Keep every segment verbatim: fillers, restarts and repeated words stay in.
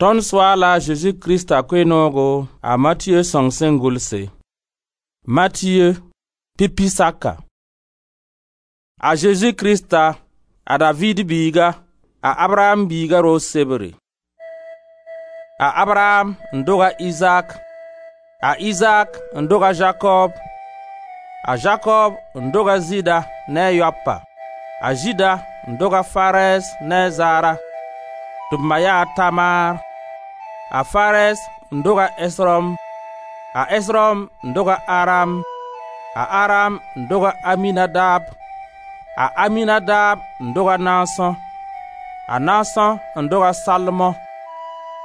Tõnd Soaala a Zeezi Krista Koe-noogo a Matiyo sõng sẽn gʋlse. Matiyo, pipi saka. A Zeezi Krista, a Daviid biiga, a Abraam biiga roog sebre. A Abraam n dog a Izaak, a Izaak n dog a Zakob, a Zakob n dog a Zɩɩda ne a yaopa, a Zɩɩda n dog a Farɛs ne a Zara, tɩ b ma yaa a Tamar, a Farɛs n dog a Esrom, a Esrom n dog a Aram, a Aram n dog a Aminadab, a Aminadab n dog a Naasõ, a Naasõ n dog a Salmõ,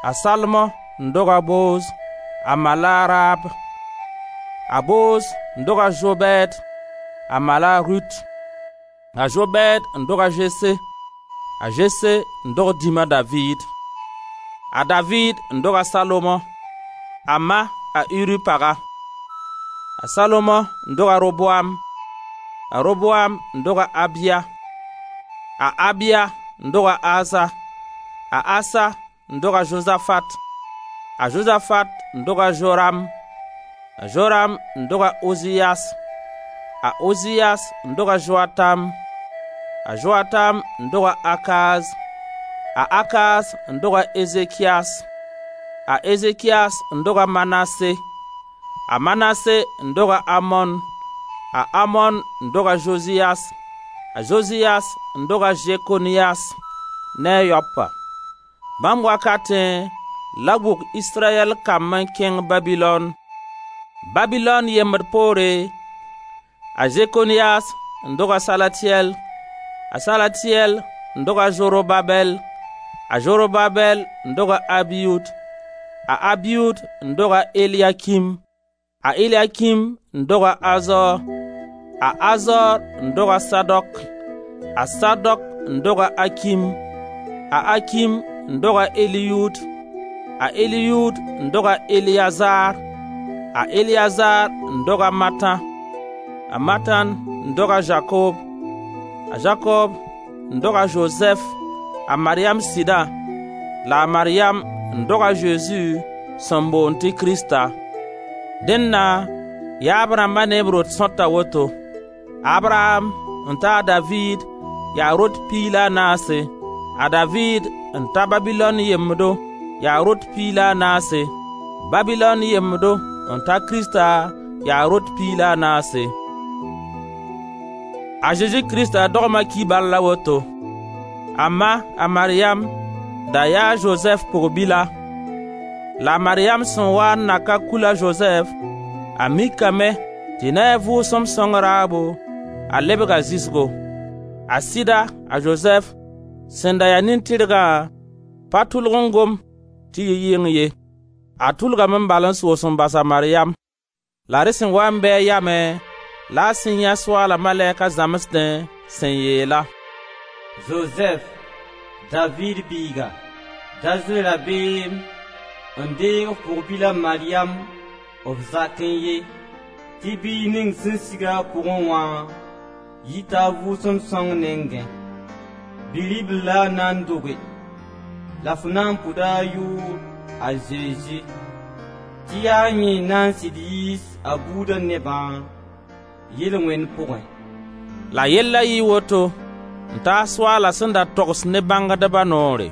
a Salmõ n dog a Boz, a ma la a Raab, a Boz n dog a Zobɛd, a ma la a Rut, a Zobɛd n dog a Zese, a Zese n dog dĩma Daviid. A Daviid n dog a Salomo, a ma a Uri paga. A Salomo n dog a Roboam, a Roboam n dog a Abia, a Abia n dog a Asa, a Asa n dog a Zozafat, a Zozafat n dog a Joram, a Joram n dog a Oziyas, a Oziyas n dog a Joatam, a Joatam n dog a Akaz, a Akaz n dog a Ezekias, a Ezekias n dog a Manase, a Manase n dog a Amon, a Amon n dog a Joziyas, a Joziyas n dog a Zekoniyas ne a yaopa. Bãmb wakatẽ la bʋk Israyɛl kamb n kẽng Babilon. Babilon yembd poore, a Zekoniyas n dog a Salatiɛl, a Salatiɛl n dog a Zorobabɛl, a Zorobabɛl n dog a Abiyud, a Abiyud n dog a Eliakim, a Eliakim n dog a Azor, a Azor n dog a Sadok, a Sadok n dog a Akim, a Akim n dog a Eliyud, a Eliyud n dog a Eliyazar, a Eliyazar n dog a Matan, a Matan n dog a Zakob, a Zakob n dog a Zozɛf, a Maryam sɩdã, la a Maryam n dog a Zeezi sẽn boond tɩ Krista. Dẽnna yaab rãmba ne b rot sõta woto: Abraam n ta a Daviid yaa rot piig la a naase, a Daviid n ta Babilon yembdo yaa rot piig la a naase, Babilon yembdo n ta Krista yaa rot piig la a naase. A Zeezi Krista dogma kibar la woto: A ma, a Maryam, da yaa Zozɛf pʋg-bila. La a Maryam sẽn waa n na ka kul a Zozɛf, a mikame tɩ ne a Vʋʋsem Sõng raabo, a lebga zɩsgo. A sɩda a Zozɛf, sẽn da ya nin-tɩrgã, pa tʋlg n gom tɩ yɩ yɩng ye. A tʋlgame n bal n soos n bas a Maryam. La rẽ sẽn wa n bɩ a yamẽ la a sẽn yãe Soaala malɛka zãmsdẽ sẽn yeel-a: «Zozɛf, Daviid biiga, da zoe rabeem n deeg f pʋg-bila Maryam f zakẽ ye, tɩ biig ning sẽn sig a pʋgẽ wã yita a Vʋʋsem Sõng nengẽ. Bi-ribl la a na n doge, la f na n pʋda a yʋʋr a Zezi, tɩ yaa yẽ n na n sɩd yiis a buudã nebã yel-wẽnd pʋgẽ.» La yella yɩɩ woto n taas Soaala sẽn da togs ne bãngdba noore: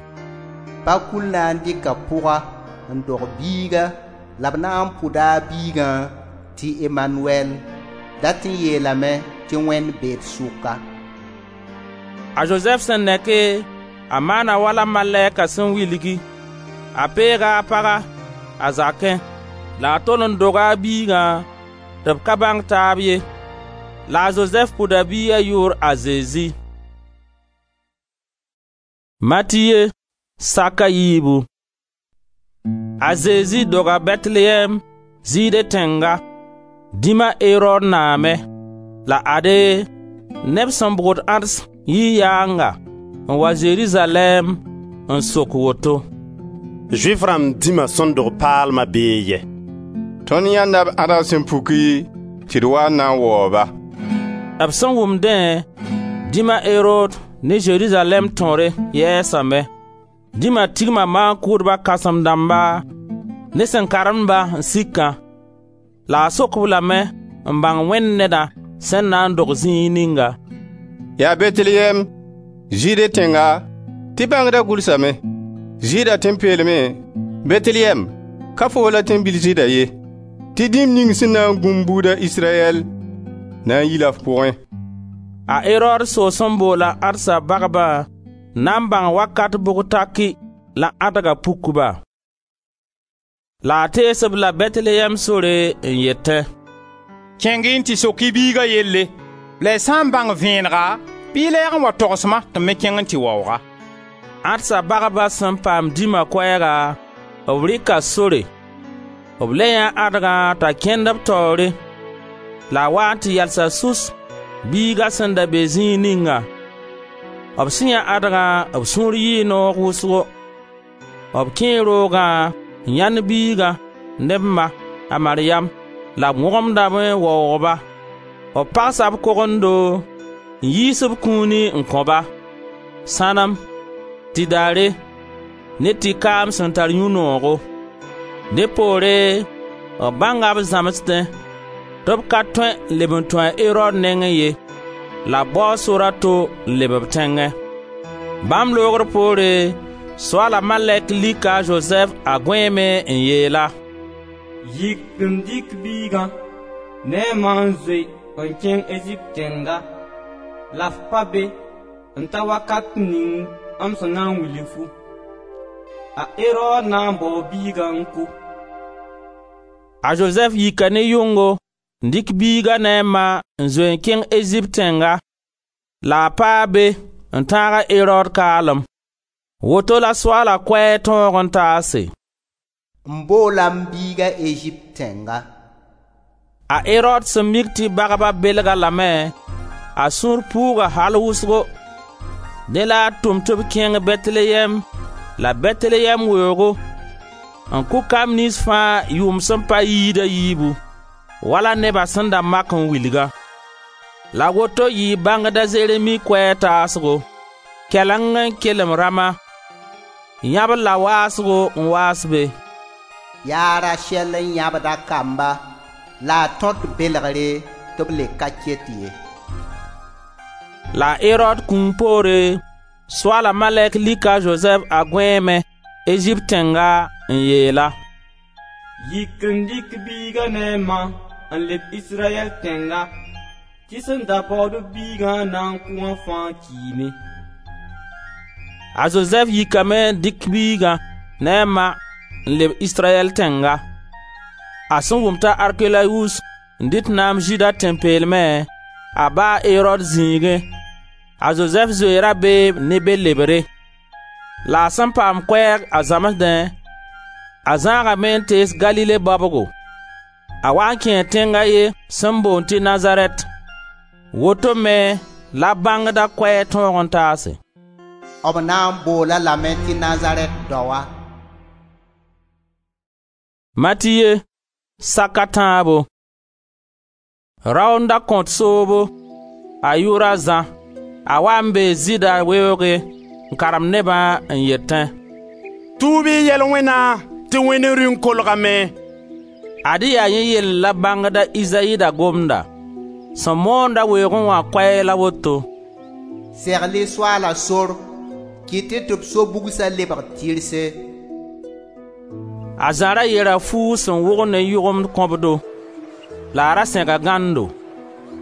Pakul na n dɩka pʋga n dog biiga la b na n pʋda a biigã tɩ Emanuɛl, dat n yeelame tɩ Wẽnd bee d sʋka. A Zozɛf sẽn neke, a maana wala malɛka sẽn wilgi, a peega a paga, a zakẽ. La a tol n doga a biigã tɩ b ka bãng taab ye. La a Zozɛf pʋda biiga yʋʋr a Zezi. Matiye, sak a yiibu. A Zezi doga Bɛtelyɛɛm, Zɩɩde tẽnga, dĩma Erod naamẽ. La ade, neb sẽn bʋgd ãds yii yaanga n wa Zerizalɛɛm n sok woto: «Zʋɩf rãmb dĩma sẽn dog paalma bee yɛ? Tõnd yãenda b ãdg sẽn puki tɩ d waa n na n waoog-ba.» B sẽn wʋm dẽ, dĩma Erod ne Zerizalɛɛm tõre yɛɛsame. Dĩma tigma maan-kʋʋdba kãsem-dãmba ne sẽn karemd-ba n sikã. La a sok-b lame n bãng Wẽnd neda sẽn na n dog zĩig ninga. Yaa Betleyɛm, Zɩɩde tẽnga, tɩ bãngda gʋlsame: Zɩɩda tẽn-peelmẽ, Betleyɛm, ka foo la tẽn-bil Zɩɩda ye, tɩ dĩm ning sẽn na n gũ m buud a Israyɛl na n yi-la f pʋgẽ.» A Erod soos n boola ãdsa bagbã n na n bãng wakat bʋg taki la ãdga puk-ba. La a tees-b la Betleyɛm sore n yetẽ: «Kẽng-y n tɩ sok-y biiga yelle, la y sã n bãng vẽenega, bɩ y lɛɛg n wa togs-ma tɩ m me kẽng n tɩ waoog-a.» Ãdsa bagbã sẽn paam dĩma koɛɛga, b rɩka sore. B le yãee ãdgã t'a kẽnd b taoore, la a waa n tɩ yalsa sus biiga sẽn da be zĩig ninga. B sẽn yãe ãdgã, b sũur yɩɩ noog wʋsgo. B kẽe roogã n yãend biigã ne b ma, a Maryam, la b wõgemdame n waoog-ba. B pagsa b kogendo n yiis b kũuni n kõ-ba: sãnem, tɩdare ne tɩ-kaam sẽn tar yũ-noogo. Dẽ poore b bãnga b zãmsdẽ tɩ b ka tõe n leb n tũ a Erod nengẽ ye, la b bao sor a to n leb b tẽngẽ. Bãmb loogr poore, Soaala malɛk lika a Zozɛf a gõeeme n yeel-a: «Yik n dɩk biigã ne a ma n zoe n kẽng Ezipt tẽnga, la f pa be n ta wakat ning m sẽn na n wilg-fu. A Erod na n bao biigã n ko.» A Zozɛf yika ne yʋngo n dɩk biiga ne a ma n zoe n kẽng Ezipt tẽnga, la a paa be n tãag a Erod kaalem. Woto la Soaala koɛɛg tõog n taase: M boola m biiga Ezipt tẽnga. A Erod sẽn mik tɩ bagba belg-a lame, a sũur puuga al wʋsgo. Dẽ la a tʋm tɩ b kẽng Betleyɛm la Betleyɛm weoogo n kʋ kamb niyns fãa yʋʋm sẽn pa yiid a yiibu, wala neba sẽn da mak n wilgã. La woto yɩɩ bãngd a Zeremi koɛɛg taasgo: Kɛleng n kelem Rama, yãbr la waasgo n waas be. Yaa Rasɛl n yãbd a kamba la a tõt belgre tɩ b le ka ket ye. La a Erod kũum poore, Soaala malɛk lika a Zozɛf a gõeeme, Ezipt tẽnga n yeel-a: «Yik n dɩk biiga ne a ma n leb Israyɛl tẽnga, tɩ sẽn da baood biigã n na n kʋ wã fãa kiime.» A Zozɛf yikame n dɩk biigã ne a ma n leb Israyɛl tẽnga. A sẽn wʋm t'a Arkelayus n dɩt naam Zɩɩda tẽn-peelmẽ, a ba a Erod zĩigẽ, a Zozɛf zoe rabeem ne be lebre. La a sẽn paam koɛɛg a zãmsdẽ, a zãagame n tees Galile baobgo. A waa n kẽe tẽng a ye sẽn boond tɩ Nazarɛt. Woto me la bãngda koɛɛg tõog n taase: B na n bool-a lame tɩ Nazarɛt daoa. Matiye, sak a tãabo. Rao n da kõt soobo, a yʋʋr a Zã. A waa n bee Zɩɩda weoogẽ n karemd nebã n yetẽ: «Tuub-y y yel-wẽna tɩ Wẽnd Rĩung kolgame.» Ad-y yaa yẽ yell la bãngda Izayi da gomda, sẽn moonda weoogẽ wã koɛɛg la woto: Segl-y Soaala sor, kɩt-y tɩ b so-bugsa lebg tɩrse. A Zã ra yera fuug sẽn wʋgd ne yʋgemd kõbdo, la a ra sẽga gãndo.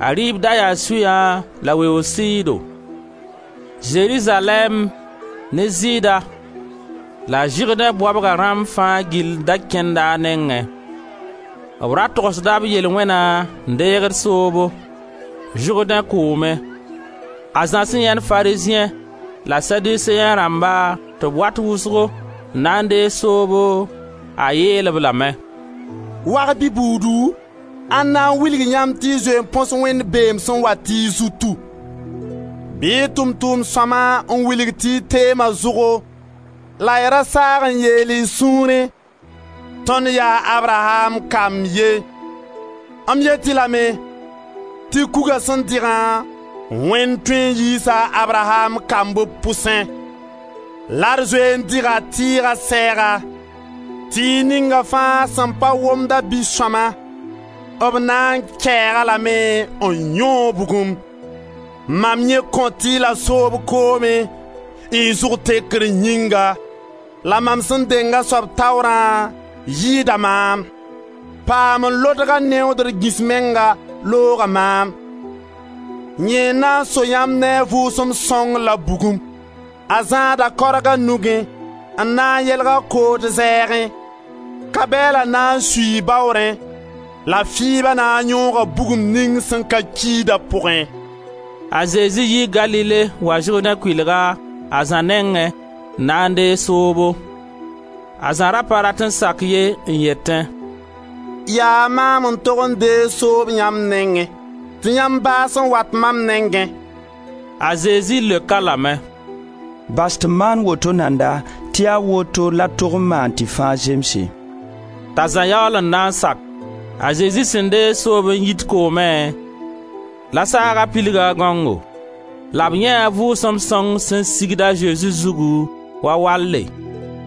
A rɩɩb da yaa sʋyã la weoog sɩɩdo. Zerizalɛɛm ne Zɩɩda la Zɩrdẽ baobga rãmb fãa gill da kẽnda a nengẽ. B ra togsda b yel-wẽna n deegd soobo, Zʋrdẽ kʋʋmẽ. A Zã sẽn yãend Farizẽ la Saduseẽ rãmba tɩ b wat wʋsgo n na n deeg soobo, a yeel-b lame: «Wag-bi buudu, ãnna n wilg yãmb tɩ y zoe n põs Wẽnd beem sẽn wat y zutu? Bɩ y tʋʋm-tʋʋm sõma n wilg tɩ y teema zʋgo la y ra saag n yeel y sũurẽ: ‹Tõnd yaa Abraham kamb ye.› M yet-y lame tɩ kuga sẽn dɩgã, Wẽnd tõe n yiisa a Abraham kamb b pʋsẽ. La d zoe n dɩga tɩɩga sɛɛga, tɩɩg ninga fãa sẽn pa womd a Bi-sõama, b na n kɛɛg-a lame n yõog bugum. Mam yẽ kõt-y la soob koomẽ, y zug tekr yĩnga, la mam sẽn deng a soab taoorã yɩɩda maam. Paam n lodga neoodr gĩs menga looga maam. Yẽ n na n so yãmb ne a Vʋʋsem Sõng la bugum. A zãada kaorg a nugẽ n na n yelg a kood zɛɛgẽ. Ka-bɛɛla na n suii baoorẽ la fɩɩba na n yõoga bugum ning sẽn ka kiida pʋgẽ.» A Zezi yii Galile wa Zʋrdẽ kʋɩlga a Zã nengẽ n na n deeg soobo. A Zã ra pa rat n sak ye n yetẽ: «Yaa maam n tog n deeg soob yãmb nengẽ, tɩ yãmb baas n wat mam nengẽ.» A Zezi leok-a lame: «Bas tɩ m maan woto nanda tɩ yaa woto la d tog n maan tɩ fãa zemse.» T'a Zã yaool n na n sak. A Zezi sẽn deeg soob n yit koomẽ, la saaga pilga a gãongo. La b yãee Vʋʋsem Sõng sẽn sigd a Zezi zugu wa walle,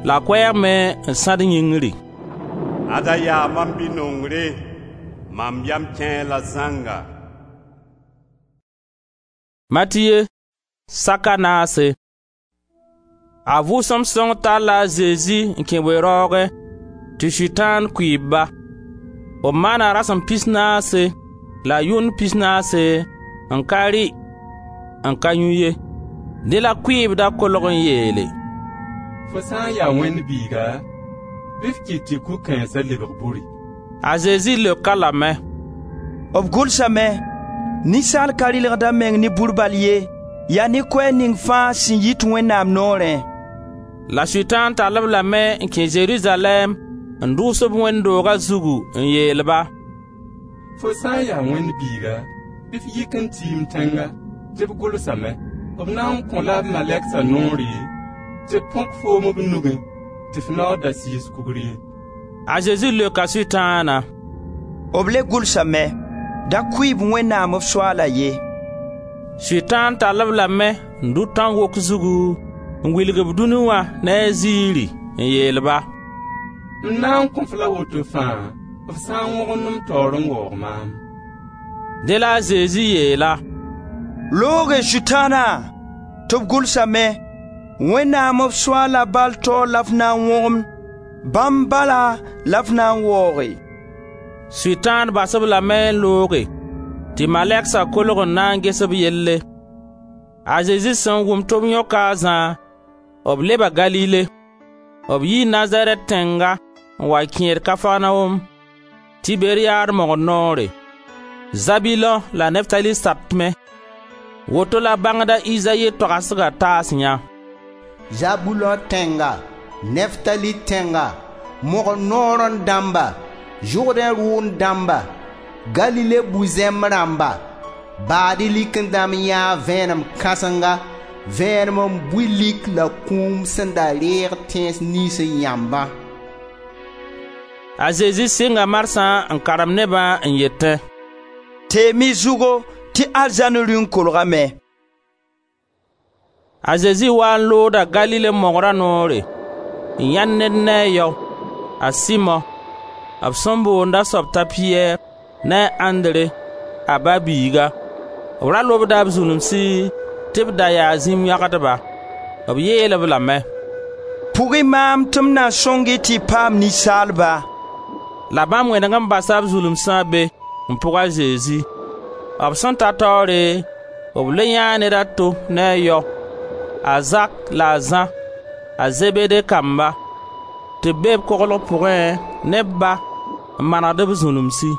la koɛɛg me n sãd yĩngri: «Ada yaa mam Bi-nongre, mam yam kẽe-a la zãnga.» Matiye, sak a naase. A Vʋʋsem Sõng talla a Zezi n kẽ we-raoogẽ tɩ Sʋtãan kʋɩɩb-ba. B maana rasem pis naase la yʋnd pis naase n ka rɩ n ka yũ ye. Dẽ la kʋɩɩbda kolg n yeele: «Fo sã n ya Wẽnd Biiga, bɩ f kɩt tɩ kug-kãensa lebg buri.» A Zezi leok-a lame: «B gʋlsame: ‹Ninsaal ka rɩlgd a meng ne bur bal ye, yaa ne koɛɛg ning fãa sẽn yit Wẽnnaam noorẽ.›» La Sʋtãan tall-b lame n kẽ Zerizalɛɛm n dʋʋs b wẽnd dooga zugu n yeel-ba: «Fo sã n ya Wẽnd Biiga, bɩ f yik n tiim tẽnga, tɩ b gʋlsame: B na n kõ-la b malɛksa noore tɩ b põk foom b nugẽ tɩ f nao da sɩɩs kugr ye.» A Zezi leoka Sʋtãana: «B le gʋlsame: Da kʋɩ-b Wẽnnaam f Soaala ye.» Sʋtãan tall-b lame n dʋ tãn-wok zugu n wilg b dũni wã ne a ziiri n yeel-ba: «M na n kõ-f la woto fãa, f sã n wõgemd m taoor n waoog maam.» Dẽ la a Zezi yeel-a: «Looge Sʋtãana, tɩ b gʋlsame: Wẽnnaam f Soaala bal taoor la f na n wõgemd, bãmb bala la f na n waooge.» Sʋtãan bas-b lame n looge, tɩ malɛksa kolg n na n ges b yelle. A Zezi sẽn wʋm tɩ b yõka a Zã, b leba Galile. B yii Nazarɛt tẽnga n wa kẽed Kafarnaom, Tiberiyaad mogr noore, Zabilõ la Neftali satmẽ. Woto la bãngda Izayi toagsga taas yã: Zabulõ tẽnga, Neftali tẽnga, mogr noorẽ dãmba, Zʋrdẽ rʋʋnd dãmba, Galile bu-zẽmb rãmba, baad-y likẽ dãmb yãee vẽenem kãsenga, vẽenem n bui lik la kũum sẽn da reeg tẽns niyns yãmbã. A Zezi sɩnga marsã n karem nebã n yetẽ: «Teem-y zʋgo tɩ arzãn Rĩung kolgame.» A Zezi waa n looda Galile mogra noore, n yãend ned ne a yao, a Simo, b sẽn boond a soab t'a Piyɛr, ne a Andre, a ba biiga. B ra lobda b zulumsi tɩ b da yaa zĩm yãgdba. B yeel-b lame: «Pʋg-y maam tɩ m na sõng-y tɩ y paam ninsaalba.» La bãmb wẽneg n basa b zulumsã be n pʋg a Zezi. B sẽn ta taoore, b le yãee ned a to ne a yao, a Zak la a Zã, a Zebede kamba, tɩ b be b koglg pʋgẽ ne b ba n manegd b zulumsi.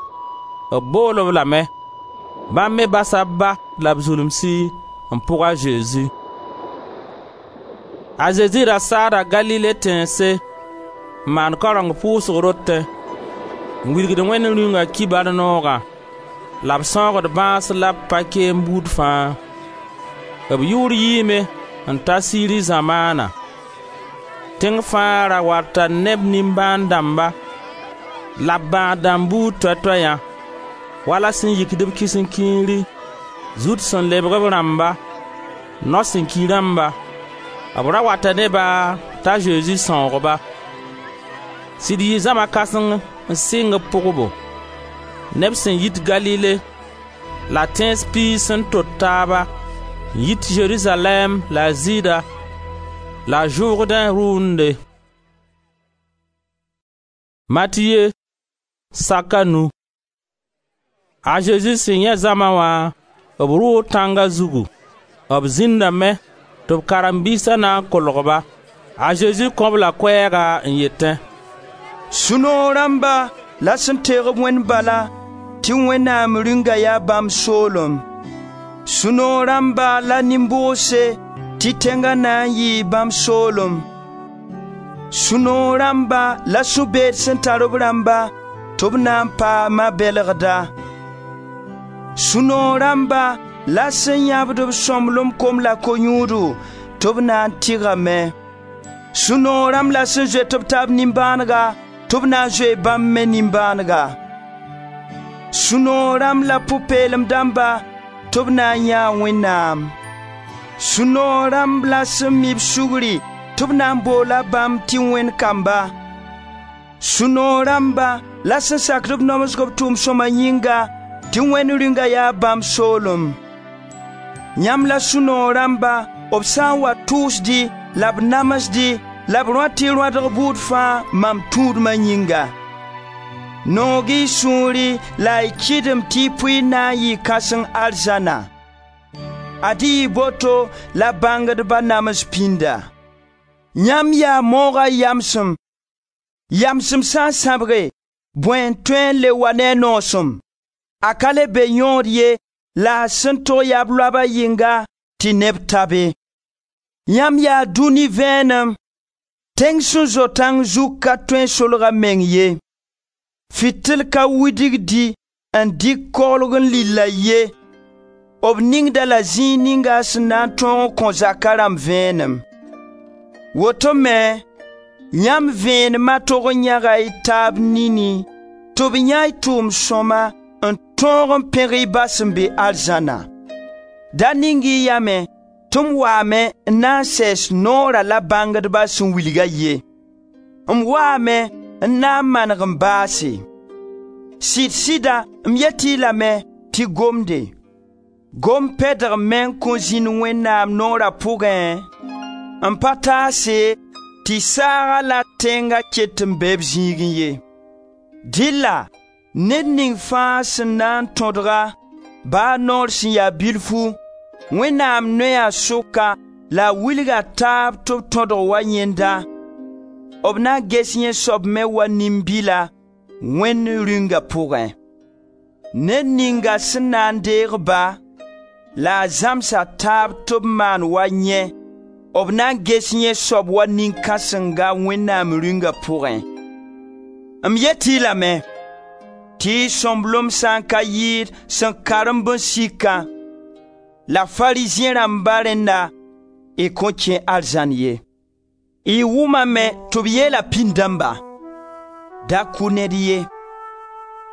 B bool-b lame. Bãmb me basa b ba la b zulumsi n pʋg a Zezi. A Zezi ra saada Galile tẽnse n maan kaoreng pʋʋsg rotẽ, n wilgd Wẽnd Rĩunga kibar noogã, la b sãoogd bãas la b pa-keem buud fãa. B yʋʋr yiime n ta Siri zamaana. Tẽng fãa ra wata ne b nimbãan dãmba la b bãad dãmb buud toay-toayã, wala sẽn yikd b kisen-kiiri, zut sẽn lebg b rãmba, nao sẽn ki rãmba, B ra wata ne-ba t'a Zezi sãoog-ba. Sɩd yɩ zãma kãseng n sɩng b pʋgbo, neb sẽn yit Galile la tẽns piis sẽn tot taaba, n yit Zerizalɛɛm la Zɩɩda la Zʋrdẽ rʋʋnde. Matiye sak a nu. A Zezi sẽn yãe zãma wã, b rʋʋ tãnga zugu. B zĩndame tɩ b karen-biisa na n kolg-ba. A Zezi kõ-b la koɛɛga n yetẽ: Sũ-noog rãmba la sẽn teeg-b Wẽnd bala tɩ Wẽnnaam Rĩunga yaa bãmb soolem. Sũ-noog rãmba la nin-bʋgse tɩ tẽnga na n yɩɩ bãmb soolem. Sũ-noog rãmba la sũ-beed sẽn tar b rãmba tɩ b na n paama bɛlgda. Sũ-noog rãmba la sẽn yãbd b sõmblem kom la ko-yũudo tɩ b na n tɩgame. Sũ-noog rãmb la sẽn zoet b taab nimbãanega tɩ b na n zoe bãmb me nimbãanega. Sũ-noog rãmb la pʋ-peelem dãmba tɩ b na n yãa Wẽnnaam. Sũ-noog rãmb la sẽn mi b sugri tɩ b na n boola bãmb tɩ Wẽnd kamba. Sũ-noog rãmba la sẽn sakd b namsg b tʋʋm sõma yĩnga tɩ Wẽnd Rĩunga yaa bãmb soolem. Yãmb la sũ-noog rãmba b sã n wa tʋʋsd-y la b namsd-y la b rõat y rõadg buud fãa mam tũudma yĩnga. Noog y sũuri la y kɩdem tɩ y pʋɩ na n yɩ kãseng arzãna. Ad-y y boto la bãngdba nams pĩnda. Yãmb yaa mooga yamsem. Yamsem sã n sãbge, bõe n tõe n le wa ne a noosem? A ka le be yõod ye la a sẽn tog yaa b loaba yɩnga tɩ neb tabe. Yãmb yaa dũni vẽenem. Tẽng sẽn zo tãng zug ka tõe n solg a meng ye. Fɩtɩl ka widgdi n dɩk koglg n lilla ye. B ningda la zĩig ninga sẽn na n tõog n kõ zaka rãmb vẽenem. Woto me, yãmb vẽenema tog n yãga y taab nini tɩ b yã y tʋʋm sõma n tõog n pẽg y Ba sẽn be arzãna. Da ning-y yame tɩ m waame n na n sɛɛs noora la bãngdba sẽn wilga ye. M waame n na n maneg n baase. Sɩd-sɩda m yet-y lame tɩ gomde. Gom pɛdg meng kõn zĩnd Wẽnnaam noora pʋgẽ n pa taase tɩ saaga la tẽnga ket n be b zĩigẽ ye. Dɩlla ned ning fãa sẽn na n tõdga, baa noor sẽn ya bilfu, Wẽnnaam noya sʋka la a wilga taab tɩ b tõdg wa yẽnda, b na ges yẽ soab me wa nin-bila Wẽnd Rĩunga pʋgẽ. Ned ninga sẽn na n deeg ba la a zãms a taab tɩ b maan wa yẽ, b na n ges yẽ soab wa nin-kãsenga Wẽnnaam Rĩunga pʋgẽ. M yet-y lame tɩ y sõmblem sã n ka yɩɩd sẽn karemb n sikã la Farizẽ rãmba rẽnna, y kõn kẽ arzãn ye. Y wʋmame tɩ b yeela pĩnd-dãmba: da kʋ ned ye,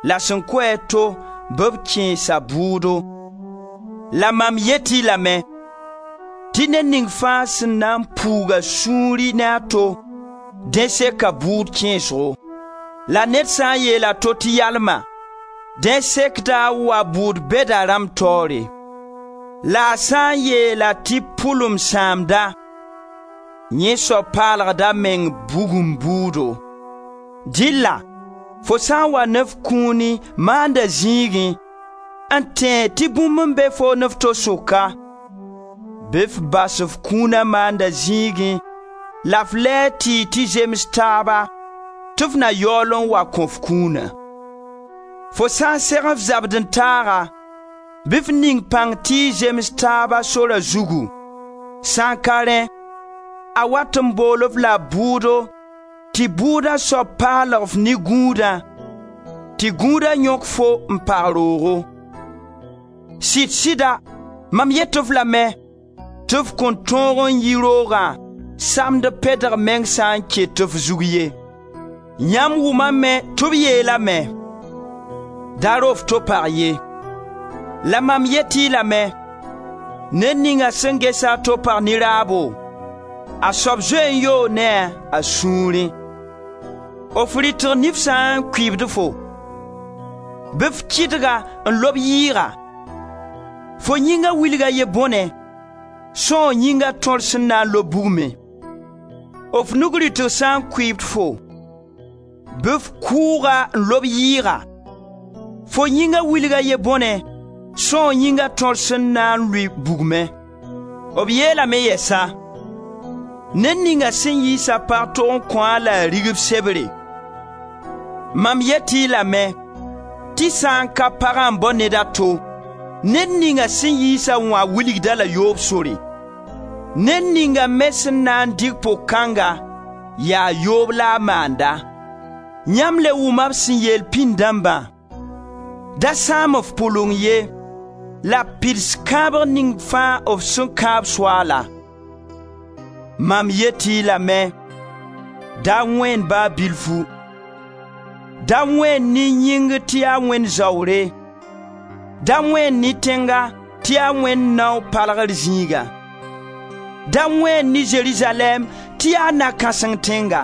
la sẽn kʋ-a to bɩ b kẽes a bʋʋdo. La mam yet-y lame tɩ ned ning fãa sẽn na n puug a sũuri ne a to, dẽ seka bʋʋd kẽesgo. La ned sã n yeel a to tɩ yalma, dẽ sekda a wa bʋʋd bɛda rãmb taoore. La a sã n yeela tɩ pʋlem sãamda, yẽ soab paalgda meng bugum bʋʋdo. Dɩlla fo sã n wa ne f kũuni maanda zĩigẽ, n tẽeg tɩ bũmb n be foo ne f to sʋka, bɩ f bas f kũuna maanda zĩigẽ la f lɛɛ tɩ y tɩ zems taaba tɩ f na yaool n wa kõ f kũuna. Fo sã n seg f zabd-n-taaga, bɩ f ning pãng tɩ y zems taaba sora zugu. Sã n ka rẽ, a wat n bool-f la bʋʋdo tɩ bʋʋda soab paalg f ne gũudã, tɩ gũudã yõk fo n pag roogo. Sɩd-sɩda mam yet-f lame tɩ f kõn tõog n yi roogã samd pɛdg meng sã n ket f zug ye. Yãmb wʋmame tɩ b yeelame: da ro f to pag ye. La mam yet-y lame, ned ninga sẽn ges a to pag ne raabo, A soab zoe n yoog ne a a sũurẽ. F rɩtg nif sã n kʋɩɩbd fo, bɩ f kɩdg-a n lob yɩɩga. Fo yĩnga wilg a ye bõne, sõog yĩnga tõr sẽn na n lob bugmẽ. F nug rɩtg sã n kʋɩɩbd fo, bɩ f kʋʋg-a n lob yɩɩga. Fo yĩnga wilg a ye bõne, sõog yĩnga tõr sẽn na n lʋɩ bugmẽ. B yeelame yɛsa: ned ninga sẽn yiis a pag tog n kõ-a la a rigb sebre. Mam yet-y lame tɩ sã n ka pagã n bao ned a to, ned ninga sẽn yiis-a wã wilgd-a la yoob sore. Ned ninga me sẽn na n dɩk pok-kãnga, yaa yoob la a maanda. Yãmb le wʋma b sẽn yeel pĩnd dãmbã: da sãam f pʋleng ye, la pids kãabg ning fãa f sẽn kãab Soaala. Mam yet-y lame, da wẽen ba bilfu. Da wẽen ne yĩngr tɩ yaa Wẽnd zaoore. Da wẽen ne tẽnga tɩ yaa Wẽnd nao palgr zĩiga. Da wẽen ne Zerizalɛɛm tɩ yaa na-kãseng tẽnga.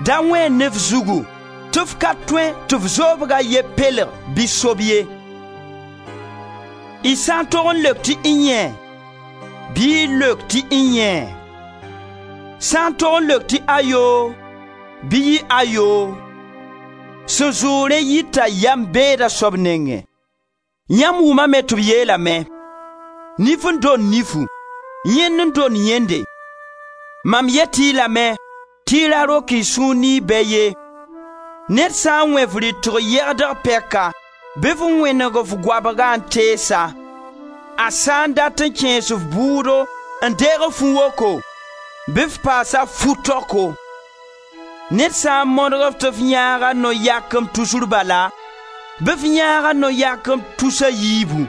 Da wẽen ne f zugu tɩ f ka tõe tɩ f zoobga ye pelg bɩ sob ye. Y sã n tog n leok tɩ iyẽ, bɩ y leok tɩ iyẽ. Sã n tog n leok tɩ ayoo, bɩ yɩ ayoo. Sẽn zʋʋg rẽ yita yam beeda soab nengẽ. Yãmb wʋmame tɩ b yeelame: nif n dond nifu, yẽnd n dond yẽnde. Mam yet-y lame tɩ y ra rok y sũur ne y bɛ ye. Ned sã n wẽ f rɩtg yɛgdg pɛka, bɩ f wẽneg f goabga n tees-a. A sã n dat n kẽes f bʋʋdo n deeg f fu-woko, bɩ f paas-a fu-taoko. Ned sã n modg-f tɩ f yãag a no-yakem tusr bala, bɩ f yãag a no-yakem tus a yiibu.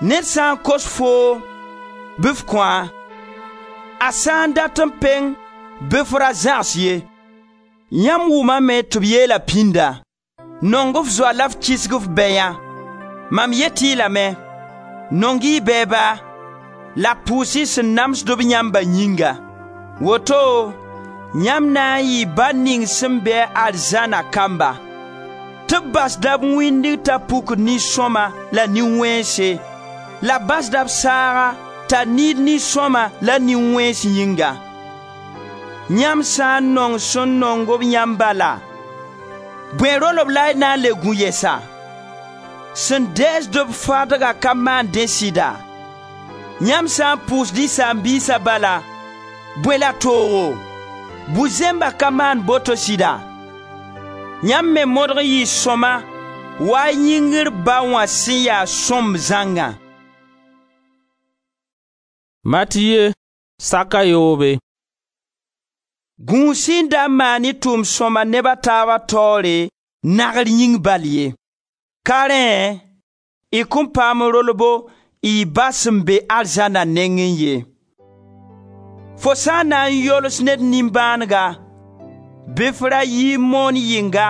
Ned sã n kos foo, bɩ f kõ-a. A sã n dat n peng, bɩ f ra zãgs ye. Yãmb wʋmame tɩ b yeela pĩnda: nong f zoa la f kisg f bɛyã. Mam yet-y lame, nong-y y bɛɛba la pʋʋs-y sẽn namsd-b yãmba yĩnga. Woto yãmb na n yɩ Ba ning sẽn be-a arzãna kamba, tɩ b basda b wĩndg t'a pukd nin-sõma la nin-wẽnse, la basda b saaga t'a niid nin-sõma la nin-wẽns yĩnga. Yãmb sã n nong sẽn nong-b yãmb bala, bõe rolb la y na n le gũ yɛsa? Sẽn dɛɛsd-b fadga ka maan dẽ sɩda? Yãmb sã n pʋʋsd y saam-biisa bala, bõe la toogo? Bu-zẽmba ka maan boto sɩda? Yãmb me modg n yɩ sõma wa y yĩngr Ba wã sẽn ya sõmb zãngã. Matiye saka yoobe. Gũus-y n da n maan y tʋʋm sõma neb a taaba taoore nagr yĩng bal ye. Ka rẽ, y kõn paam rolbo y Ba sẽn be arzãna nengẽ ye. Fo sã n na n yols ned nimbãanega, bɩ f ra yi moon yɩnga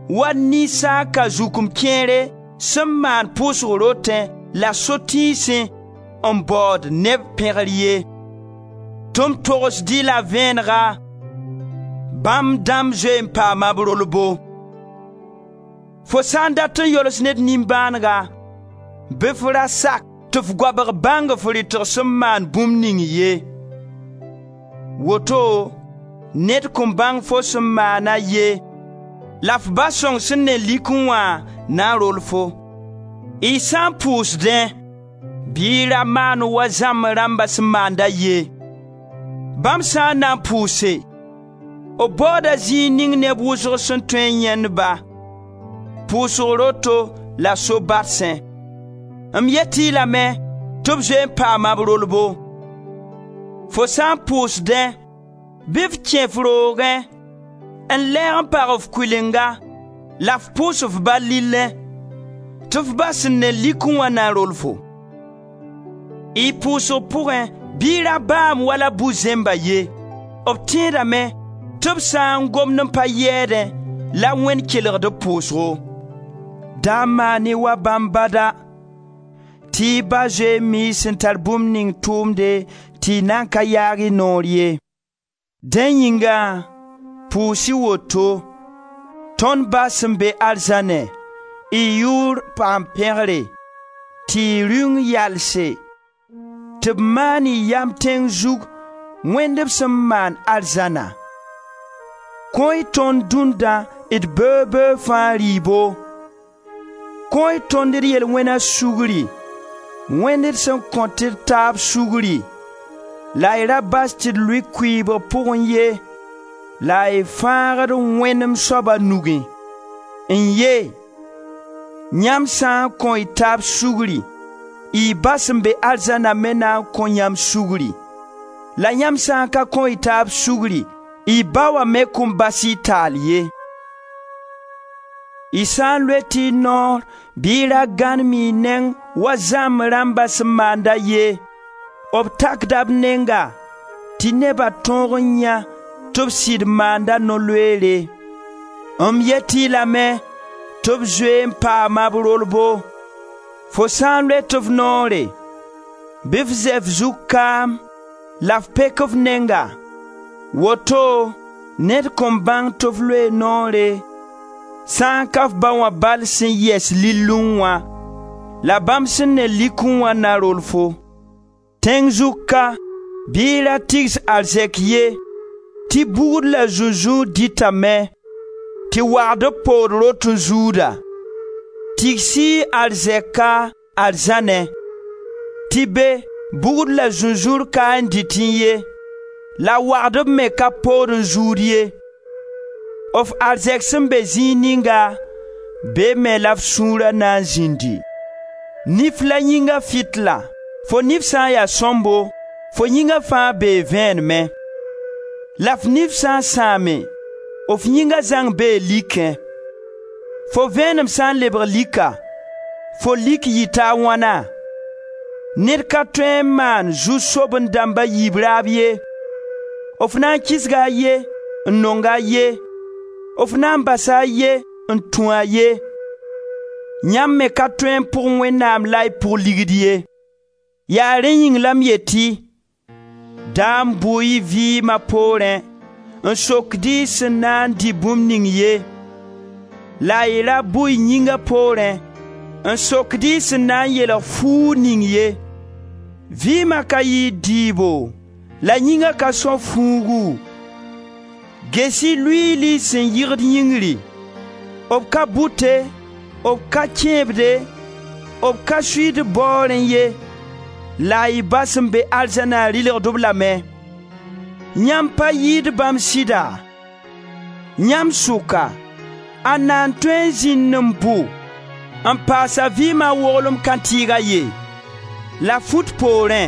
wa ninsaaka zukum kẽere sẽn maan pʋʋsg rotẽ la so-tĩisẽ n baood neb pẽgr ye. Tɩ m togsd-y la vẽenega, bãmb dãmb zoe n paama b rolbo. Fo sã n dat n yols ned nimbãanega, bɩ f ra sak tɩ f goabg bãng f rɩtg sẽn maan bũmb ning ye. Woto ned kõn bãng fo sẽn maana ye, la f Ba sõng sẽn ne likẽ wã na n rol fo. Y sã n pʋʋsdẽ, bɩ y ra maan wa zãmb rãmba sẽn maanda ye. Bãmb sã n na n pʋʋse, b baooda zĩig ning neb wʋsg sẽn tõe n yãend-ba, pʋʋsg roto la so-badsẽ. M yet-y lame tɩ b zoe n paama b rolbo. Fo sã n pʋʋsdẽ, bɩ f kẽ f roogẽ n lɛɛg n pag f kʋɩlenga la f pʋʋs f ba lillẽ, tɩ f ba sẽn ne likẽ wã na n rol fo. Y pʋʋsg pʋgẽ bɩ y ra baam wala bu-zẽmba ye. B tẽedame tɩ b sã n gomd n pa yɛɛdẽ la Wẽnd kelgd b pʋʋsgo. Da maan-y wa bãmb bada, tɩ y Ba zoe n mi y sẽn tar bũmb ning tʋʋmde tɩ tɩ y nan ka yaag y noor ye. Dẽ yĩnga, pʋʋs-y woto: Tõnd Ba sẽn be arzãnẽ, y yʋʋr paam pẽgre, tɩ y Rĩung yalse, tɩ b maan y yam tẽng zug wẽnd b sẽn maan arzãna. Kõ-y tõnd dũndã d beoog-beoog fãa rɩɩbo. Kõ-y tõnd d yel-wẽna sugri, wẽnd d sẽn kõt d taab sugri, la y ra bas tɩ d lʋɩ kʋɩɩbg pʋgẽ ye, la y fãagd wẽnem soaba nugẽ. N ye, yãmb sã n kõ y taab sugri, y Ba sẽn be arzãna me na n kõ yãmb sugri. La yãmb sã n ka kõ y taab sugri, y Ba wã me kõn bas y taal ye. Y sã n loet y noor bɩ y ra gãnem y neng wa zãmb rãmba sẽn maanda ye, b takda b nenga tɩ neba tõog n yã tɩ b sɩd maanda no-loeere. M yet-y lame tɩ b zoe n paama b rolbo. Fo sã n loet f noore, bɩ f zɛ f zug kaam la f pek f nenga. Woto ned kõn bãng tɩ f loee noore, sã n ka f ba wã bal sẽn yɛs lillẽ wã, la bãmb sẽn ne likẽ wã na rol fo. Tẽng zug ka, bɩ y ra tigs arzɛk ye, tɩ bugd la zũnzũur dɩtame, tɩ wagdb pood rot n zuuda. Tigs-y arzɛka arzãnẽ, tɩ be bugd la zũnzũur ka n dɩtẽ ye, la wagdb me ka pood n zuud ye. F arzɛk sẽn be zĩig ninga, be me la f sũura na n zĩndi. Nif la yĩnga fɩtla. Fo nif sã n ya sõmbo, fo yĩnga fãa bee vẽenemẽ. La f nif sã n sãame, f yĩnga zãng bee likẽ. Fo vẽenem sã n lebg lika, fo lik yita a wãna? Ned ka tõe n maan zu-soben-dãmb a yiib raab ye. F na n kisga a ye n nong a ye, f na n basa a ye n tũ a ye. Yãmb me ka tõe n pʋg Wẽnnaam la y pʋg ligd ye. Yaa rẽ yĩng la m yet-y: da n bʋ y vɩɩma poorẽ n sokd y sẽn na n dɩ bũmb ning ye, la y ra bʋ y yĩnga poorẽ n sokd y sẽn na n yeelg fuug ning ye. Vɩɩma ka yɩɩd dɩɩbo, la yĩnga ka são fuugu. Ges-y luiili sẽn yɩgd yĩngri: b ka bʋte, b ka kẽebde, b ka suiid baoorẽ ye, la y Ba sẽn be arzãna rɩlgd-b lame. Yãmb pa yɩɩd bãmb sɩda? Yãmb sʋka, ãnna n tõe n zĩnd n bʋ n paas a vɩɩma woglem kãntɩɩg a ye? La fut poorẽ,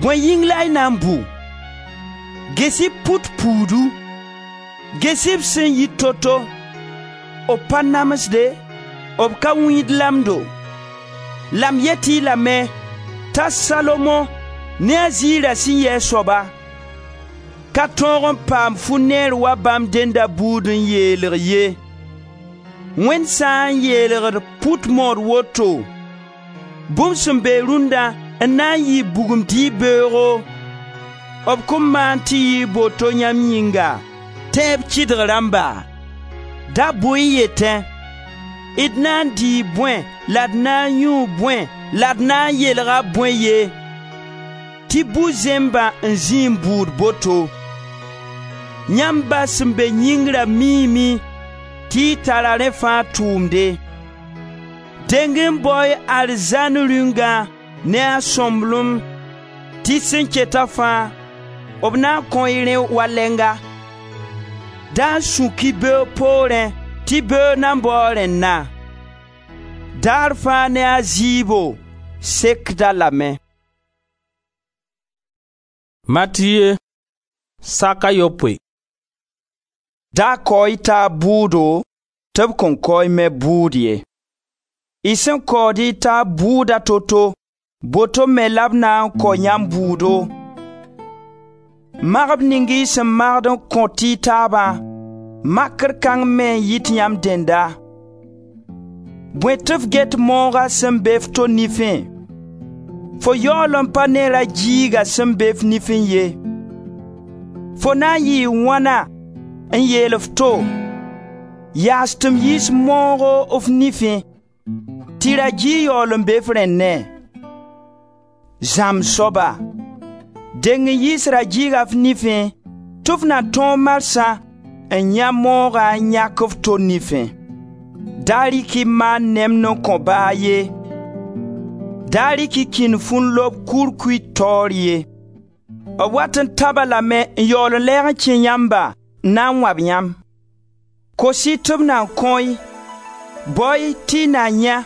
bõe yĩng la y na n bʋ? Ges-y put puudu, ges-y b sẽn yi to-to: b pa namsde, b ka wĩid lamdo. La m yet-y lame t'a Salomo ne a ziira sẽn yɩ a soaba, ka tõog n paam fu-neer wa bãmb dẽnda buud n yeelg ye. Wẽnd sã n yeelgd put mood woto, bũmb sẽn be rũndã n na n yɩ bugum dɩɩb beoogo, b kõn maan tɩ yɩ boto yãmb yĩnga, tẽeb kɩdg rãmba? Da bʋ-y yetẽ: d na n dɩɩ bõe la d na n yũu bõe la d na n yeelga bõe ye? Tɩ bu-zẽmbã n zĩ n bʋʋd boto. Yãmb Ba sẽn be yĩngrã miime tɩ y tara rẽ fãa tʋʋmde. Deng n bao-y arzãn Rĩungã ne a sõmblem tɩ sẽn keta fãa, b na n kõ-y rẽ walenga. Da n sũk-y beoog poorẽ tɩ beoog nan bao rẽnna. Daar fãa ne a zɩɩbo sekd-a lame. Matiye sak a yopoe. Da kao-y taab bʋʋdo tɩ b kõn kao-y me bʋʋd ye. Y sẽn kaood y taab bʋʋda to-to, boto me la b na n kao yãmb bʋʋdo. Magb ning y sẽn magd n kõt y taabã, makr kãng me n yit yãmb dẽnda. Bõe tɩ f get mooga sẽn be f to nifẽ, Fo yaool n pa ne ra-gɩɩga sẽn be f nifẽ ye. Fo na n yɩɩ wãna n yeel f to: yaas tɩ m yiis moogo f nifẽ, tɩ ra-gɩɩg yaool n be f rẽnnẽ? Zãmb soaba, deng n yiis ra-gɩɩga f nifẽ tɩ f na tõog marsã n yãe moogã n yãk f to nifẽ. Da rɩk-y maan nemd n kõ ba a ye. Da rɩk-y kĩndfu n lob kurkuy taoor ye. B wat n ta-ba lame n yaool n lɛɛg n kẽ yãmba n na n wãb yãmb. Kos-y tɩ b na kõ-y, bao-y tɩ y na yãe,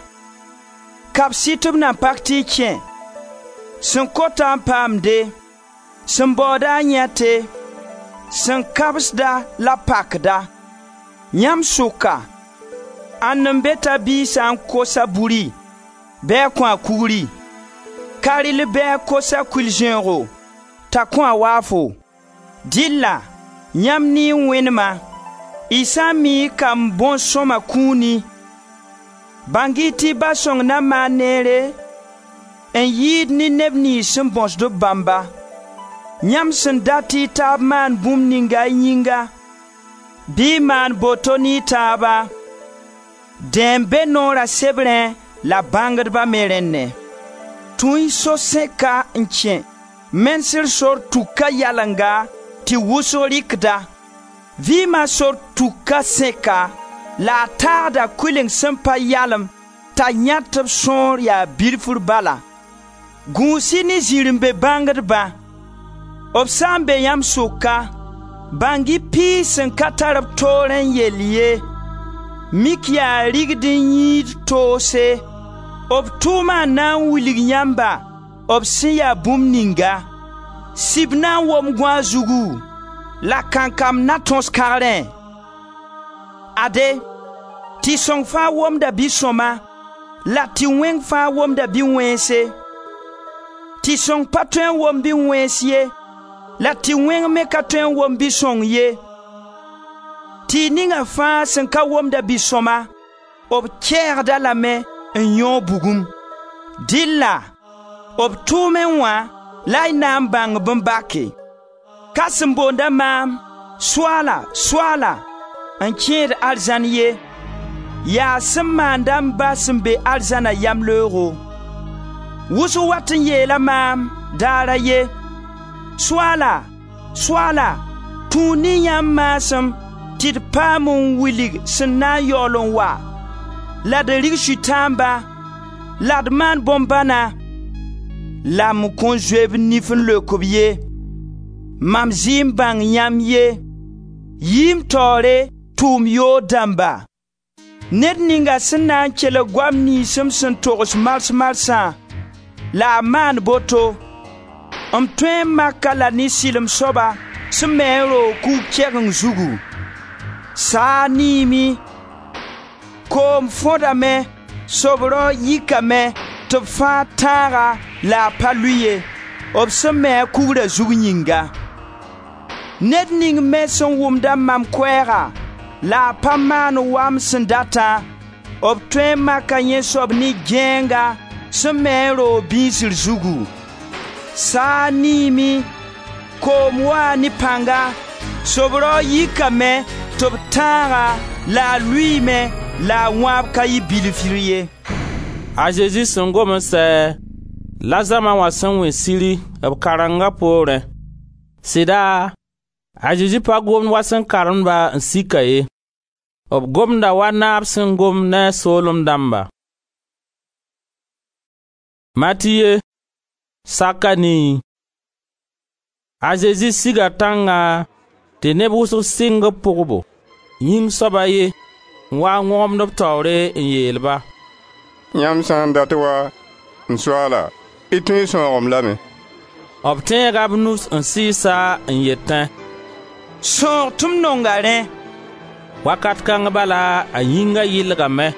kabs-y tɩ b na pak tɩ y kẽ. Sẽn kota n paamde, sẽn baooda n yãete, sẽn kabsda la pakda. Yãmb sʋka, ãnd n be t'a biig sã n kos-a buri, bɩ a kõ-a kugri? Ka rɩl bɩ a kos-a kʋɩl-zẽoogo t'a kõ-a waafo? Dɩlla yãmb ne y wẽnema, y sã n mi y kamb bõn-sõma kũuni, bãng-y tɩ y Ba sõng na maan neere n yɩɩd ne neb niyns sẽn bõsd b bãmba. Yãmb sẽn dat y taab maan bũmb ninga y yĩnga, bɩ y maan boto ne y taaba, dẽ n be noora sebrẽ la bãngdba me rẽnnẽ. Tũ-y so-sẽka n kẽ mensr sor tuka yalenga tɩ wʋsg rɩkda. Vɩɩma sor tuka sẽka la a taagda kʋɩleng sẽn pa yalem t'a yãt b sõor yaa bilfr bala. Gũus-y ne zirẽ-be bãngdbã. B sã n be yãmb sʋka, bãng-y piis sẽn ka tar b toorẽ n yell ye. Mik yaa rigd n yĩid toose. B tʋʋma n na n wilg yãmba b sẽn ya bũmb ninga. Sib na n wom gõa zugu, la kankam na tõs kagrẽ. Ade, tɩ-sõng fãa womda bi-sõma la tɩ-wẽng fãa womda bi-wẽnse. Tɩ-sõng pa tõe n wom bi-wẽns ye, la tɩ-wẽng me ka tõe n wom bi-sõng ye. Tɩ ninga fãa sẽn ka womda bi-sõma, b kɛɛgd-a lame n yõog bugum. Dɩlla b tʋʋmẽ wã la y na n bãng b n bake. Ka sẽn boonda maam: Soaala, Soaala, n kẽed arzãn ye, yaa sẽn maanda m Ba sẽn be arzãna yamleoogo. Wʋsg wat n yeela maam daar a ye: Soaala, Soaala, tũu ne yãmb maasem tɩ d paam n wilg sẽn na n yaool n wa, la d rig sʋtãamba, la d maan bõn-bãna. La m kõn zoe b nif n leok b ye: Mam zɩ n bãng yãmb ye, yɩ m taoore, tʋʋm yoog dãmba. Ned ninga sẽn na n kelg goam niyns m sẽn togs mars marsã la a maan boto, m tõe n mak-a la ne sɩlem soaba sẽn me a roog kug kɛgeng zugu. Saa niime, koom fõdame, sobrao yikame tɩ b fãa tãaga la a pa lʋɩ ye, b sẽn me a kugra zug yĩnga. Ned ning me sẽn wʋmda mam koɛɛga la a pa maan wa m sẽn datã, b tõe n maka yẽ soab ne gãeenga sẽn me a roog bĩisr zugu. Saa niime, koom waa ne pãnga, sobrao yikame tɩ b tãaga la a lʋɩɩme la a wãab ka yɩ bilfr ye. A Zezi sẽn gom n sɛ, la zãma wã sẽn wẽ siri b karenga poorẽ. Sɩda, a Zezi pa gomd wa sẽn karemd-ba n sika ye. B gomda wa naab sẽn gom ne a soolem dãmba. Matiye saka nii. A Zezi siga tãnga tɩ neb wʋsg sɩng b pʋgbo. Yĩng soab a ye n wa n wõgemd b taoore n yeel-ba: Yãmb sã n dat wa, m Soaala, y tõe n sãoog-m lame. B tẽega b nus n sɩɩs-a n yetẽ: Sãoog tɩ m nonga rẽ. Wakat kãng bala a yĩnga yɩlgame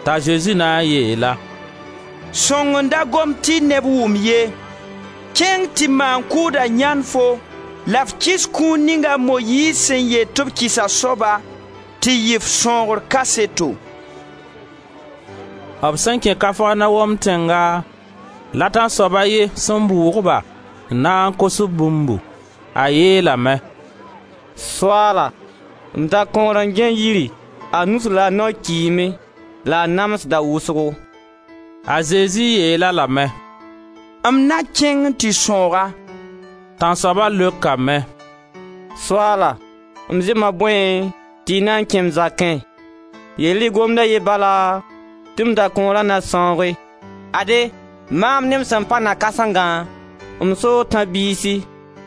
t'a Zezi na n yeel-a: Sõng n da gom tɩ neb wʋm ye. Kẽng tɩ maan-kʋʋda yãnd fo la f kɩs kũun ning a Moyiiz sẽn yet tɩ b kɩs a soaba tɩ yɩ f sõogr kaseto. B sẽn kẽ Kafarnaom tẽnga, La tãnsoab a ye sẽn bʋʋg-ba n na n kos-b bũmbu. A yeelame: «Soaala, m dakõor n gãe yiri, a nus la a nao kiime la a namsda wʋsgo.» A Zezi yeel-a lame: «M na kẽng n tɩ sãoog-a.» Tãnsoaba leokame: «Soaala, m zema bõe tɩ y na n kẽ m zakẽ? Yeel-y gomd a ye bala tɩ m dakõora na sãooge. Ade, maam ne m sẽn pa na-kãsengã, m soog tãb-biisi,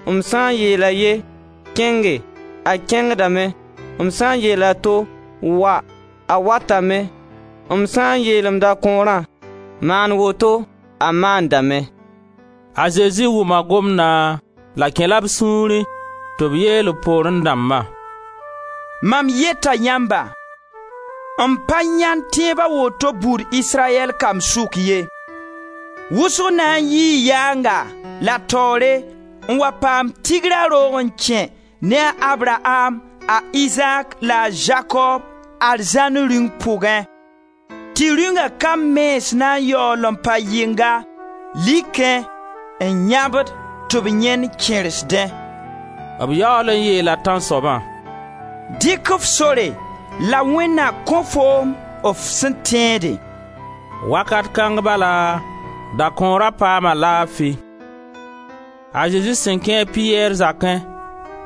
m sã n yeel a ye: kẽnge, a kẽngdame; m sã n yeel a to: wa, a watame; m sã n yeel m dakõorã: maan woto, a maandame.» A Zezi wʋma gomdã la kẽ-la b sũurẽ tɩ b yeel b poorẽ dãmba: «Mam yeta yãmba, m pa yãend tẽeb a woto buud Israyɛl kamb sʋk ye. Wʋsg na n yii yaanga la taoore n wa paam Tigra roog n kẽ ne a Abraam, a Izaak la a Zakob arzãn Rĩung pʋgẽ, tɩ Rĩunga kamb mens na n yaool n pa yɩnga likẽ n yãbd tɩ b yãend kẽresdẽ.» B yaool n yeela tãnsoabã: «Dɩk f sore la Wẽnd na kõ foom f sẽn tẽede.» Wakat kãng bala, dakõora paama laafi. A Zezi sẽn kẽ a Piyɛr zakẽ,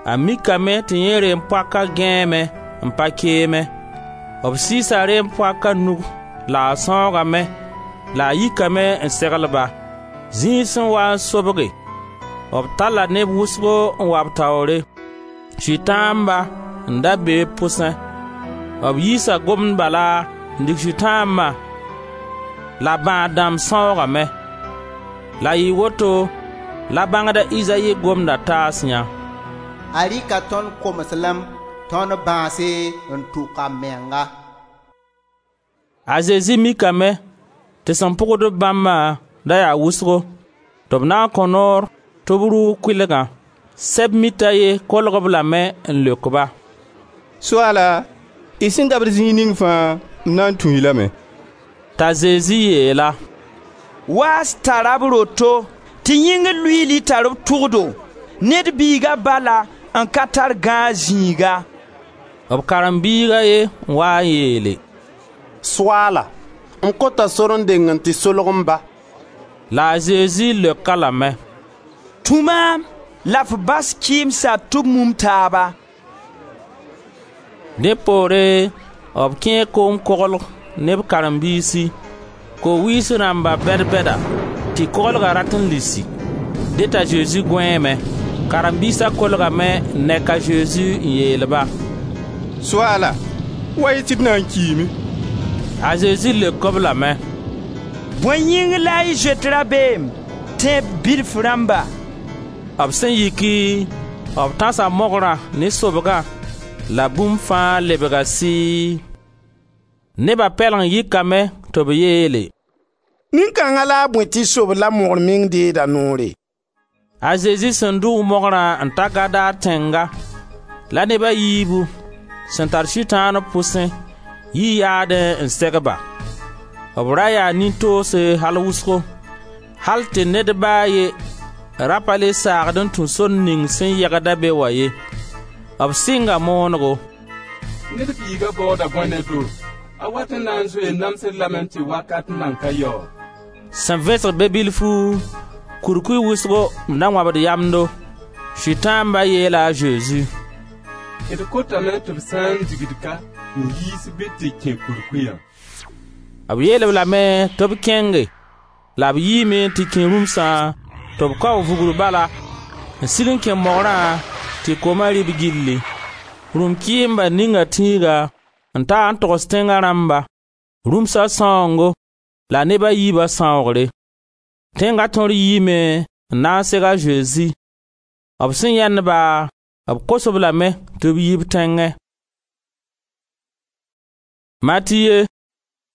a mikame tɩ yẽ reem-poaka gãeeme n pa keeme. B sɩɩsa reem-poaka nug la a sãoogame la a yikame n segl-ba. Zĩig sẽn waa n sobge, b talla neb wʋsgo n wa b taoore, Sʋtãamba n da be b pʋsẽ. B yiisa gomd bala n dig sʋtãambã la bãad dãmb sãoogame. La yɩ woto la bãngda Izayi gomda taas yã: A rɩka tõnd komeslem, tõnd bãase n tʋk a menga. A Zezi mikame tɩ sẽn pʋgd-b bãmbã da yaa wʋsgo, tɩ b na n kõ noor tɩ b rʋʋg kʋɩlgã. Sɛb-mit a ye kolg-b lame n leok-ba: «Soaala, y sẽn dabd zĩig ning fãa, m na n tũ-y lame.» T'a Zezi yeel-a: «Waas tara b roto tɩ yĩngr luiili tar b tʋgdo, Ned Biiga bala n ka tar gãag zĩiga.» B karen-biig a ye n waa n yeele: «Soaala, m kota sor n deng n tɩ solg m ba.» La a Zezi leok-a lame: «Tũ maam la f bas kɩɩmsa tɩ b mum taaba.» Dẽ poore b kẽe koom-koglg ne b karen-biisi. Ko-wiis rãmba bɛd-bɛda tɩ koglga rat n lisi. Dẽ t'a Zezi gõeeme. Karen-biisa kolgame n nek a Zezi n yeel-ba: «Soaala, wa-y tɩ d na n kiime.» A Zezi leok-b lame: «Bõe yĩng la y zoet rabeem, tẽeb bilf rãmba?» B sẽn yiki, b tãsa mogrã ne sobgã la bũmb fãa lebga sɩɩ. Neba pɛleng yikame tɩ b yeele: «Nin-kãnga la a bõe tɩ sobd la mogr meng deed a noore?» A Zezi sẽn dʋʋg mogrã n ta Gadar tẽnga, la neb a yiibu sẽn tar Sʋtãan b pʋsẽ yi yaadẽ n seg-ba. B ra yaa nin-toose al wʋsgo, hal tɩ ned ba a ye ra pa le saagd n tũ sor ning sẽn yegda be wã ye. B sɩnga moonego: Ned Biiga baooda bõe ne do? A wat n na n zoe n namsd lame tɩ wakat nan ka yao? Sẽn vẽsg be-bilfu, kurkuy wʋsgo n da wãbd yamdo. Sʋtãamba yeela a Zezi: D kotame tɩ b sã n digd ka n yiis bɩ tɩ kẽ kurkuyã. B yeel-b lame tɩ b kẽnge la b yiime n tɩ kẽ rũmsã tɩ b kao vugr bala n sig n kẽ mogrã tɩ kooma rɩ b gilli. Rũm-kɩɩmba ninga tĩiga n ta n togs tẽnga rãmba, rũmsa sãoongo la neb a yiiba sãoogre. Tẽnga tõr yiime n na n seg a Zezi. B sẽn yãend-ba, b kos-b lame tɩ b yi b tẽngẽ. Matiye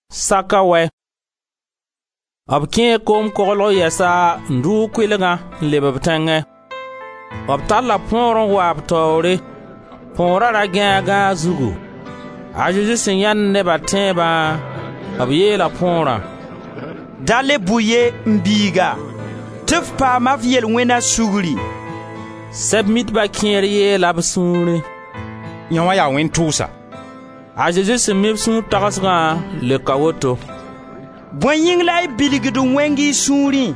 saka wɛ. B kẽe koom-koglg yɛsa n rʋʋg kʋɩlgã n leb b tẽngẽ. B talla põor n wa b taoore. Põora ra gãe a gãag zugu. A Zezi sẽn yãend neba tẽebã, b yeela põorã: Da le bʋ ye, m biiga, tɩ f paama f yel-wẽna sugri.» Sɛb-mitba kẽer yeela b sũurẽ: «Yõ wã yaa wẽn-tʋʋsa.» A Zezi sẽn mi b sũur tagsgã leoka woto: «Bõe yĩng la y bilgd wẽng y sũurẽ?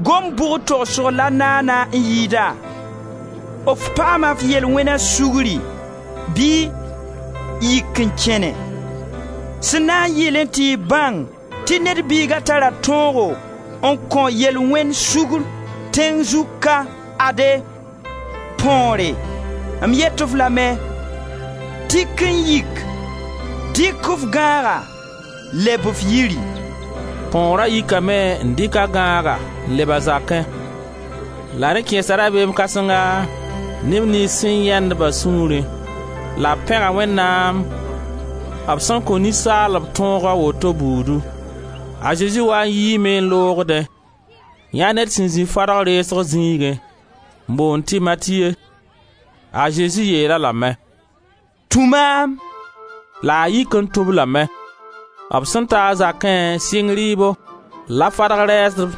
Gom bʋg togsg la naana n yɩɩda: f paama f yel-wẽna sugri, bɩ: yik n kẽne? Sẽn na n yɩlẽ tɩ y bãng tɩ Ned Biiga tara tõogo n kõ yel-wẽnd sugr tẽng zug ka, ade, põore, m yet-f lame: tik n yik, dɩk f gãaga, leb f yiri.» Põora yikame n dɩk a gãaga n leb a zakẽ. La rẽ kẽesa rabeem kãsenga neb niyns sẽn yãend ba sũurẽ, la b pẽga Wẽnnaam b sẽn kõ ninsaalb tõog a woto buudu. A Zezi wa n yiime n loogdẽ, yãa ned sẽn zĩ fadg reesg zĩigẽ, n boond tɩ Matiye. A Zezi yeel-a lame: «Tũ maam.» La a yik n tũ-b lame. B sẽn ta a zakẽ sɩng rɩɩbo la fadg rɛɛsdb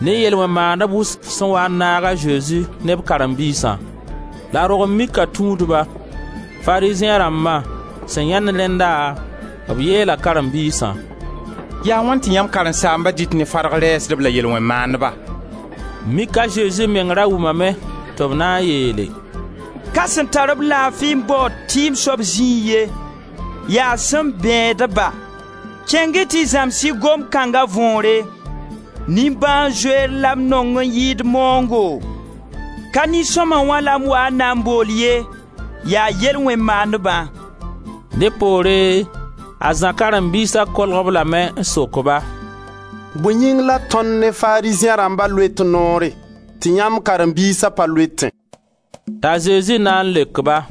ne yel-wẽn-maandb wʋsg sẽn waa n naag a Zezi ne b karen-biisã. La rogem-mika tũudba, Farizẽ rãmba sẽn yãend rẽnda, b yeela karen-biisã: «Yaa wãn tɩ yãmb karen-saamba dɩt ne fadg rɛɛsdb la yel-wẽn-maandba?» Mik a Zezi meng ra wʋmame tɩ b na n yeele: «Ka sẽn tar-b laafi n baood tɩɩm soab zĩig ye, yaa sẽn bẽed-ba. Kẽng-y tɩ y zãms-y gom kãnga võore: Nimbãan-zoeer la m nong n yɩɩd maoongo. Ka nin-sõma wã la m waa n na n bool ye, yaa yel-wẽn-maandbã.» Dẽ poore a Zã karen-biisa kolg-b lame n sok-ba: «Bõe yĩng la tõnd ne Farizẽ rãmba loet noore tɩ yãmb karen-biisa pa loetẽ?» T'a Zezi na n leok-ba: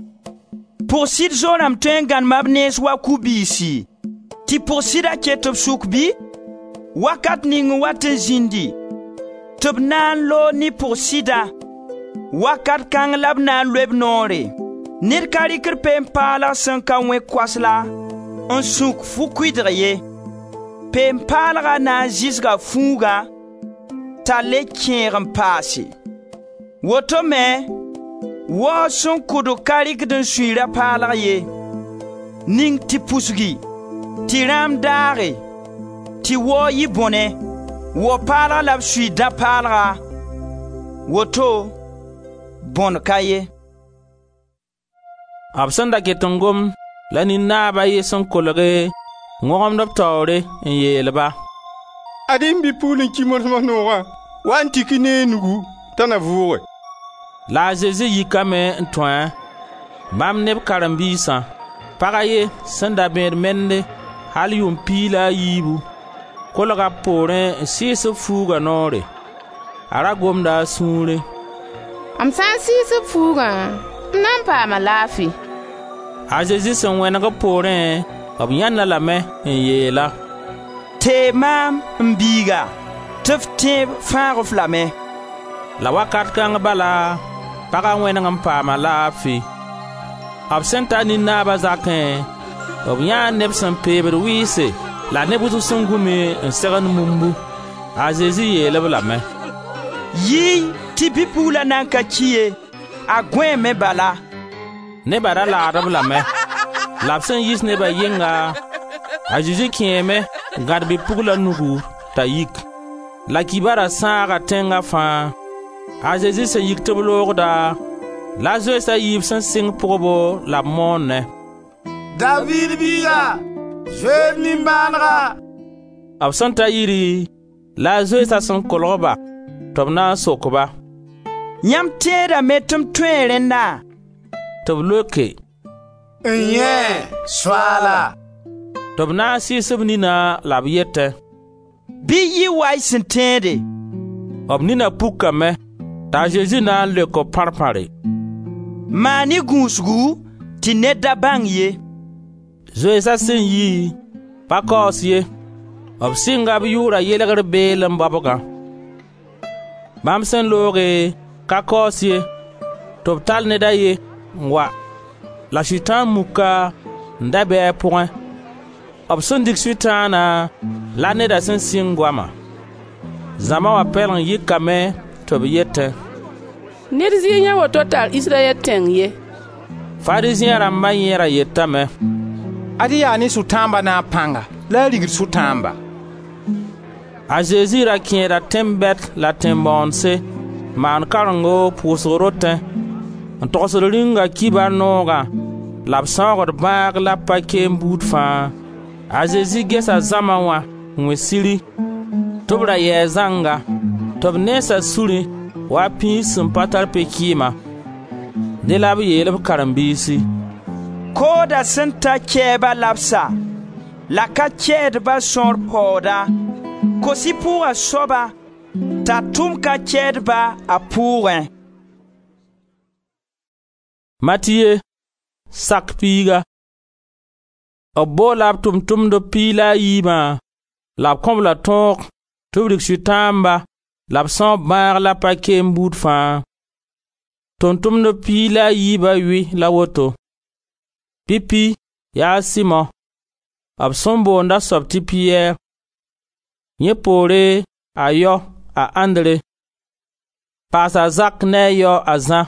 «Pʋg-sɩd zo-rãmb tõe n gãnema b nens wa ku-biisi, tɩ pʋg-sɩda ket b sʋk bɩ? Wakat ning n wat n zĩndi tɩ b na n loog ne pʋg-sɩda, wakat kãng la b na n loe b noore. Ned ka rɩkd peen-paalg sẽn ka wẽ koasla n sũk fu-kʋɩdg ye. Peen-paalga na n zɩsga fuugã t'a le kẽeg n paase. Woto me, waoog sẽn kʋdg ka rɩkd n sũy rã-paalg ye. Ning tɩ pusgi, tɩ rãam daage, tɩ waoog yɩ bõne. Wao-paalg la b sũy dã-paalga, woto bõn ka ye.» B sẽn da ket n gom la nin-naab a ye sẽn kolge n wõgemd b taoore n yeel-ba: «Ad-y m bi-pugl n ki mols-mos noogã, wa n tik-y ne y nugu t'a na vʋʋge.» La a Zezi yikame n tũ-a, bãmb ne b karen-biisã. Pag a ye sẽn da bẽed mende al yʋʋm piig la a yiibu, kolga b poorẽ n sɩɩs b fuuga noore. A ra gomda a sũurẽ: «M sã n sɩɩs b fuugã, m na n paama laafi.» A Zezi sẽn wẽneg b poorẽ, b yãend-a lame n yeel-a: «Teeg maam, m biiga, tɩ f tẽeb fãag-f lame.» La wakat kãng bala, paga wẽneg n paama laafi. B sẽn ta nin-naaba zakẽ, b yãa neb sẽn peebd wɩɩse la neb wʋsg sẽn gũmi n segend mumbu. A Zezi yeel-b lame: «Yi-y tɩ bi-pugla nan ka ki ye, a gõeeme bala.» Neba ra laad-b lame. La b sẽn yiis neba yɩnga, a Zezi kẽeme n gãd bi-pugla nugu t'a yik. La kibara sãaga tẽnga fãa. A Zezi sẽn yik tɩ b loogda, la zoeens a yiib sẽn sɩng pʋgbo la b moonẽ: «Daviid biiga, zoe d nimbãanega!» B sẽn ta yiri, la a zoeensa sẽn kolg-ba tɩ b na n sok-ba: «Yãmb tẽedame tɩ m tõe rẽnna?» Tɩ b leoke: «N-yẽe, Soaala.» Tɩ b na n sɩɩs b nina la b yetẽ: «Bɩ yɩ wa y sẽn tẽede.» B nina pukame. T'a Zezi na n leok-b pãr-pãre: «Maan-y gũusgu tɩ ned da bãng ye.» Zoeensa sẽn yi, pa kaoos ye. B sɩnga b yʋʋra yelgr beelem baobgã. Bãmb sẽn looge, ka kaoos ye, tɩ b tall ned a ye n wa, la Sʋtãan muka n da be a pʋgẽ. B sẽn dig Sʋtãana, La neda sẽn sɩng goama. Zãma wã pɛleng yikame tɩ b yetẽ: «Ned zɩɩ yãe woto tar Israyɛl tẽng ye.» Farizẽ rãmba yẽ ra yetame: «Ad-y yaa ne Sʋtãamba naab pãnga la a rigd sʋtãamba.» A Zezi ra kẽeda tẽn-bɛd la tẽn-bãoondse n maand karengo pʋʋsg rotẽ, n togsd Rĩunga kibar noogã la b sãoogd bãag la b pa-keem buud fãa. A Zezi gesa zãma wã n wẽ siri tɩ b ra yɛɛ zãnga, tɩ b nensa surẽ wa piis sẽn pa tar pe-kɩɩma. Dẽ la b yeel b karen-biisi: «Kooda sẽn ta kɛɛba labsa la ka kɛɛdba sõor paooda. Kos-y pʋʋga soaba t'a tʋm ka kɛɛdba a pʋʋgẽ.» Matiye, sak piiga. B boola b tʋʋm-tʋmdb piig la a yiibã la b kõ-b la tõog tɩ b rig sʋtãamba la b sãoog bãag la pa-keem buud fãa. Tʋʋm-tʋmdb piig la a yiiba yʋy la woto: Pipi yaa a Simo, b sẽn boond a soab tɩ Piyɛr, yẽ poore a yao a Andre, paas a Zak ne a yao a Zã,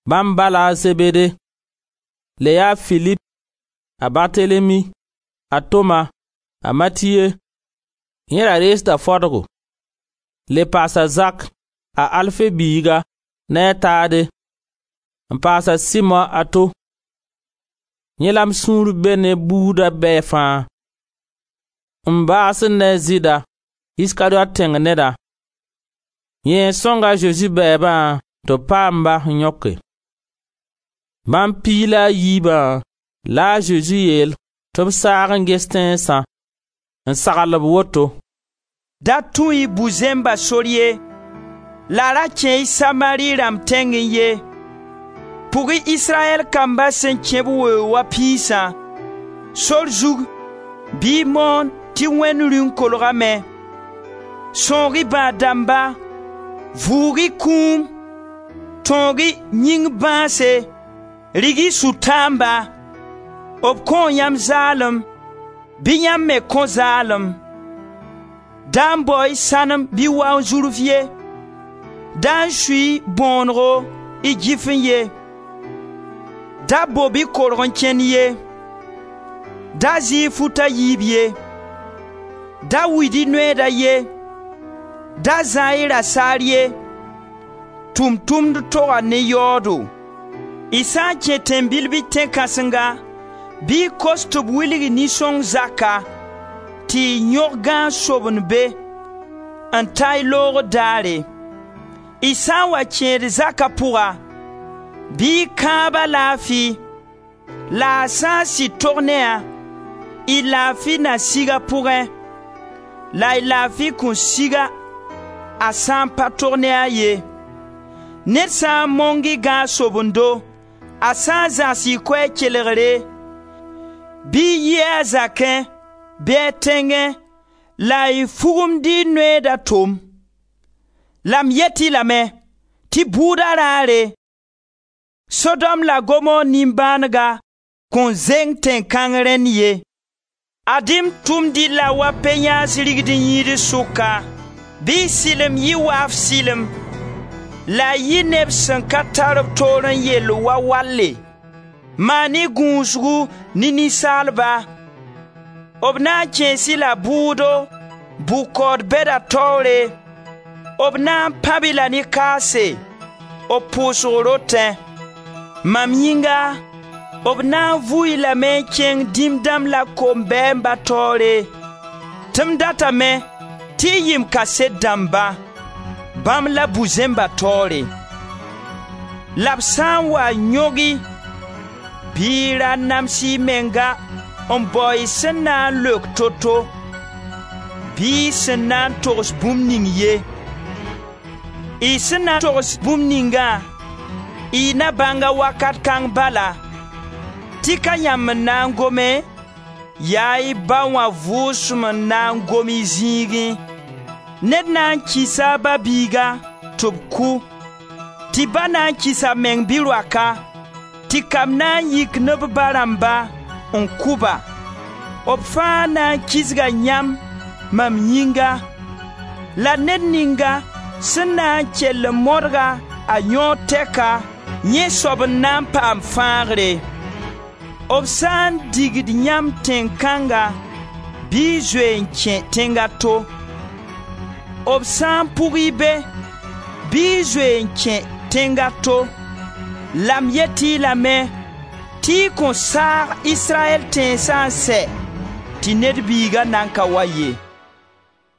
bãmb ba la a Zebede, le yaa Filip, a Bartelemi, a Toma, a Matiye, yẽ ra reesda fodgo, le paas a Zak, a Alfe biiga, ne a Taade, n paas a Simo a to. Yẽ la m sũur be ne buuda bɛɛ fãa. N baas ne a Zɩɩda, Iskariot tẽng neda. Yẽ n sõng a Zezi bɛɛbã tɩ b paam-ba n yõke. Bãmb piig la a yiibã la a Zezi yeel tɩ b saag n ges tẽnsã, n sagl-b woto: «Da tũ-y bu-zẽmba sor ye, la ra kẽ-y Samari rãmb tẽngẽ ye. Pʋg-y Israyɛl kamba sẽn kẽ b weoog wa piisã. Sor zug bɩ y moon tɩ Wẽnd Rĩung kolgame. Sõog-y bãad-dãmba, vʋʋg-y kũum, tõog-y yĩng bãase, rig-y sʋtãamba. B kõo yãmb zaalem, bɩ yãmb me kõ zaalem. Da n bao-y sãnem bɩ waoong-zuruf ye, da n sui-y bõonego y gɩfẽ ye, da bob-y korg n kẽnd ye, da zɩ-y fut a yiib ye, da wid-y noeeda ye, da zã-y rasaar ye. Tʋʋm-tʋmd toga ne yaoodo. Y sã n kẽ tẽn-bil bɩ tẽn-kãsenga, bɩ y kos tɩ b wilg nin-sõng zaka, tɩ y yõg gãag sobend be, n ta y loogr daare. Y sã n wa kẽed zaka pʋga, bɩ y kãab a laafi, la a sã n sɩd tog ne-a, y laafi na sig a pʋgẽ, la y laafi kõn sig-a a sã n pa tog ne a ye. Ned sã n mong y gãag sobendo, a sã n zãgs y koɛɛg kelgre, bɩ y yi a zakẽ bɩ a tẽngẽ la y fugumd y noeeda tom. La m yet-y lame tɩ bʋʋda raare, Sodom la Gomor nimbãanega kõn zeng tẽn-kãng rẽnd ye. Ad-y m tʋmd-y la wa pe-yãans rigd-n-yĩid sʋka, bɩ y sɩlem yɩ waaf sɩlem, la y yɩ neb sẽn ka tar b toor n yell wa walle. Maan-y gũusgu ne ninsaalba. B na n kẽes-y la bʋʋdo, bʋ-kaood bɛda taoore, b na n pãb-y la ne kaase, b pʋʋsg rotẽ. Mam yĩnga, b na n vʋ-y lame n kẽng dĩm dãmb la kom-bɛɛmba taoore, tɩ m datame tɩ y yɩ m kaset dãmba, bãmb la bu-zẽmba taoore. La b sã n wa yõg-y, bɩ y ra nams y menga n bao y sẽn na n leok to-to, bɩ y sẽn na n togs bũmb ning ye. Y sẽn na togs bũmb ningã, y na bãnga wakat kãng bala, tɩ ka yãmb n na n gome, yaa y Ba wã Vʋʋsem n na n gom y zĩigẽ. Ned na n kɩsa a ba-biiga tɩ b kʋ, tɩ ba na n kɩs a meng bi-roaka, tɩ kamb na n yik ne b ba rãmba n kʋ-ba. B fãa na n kisga yãmb mam yĩnga, la ned ninga sẽn na n kell n modg-a a yõod tɛka, yẽ soab n na n paam fãagre. B sã n digd yãmb tẽn-kãnga, bɩ y zoe n kẽ tẽng a to. B sã n pʋg-y be, bɩ y zoe n kẽ tẽng a to. La m yet-y lame tɩ y kõn saag Israyɛl tẽnsã n sɛ tɩ Ned Biiga nan ka wa ye.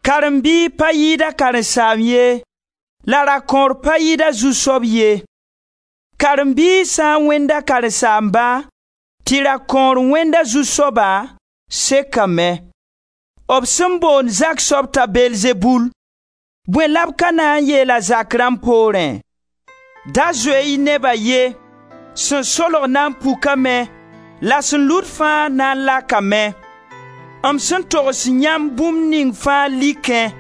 Karen-biig pa yɩɩd a karen-saamb ye, la rakõor pa yɩɩd a zu-soab ye. Karen-biig sã n wẽnd a karen-saamba, tɩ rakõor wẽnd a zu-soaba, sekame. B sẽn boond zak soab t'a Belzebul, bõe la b ka na n yeel a zak rãmb poorẽ? Da zoe-y neba ye, sẽn solg na n pukame la sẽn lut fãa na n lakame. M sẽn togs yãmb bũmb ning fãa likẽ,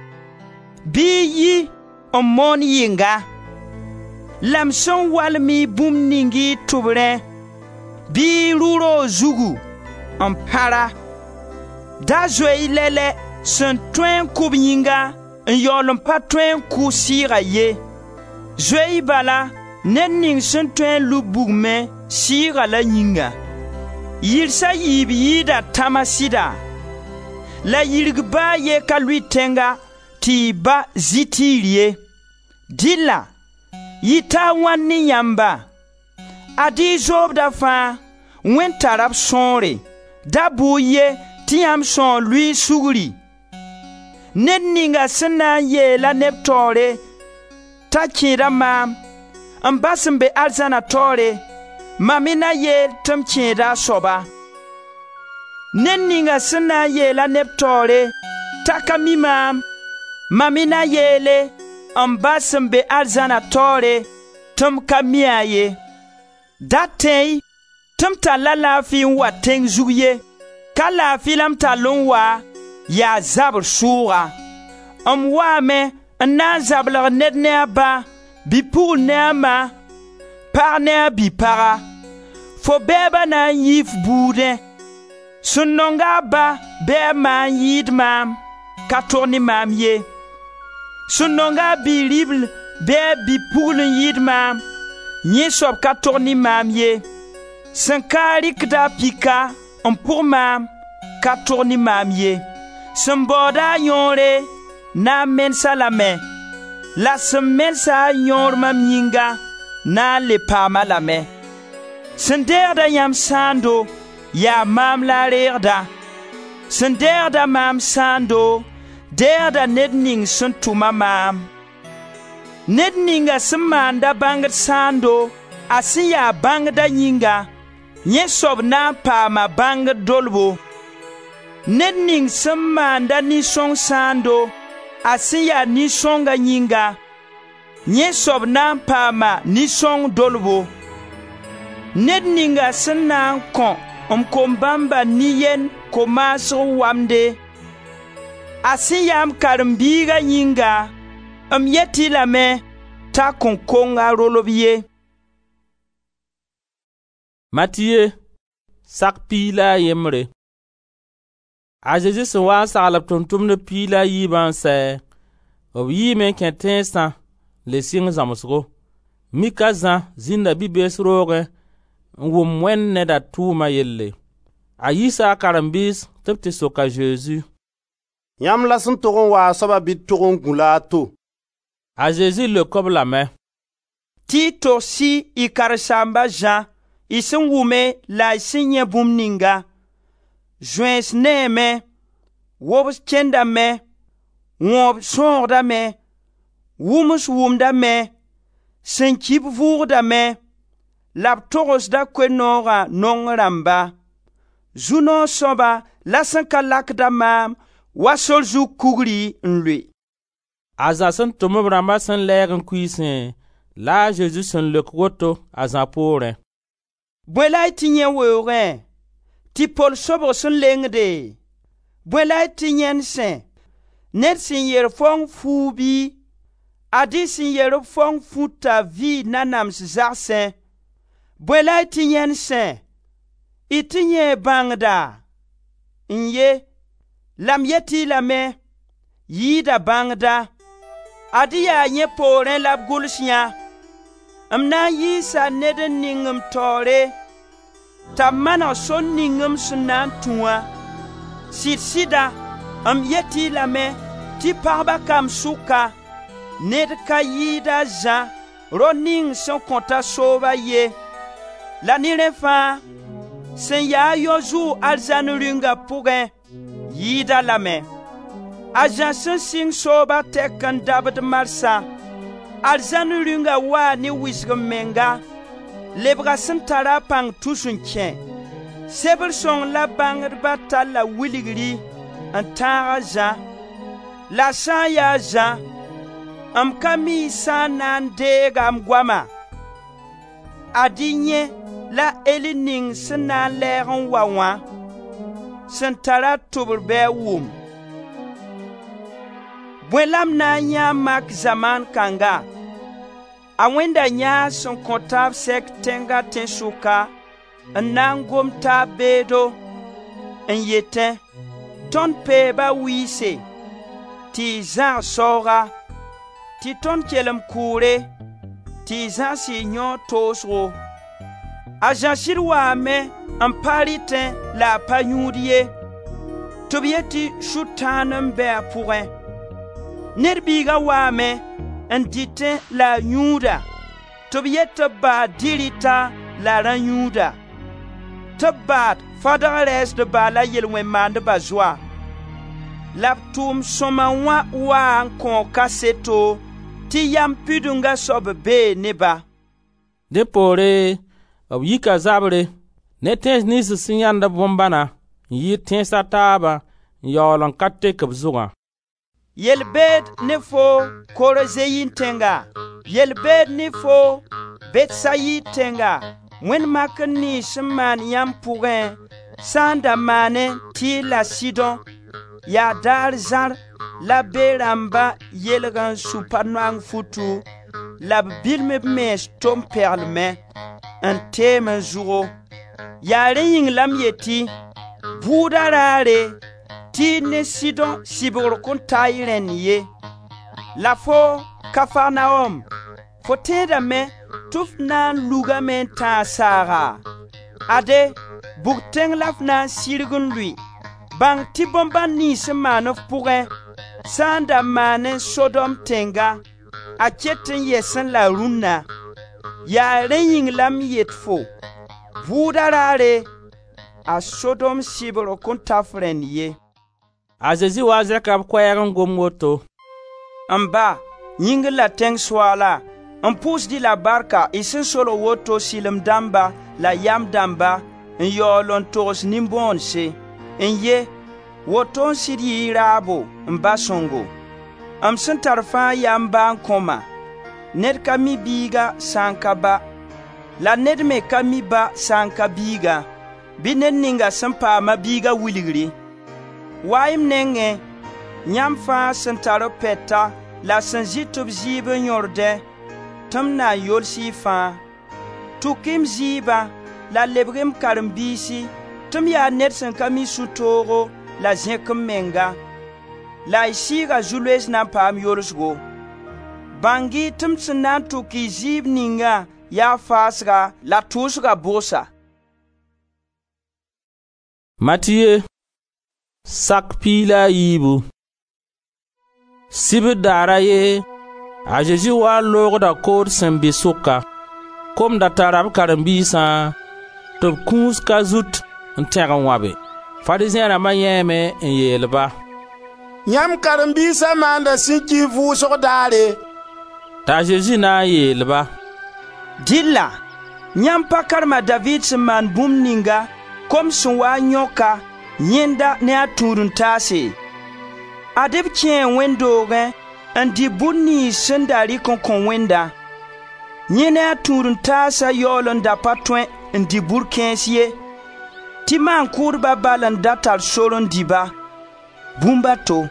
bɩ y yi n moon yɩnga. La m sẽn walem-y bũmb ning y tʋbrẽ, bɩ y rʋ roog zugu n pãra. Da zoe-y lɛlɛ sẽn tõe n kʋ b yĩnga n yaool n pa tõe n kʋ sɩɩga ye. Zoe-y bala ned ning sẽn tõe n lub bugmẽ sɩɩga la yĩnga. Yirsa yiib yɩɩda tãma sɩda? La yirg ba a ye ka lʋɩ tẽnga tɩ y ba zĩ tiir ye. Dɩlla yɩta a wãn ne yãmba? Ad-y y zoobda fãa, Wẽnd tara b sõore. Da bʋ ye tɩ yãmb sõor lʋɩ sugri. Ned ninga sẽn na n yeela neb taoore t'a kẽeda maam, m Ba sẽn be arzãna taoore, mam me na yeel tɩ m kẽeda a soaba. Ned ninga sẽn na n yeela neb taoore t'a ka mi maam, mam me na yeele m Ba sẽn be arzãna taoore tɩ m ka mi-a ye. Da tẽ-y tɩ m tall-a laafi n wa tẽng zug ye. Ka laafi la m tall n wa, yaa zabr sʋʋga. M waame n na n zablg ned ne a ba, bi-pugl ne a ma, pag ne a bi-paga. Fo bɛɛba na n yii f buudẽ. Sẽn nong-a a ba bɩ a ma n yɩɩd maam, ka tog ne maam ye. Sẽn nong-a a bi-ribl bɩ a bi-pugl n yɩɩd maam, yẽ soab ka tog ne maam ye. Sẽn ka rɩkd a pika n pʋg maam, ka tog ne maam ye. Sẽn baooda a yõore na n mens-a lame, la sẽn mensa a yõor mam yĩnga na n le paam-a lame. Sẽn deegda yãmb sãando, yaa maam la a reegda. Sẽn deegda maam sãando, deegda ned ning sẽn tʋma maam. Ned ninga sẽn maanda bãngd sãando, a sẽn ya bãngda yĩnga, yẽ soab na n paama bãngd dolbo. Ned ning sẽn maanda nin-sõng sãando, a sẽn ya nin-sõnga yĩnga, yẽ soab na n paama nin-sõng dolbo. Ned ninga sẽn na n kõ m kom-bãmba nin-yend ko-maasg wamde, a sẽn ya m karen-biiga yĩnga, m yet-y lame t'a kõn kong a rolb ye. Matiye, sak piig la a yembre. A Zezi sẽn wa n sagl b tʋm-tʋmdb piig la a yiibã n sɛ, b yiime n kẽ tẽnsã le sɩng zãmsgo. Mik a Zã zĩnda bi-bees roogẽ n wʋm Wẽnd neda tʋʋma yelle. A yiisa a karen-biis tɩ b tɩ sok a Zezi: «Yãmb la sẽn tog n wa a soaba bɩ d tog n gũ-la a to?» A Zezi leok-b lame: «Tɩ y togs-y y karen-saamb a Zã, y sẽn wʋme la y sẽn yãe bũmb ninga: Zoeens neeme, wobs kẽndame, wõob sãoogdame, wʋms wʋmdame, sẽn ki-b vʋʋgdame, la b togsda Koe-noogã naong rãmba. Zu-noog sõaba la sẽn ka lakda maam wa sor zug kugri n lʋɩ.» A Zã sẽn tʋm b rãmba sẽn lɛɛg n kuiisẽ la a Zezi sẽn leok woto a Zã poorẽ: Bõe la y tɩ yãe weoogẽ? Tɩ pol sobg sẽn lengde? Bõe la y tɩ yãend sẽ? Ned sẽn yer faong fuug bɩ? Ad-y sẽn yer-b faong futa vɩɩ nanams zagsẽ. Bõe la y tɩ yãend sẽ? Y tɩ yãee bãngda? N-ye, la m yet-y lame yɩɩda bãngda. Ad-y yaa yẽ poorẽ la b gʋls yã: M na n yiisa ned n ning m taoore t'a maneg sor ning m sẽn na n tũ wã. Sɩd-sɩda m yet-y lame tɩ pagba kamb sʋka, ned ka yɩɩd a Zã rao ning sẽn kõta sooba ye. La ne rẽ fãa, sẽn ya-a yao zʋʋg arzãn Rĩunga pʋgẽ yɩɩd-a lame. A Zã sẽn sɩng sooba tɛk n dabd marsã, arzãn Rĩunga waa ne wɩsg-m-menga, lebga sẽn tara a pãng tus n kẽ. Sebr sõng la bãngdba talla wilgri n tãag a Zã. La sã n ya a Zã, m ka mi sã n na n deega m goama. Ad-y yẽ la Eli ning sẽn na n lɛɛg n wa wã, sẽn tara tʋbr bɩ a wʋm. Bõe la m na n yãa mak zamaan kãnga? A wẽnda yãag sẽn kõ taab sɛk tẽnga tẽnsʋka n na n gom taab beedo n yetẽ: ‹Tõnd peeba wɩɩse, tɩ y zãgs saooga, tɩ tõnd kelem kʋʋre, tɩ y zãgs y yãoog toosgo.› A Zã sɩd waame n pa rɩtẽ la a pa yũud ye, tɩ b yet tɩ sʋtãan n be a pʋgẽ. Ned Biiga waame n dɩtẽ la a yũuda, tɩ b yet tɩ b baad dɩ-rɩta la rã-yũuda, tɩ b baad fadg rɛɛsdba la yel-wẽn-maandba zoa. La b tʋʋm sõma wã waa n kõo kaseto tɩ yam pidunga soab bee ne-ba.» Dẽ poore b yika zabre ne tẽns niyns sẽn yãend bõn-bãna n yɩɩd tẽns a taabã n yaool n ka tek b zugã. Yel-beed ne foo, Korozeyin tẽnga! Yel-beed ne foo, Betsayid tẽnga! Wẽnd makr niyns sẽn maan yãmb pʋgẽ sã n da maanẽ Tɩr la Sidõ, yaa daar zãr la be rãmba yelg n su pa-noang futu la b bilm b mens tom-peglmẽ, n teem n zʋgo. Yaa rẽ yĩng la m yetɩ, bʋʋda raare Tɩr ne Sidõ sɩbgr kõn ta y rẽnd ye. La foo, Kafarnaom, fo tẽedame tɩ f na n lugame n tãag saaga? Ade, bug tẽng la f na n sirg n lʋɩ. Bãng tɩ bõn-bãn niyns sẽn maan f pʋgẽ, sã n da maanẽ Sodom tẽnga, a ket n yɛsẽ la rũnna. Yaa rẽ yĩng la m yet fo, bʋʋda raare, a Sodom sɩbgr kõn ta f rẽnd ye. A Zezi wa zẽka b koɛɛg n gom woto: «M Ba, yĩngr la tẽng Soaala, m pʋʋsd-y la barka y sẽn solg woto sɩlem dãmba la yam dãmba n yaool n togs nin-bõonse. N-ye, woto n sɩd yɩ y raabo, m Ba sõngo. M sẽn tar fãa yaa m Ba n kõ-ma. Ned ka mi Biiga sã n ka Ba, la ned me ka mi Ba sã n ka Biiga, bɩ ned ninga sẽn paam-a Biiga wilgri. Wa-y m nengẽ, yãmb fãa sẽn tar b pɛta la sẽn zɩt b zɩɩb n yõrdẽ, tɩ m na n yols y fãa. Tʋk-y m zɩɩbã la lebg-y m karen-biisi tɩ m yaa ned sẽn ka mi sũ-toogo la zẽk m menga, la y sɩɩga zu-loees na n paam yolsgo. Bãng-y tɩ m sẽn na n tʋk y zɩɩb ninga yaa faasga la tʋʋsga bʋgsa.» Matiye sak piig la a yiibu. Sibr daar a ye, a Zezi waa n loogda kood sẽn be sʋka. Kom da tara b karen-biisã tɩ b kũus ka zut n tẽg n wãbe. Farizẽ rãmba yãeeme n yeel-ba: «Yãmb karen-biisa maanda sẽn ki vʋʋsg daare.» T'a Zezi na n yeel-ba: «Dɩlla yãmb pa karem a Daviid sẽn maan bũmb ninga, kom sẽn waa n yõk-a, yẽnda ne a tũud-n-taase? Ad-b kẽe wẽnd doogẽ n dɩ bur niyns sẽn da rɩk n kõ Wẽndã. Yẽ ne a tũud-n-taasa yaool n da pa tõe n dɩ bur kãens ye, tɩ maan-kʋʋdba bal n da tar sor n dɩ-ba, bũmb a to.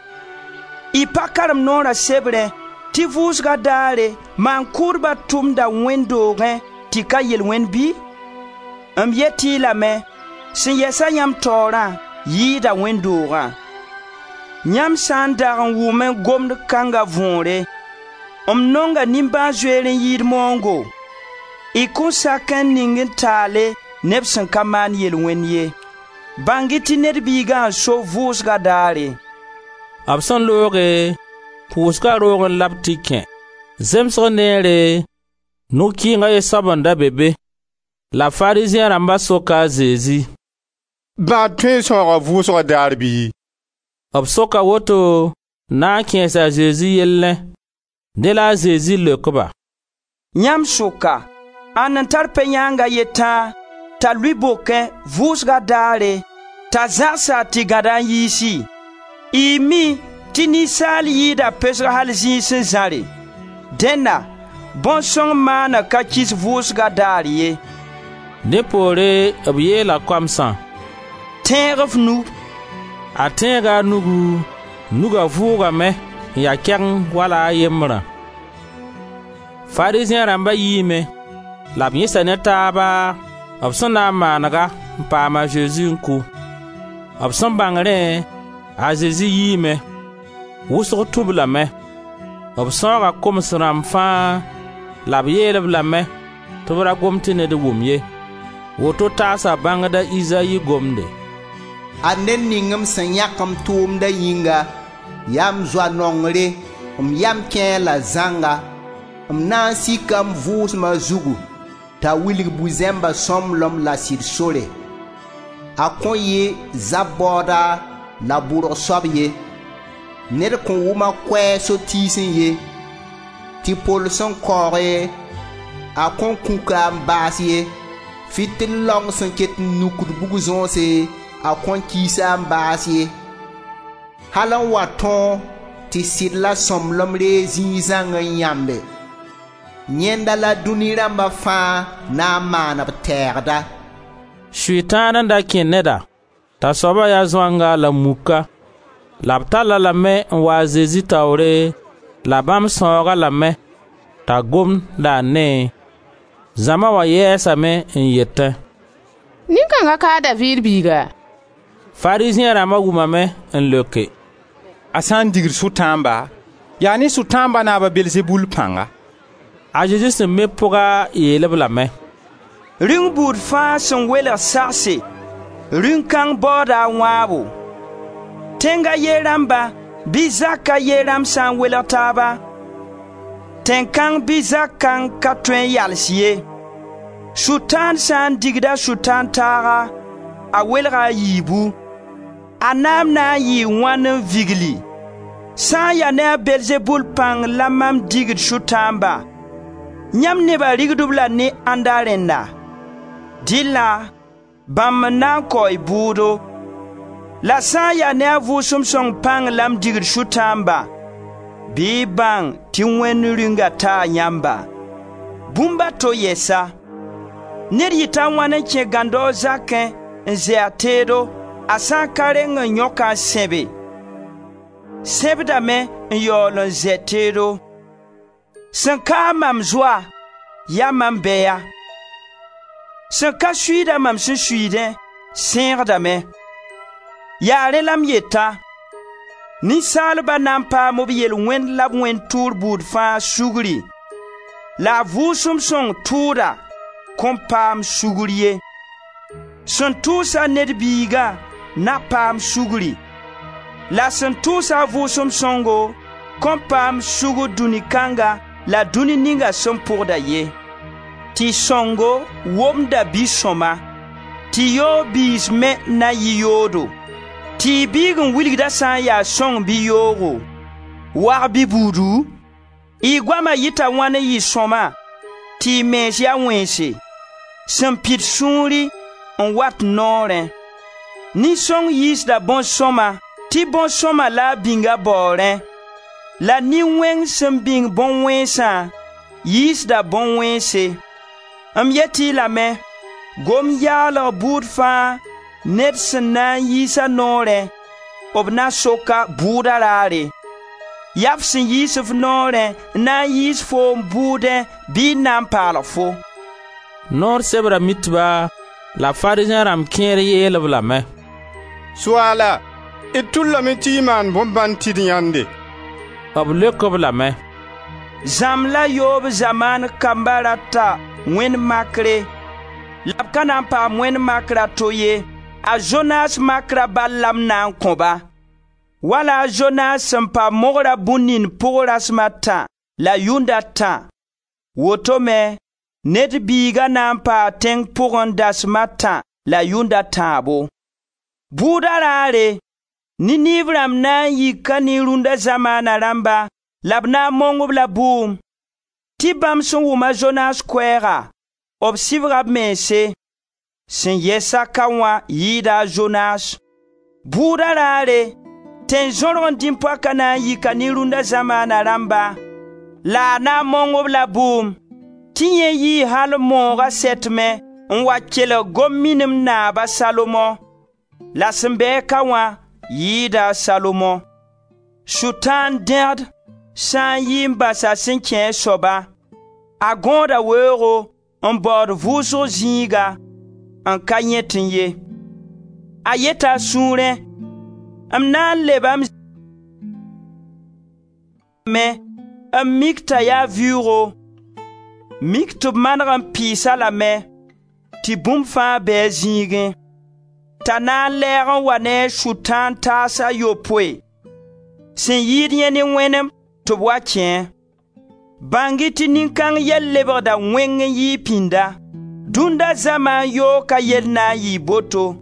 Y pa karem noora sebrẽ tɩ vʋʋsga daare maan-kʋʋdba tʋmda wẽnd doogẽ tɩ ka yel-wẽnd bɩ? M yet-y lame, sẽn yɛsa yãmb taoorã yɩɩda wẽnd doogã. Yãmb sã n dag n wʋmẽ gomd kãnga võore: ‹M nonga nimbãan-zoeer n yɩɩd maoongo›, y kõn sak n ning n taale neb sẽn ka maan yel-wẽnd ye. Bãng-y tɩ Ned Biigã n so vʋʋsga daare.» B sẽn looge, pʋʋsga roogẽ la b tɩ kẽ. Zemsg neere, nug-kɩɩng a ye soab n da be be. La Farizẽ rãmba soka a Zezi: «Bãad tõe n sãooga vʋʋsga daar bɩ?» B soka woto n na n kẽes a Zezi yellẽ. Dẽ la a Zezi leok-ba: «Yãmb sʋka, ãnd n tar pe-yãang a ye tãa t'a lʋɩ bokẽ vʋʋsga daare t'a zãgs-a tɩ gãda n yiisi? Y mi tɩ ninsaal yɩɩda pesg al zĩig sẽn zãre. Dẽnna bõn-sõng maana ka kis vʋʋsga daar ye.» Dẽ poore b yeela koamsã: «Tẽeg f nu.» A tẽega a nugu, nuga vʋʋgame n ya kɛgeng wala a yembrã. Farizẽ rãmba yiime la b yẽsa ne taaba b sẽn na n maanega n paam a Zezi n kʋ. B sẽn bãng rẽ, a Zezi yiime, wʋsg tũ-b lame. B sãooga koms rãmb fãa la b yeel-b lame tɩ b ra gom tɩ ned wʋm ye. Woto taasa bãngda Izayi gomde: «Ad ned ning m sẽn yãk m tʋʋmda yĩnga, yaa m zoa nongre, m yam kẽ-a la zãnga. M na n sika m Vʋʋsma zugu t'a wilg bu-zẽmba sõmblem la sɩd sore. A kõn yɩ zab baooda la bʋrg soab ye. Ned kõn wʋm a koɛɛg so-tiisẽ ye, tɩ pol sẽn kaooge, a kõn kũka n baas ye. Fɩtɩl laong sẽn ket n nukd bug-zõose, a kõn kiis-a n baas ye. Al n wa tõog tɩ sɩd la sõmblem reeg zĩig zãng n yãmbe. Yẽnda la dũni rãmba fãa na n maan b tɛɛgda.» Sʋtãan n da kẽ neda t'a soaba ya zoanga la muka, la b tall-a lame n wa a Zezi taoore la bãmb sãoog-a lame t'a gomd la a neẽ. Zãma wã yɛɛsame n yetẽ: «Nin-kãnga ka a Daviid biiga?» Farizẽ rãmba wʋmame n leoke: «A sã n digd sʋtãamba, yaa ne sʋtãamba naab a Belzebul pãnga.» A Zezi sẽn mi pʋga yeel-b lame: «Rĩung buud fãa sẽn welg sagse, rĩung kãng baooda a wãabo. Tẽng a ye rãmba bɩ zak a ye rãmb sã n welg taaba, tẽn-kãng bɩ zak kãng ka tõe n yals ye. Sʋtãan sã n digda Sʋtãan taaga, a welga a yiibu. A naam na n yɩɩ wãn n vigli? Sã n ya ne a Belzebul pãng la mam digd sʋtãamba, yãmb neba rigd-b la ne ãnda rẽnna? Dɩlla bãmb n na n kao y bʋʋdo. La sã n ya ne a Vʋʋsem Sõng pãng la m digd sʋtãamba, bɩ y bãng tɩ Wẽnd Rĩunga taa yãmba. Bũmb a to yɛsa: ned yɩta a wãn n kẽ gãndao zakẽ n zɛ a teedo, a sã n ka reng n yõk-a n sẽbe? Sẽbdame n yaool n zɛ teedo. Sẽn ka-a mam zoa, yaa mam bɛya. Sẽn ka suiida mam sẽn suiidẽ, sẽegdame. Yaa rẽ la m yeta: ninsaalba na n paam b yel-wẽnd la b wẽnd tʋʋr buud fãa sugri, la a Vʋʋsem Sõng tʋʋda kõn paam sugr ye. Sẽn tʋʋs-a Ned Biiga na paam sugri, la sẽn tʋʋs-a a Vʋʋsem Sõngo kõn paam sugr dũni kãnga la dũni ninga sẽn pʋgda ye. Tɩ sõngo womda bi-sõma, tɩ yoog biis me na yɩ yoodo. Tɩɩg biig n wilgda sã n ya sõng bɩ yoogo, wag bɩ buudu? Y goama yɩta wãn n yɩ sõma tɩ y mens ya wẽnse? Sẽn pid sũuri n wat noorẽ. Nin-sõng yiisda bõn-sõma tɩ bõn-sõma la a bĩng a baoorẽ, la nin-wẽng sẽn bĩng bõn-wẽnsã yiisda bõn-wẽnse. M yet-y lame, gom yaalg buud fãa ned sẽn na n yiis a noorẽ, b na sok-a bʋʋda raare. Yaa f sẽn yiis f noorẽ n na n yiis foom bʋʋdẽ bɩ n na n paalg fo.» Noor sebra mitba la Farizẽ rãmb kẽer yeel-b lame: «Soaala, D tʋllame tɩ y maan bõn-bãnd tɩ d yãende.» B leok-b lame: «Zãmb la yoob zamaan kamba rata wẽnd makre, la b ka na n paam wẽnd makr a to ye, a Zonas makra bal la m na n kõ-ba. Wala a Zonas sẽn pa mogra bũn-nin pʋg rasem a tã la yʋnd a tã, woto me Ned Biiga na n paa tẽng pʋgẽ dasem a tã la yʋnd a tãabo. Bʋʋda raare, Niniiv rãmb na n yika ne rũnda zamaana rãmba la b na n mong-b la bʋʋm, tɩ bãmb sẽn wʋm a Zonas koɛɛga, b sɩbga b mense. Sẽn yɛs-a ka wã yɩɩda a Zonas. Bʋʋda raare, tẽn-zõrg n dĩm-poaka na n yika ne rũnda zamaana rãmba la a na n mong-b la bʋʋm, tɩ yẽ yii al mooga sɛtmẽ n wa kelg gom-minim naab a Salomo. La sẽn bɩ-a ka wã yɩɩda a Salomo. Sʋtãan dẽgd sã n yi n bas a sẽn kẽ a soaba, a gõoda weoogo n baood vʋʋsg zĩiga n ka yẽtẽ ye. A yeta a sũurẽ: M na n leba m me n mik t'a yaa vɩʋʋgo, mik tɩ b maneg n pɩɩs-a lame tɩ bũmb fãa be a zĩigẽ. T'a na n lɛɛg n wa ne a sʋtãan taas a yopoe sẽn yɩɩd yẽ ne wẽnem tɩ b wa kẽe. Bãng-y tɩ nin-kãng yɛl lebgda wẽng n yɩɩg pĩnda. Dũnda zamaan yooka yell na n yɩɩ boto.»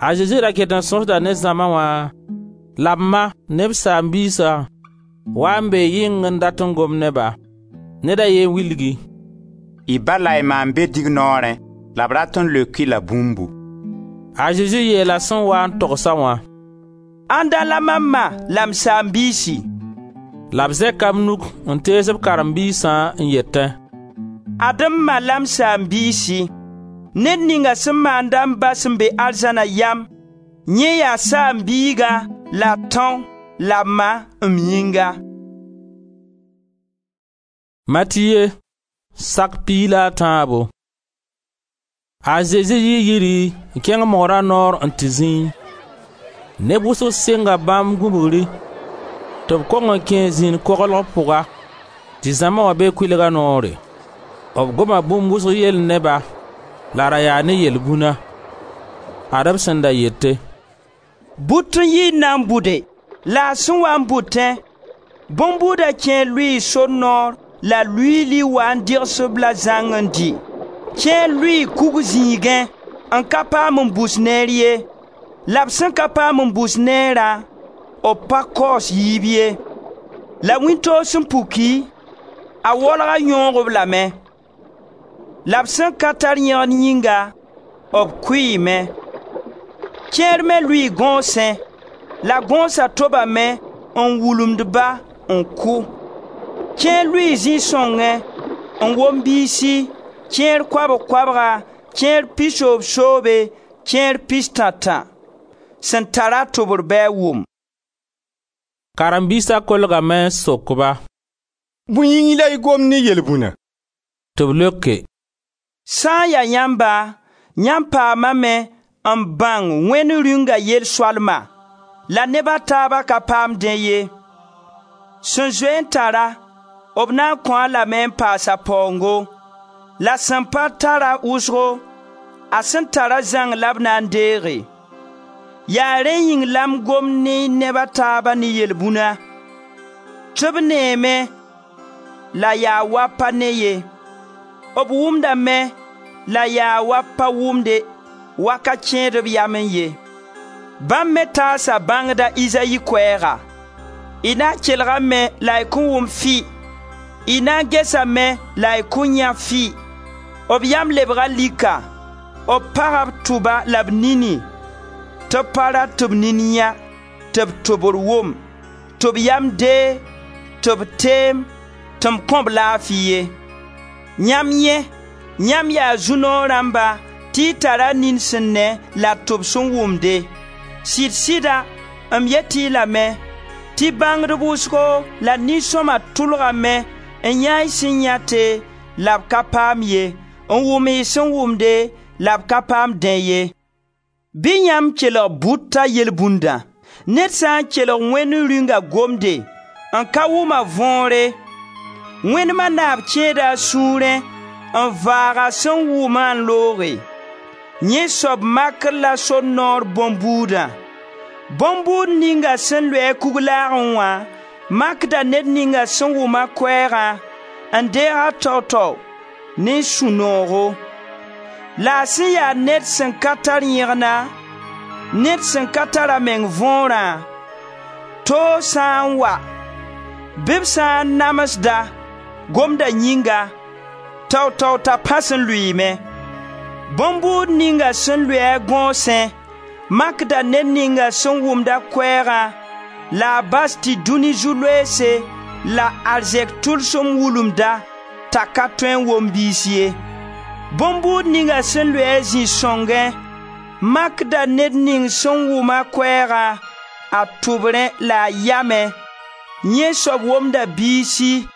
A Zezi ra ket n sõsda ne zãma wã la b ma ne b saam-biisã wa n bee yɩng n dat n gom ne-ba. Ned a ye n wilgi: «Y ba la y ma n be dignoorẽ la b rat n leok-y la bũmbu.» A Zezi yeela sẽn waa n togs-a wã: «Ãnda la mam ma la m saam-biisi?» La b zẽka b nug n tees b karen-biisã n yetẽ: «Ad m ma la m saam-biisi. Ned ninga sẽn maand-a m Ba sẽn be arzãna yam, yẽ yaa saam-biiga la tão la ma m yĩnga.» Matiye sak piig la a tãabo. A Zezi yii yiri n kẽng mogra noor n tɩ zĩi. Neb wʋsg sɩnga bãmb gũbgri tɩ b kong n kẽ zĩn koglg pʋga tɩ zãma wã be kʋɩlga noore. B goma bũmb wʋsg yell ne-ba la ra yaa ne yel-bũna. Ad b sẽn da yete: «But n yi n na n bʋde, la a sẽn wa n bʋtẽ, bõn-buuda kẽer lʋɩɩ sor noor la luiili wa n dɩgs-b la zãng n dɩ. Kẽer lʋɩɩ kug zĩigẽ n ka paam n bus neer ye. La b sẽn ka paam n bus neerã, b pa kaoos yiib ye. La wĩntoog sẽn puki, a waolga yõog-b lame. La b sẽn ka tar yẽgd yĩnga, b kʋɩɩme. Kẽer me lʋɩɩ gõosẽ, la gõosa tobame n wulumd-ba n kʋ. Kẽer lʋɩɩ zĩ-sõngẽ n wom biisi, kẽer koabg-koabga, kẽer pisoobsoobe, kẽer pistã-tã. Sẽn tara tʋbr bɩ a wʋm.» Karen-biisa kolgame n sok-ba: «Bõe yĩng la y gomd ne yel-bũna?» Tɩ b leoke: «Sã n ya yãmba, yãmb paamame n bãng Wẽnd Rĩunga yel-soalma, la neb a taaba ka paamdẽ ye. Sẽn zoe n tara, b na n kõ-a lame n paas a paoongo, la sẽn pa tara wʋsgo, a sẽn tara zãng la b na n deege. Yaa rẽ yĩng la m gomd ne neb a taaba ne yel-bũna, tɩ b neeme la yaa wa pa ne ye, b wʋmdame la yaa wa pa wʋmde, wa ka kẽed b yamẽ ye. Bãmb me taasa bãngda Izayi koɛɛga: y na n kelgame la y kõn wʋm fɩ, y na n gesame la y kõn yãe fɩ. B yam lebga lika, b paga b tʋba la b nini, tɩ b pa rat tɩ b nin yã, tɩ b tʋbr wʋm, tɩ b yam deeg, tɩ b teem, tɩ m kõ-b laafi ye. Yãmb yẽ, yãmb yaa zu-noog rãmba tɩ y tara nin sẽn ne la tʋb sẽn wʋmde. Sɩd-sɩda m yet-y lame tɩ bãngdb wʋsgo la nin-sõma tʋlgame n yã y sẽn yãte la b ka paam ye, n wʋm y sẽn wʋmde la b ka paam dẽ ye. Bɩ yãmb kelg bʋta yelbũndã. Ned sã n kelg Wẽnd Rĩunga gomde n ka wʋm a võore, wẽnema naab kẽeda a sũurẽ n vaag a sẽn wʋmã n looge. Yẽ soab makr la sor noor bõn-buudã. Bõn-buud ninga sẽn lʋɩ-a kug-laagẽ wã makda ned ninga sẽn wʋm-a koɛɛgã n deeg-a tao-tao ne sũ-noogo. La a sẽn ya ned sẽn ka tar yẽgna, ned sẽn ka tar a meng võorã, toog sã n wa, bɩ b sã n namsda gomda yĩnga, tao-tao t'a pãs n lʋɩɩme. Bõn-buud ninga sẽn lʋɩ-a gõosẽ makda ned ninga sẽn wʋmd-a koɛɛgã la a bas tɩ dũni zu-loeese la arzɛk tʋlsem wulumd-a t'a ka tõe n wom biis ye. Bõn-buud ninga sẽn lʋɩ-a zĩ-sõngẽ makda ned ning sẽn wʋm-a koɛɛgã a tʋbrẽ la a yamẽ. Yẽ soab womda biisi,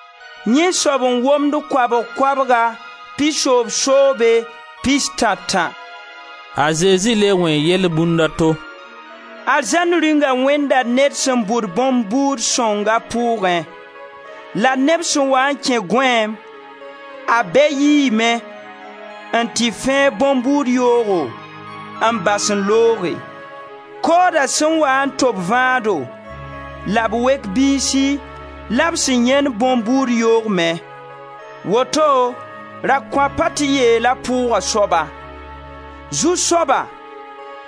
yẽ soab n womd koabg-koabga, pisoobsoobe, pistã-tã.» A Zezi le wẽ yelbũnd a to: «Arzãn Rĩunga wẽnda ned sẽn bʋd bõn-buud sõnga pʋʋgẽ. La neb sẽn waa n kẽ gõeem, a bɛ yiime n tɩ fẽeg bõn-buud yoogo n bas n looge. Koooda sẽn waa n tob vãado la b wek biisi la b sẽn yãend bõn-buud yoog me. Woto rakõapa tɩ yeela pʋʋga soaba: ‹Zu-soaba,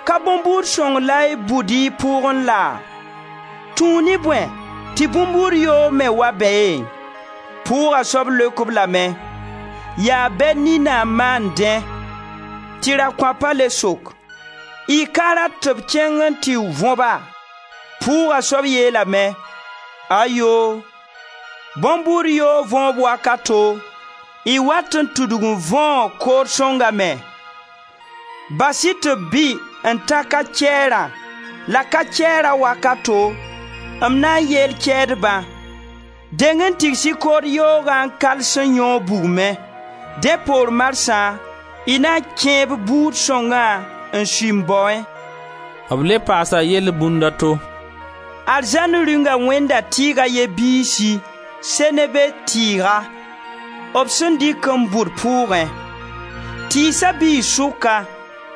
ka bõn-buud sõng la y bʋd y pʋʋgẽ laa? Tũu ne bõe tɩ bõn-buud yoog me wa beẽ?› Pʋʋga soab leok-b lame: ‹Yaa bɛ nina n maan dẽ.› Tɩ rakõapa le sok: ‹Y ka rat tɩ b kẽng n tɩ võba?› Pʋʋga soab yeelame: ‹Ayoo, bõn-buud yoog võob wakato, y wat n tudg n võog kood sõnga me. Bas-y tɩ b bɩ n ta ka-kɛɛrã la ka-kɛɛra wakato, m na n yeel kɛɛdbã: deng n tigs-y kood yoogã n kals n yõog bugmẽ. Dẽ poor marsã y na kẽeb buud sõngã n sui m baoẽ.» B le paasa yelbũnd a to: «Arzãn Rĩunga wẽnda tɩɩg a ye biisi, seneve tɩɩga, b sẽn dɩk n bʋd pʋʋgẽ. Tɩɩsa bii sʋka,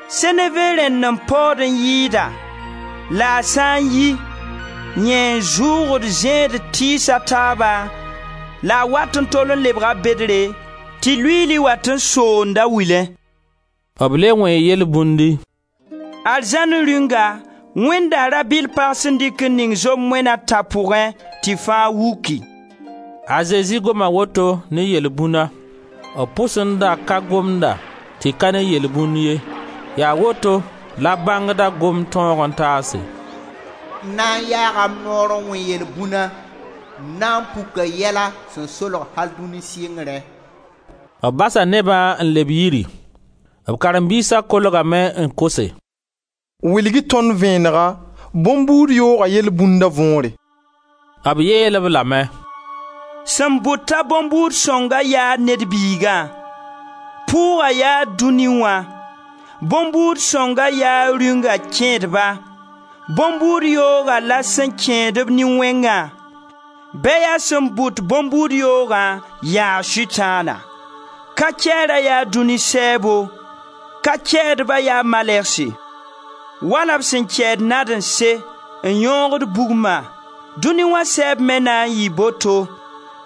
seneve rẽnd n paood n yɩɩda, la a sã n yi, yẽ n zʋʋgd zẽed tɩɩs a taaba la a wat n tol n lebga bedre tɩ luiili wat n soond a wilẽ.» B le wẽ yelbũndi: «Arzãn Rĩunga wẽnda rabɩll-pag sẽn dɩk n ning zom-moena tã pʋgẽ tɩ fãa wuki.» A Zezi goma woto ne yelbũna. B pʋsẽ da ka gomda tɩ ka ne yelbũnd ye. Yaa woto la bãngda gomd tõog n taase: M na n yaaga m noor n wẽ yel-bũna, m na n puka yɛla sẽn solg al dũni sɩngrẽ.» B basa nebã n leb yiri. B karen-biisa kolgame n kose: «Wilg-y tõnd vẽenega bõn-buud yooga yelbũnda võore.» B yeel-b lame: «Sẽn bʋt-a bõn-buud sõnga yaa Ned Biigã. Pʋʋga yaa dũni wã. Bõn-buud sõnga yaa Rĩunga kẽedba. Bõn-buud yooga la sẽn kẽed-b nin-wẽngã. Bɛya sẽn bʋt bõn-buud yoogã yaa Sʋtãana. Ka-kɛɛra yaa dũni sɛɛbo, ka-kɛɛdba yaa malɛgse. Wala b sẽn kɛɛd nadẽnse n yõogd bugmã, dũni wã sɛɛb me na n yɩ boto.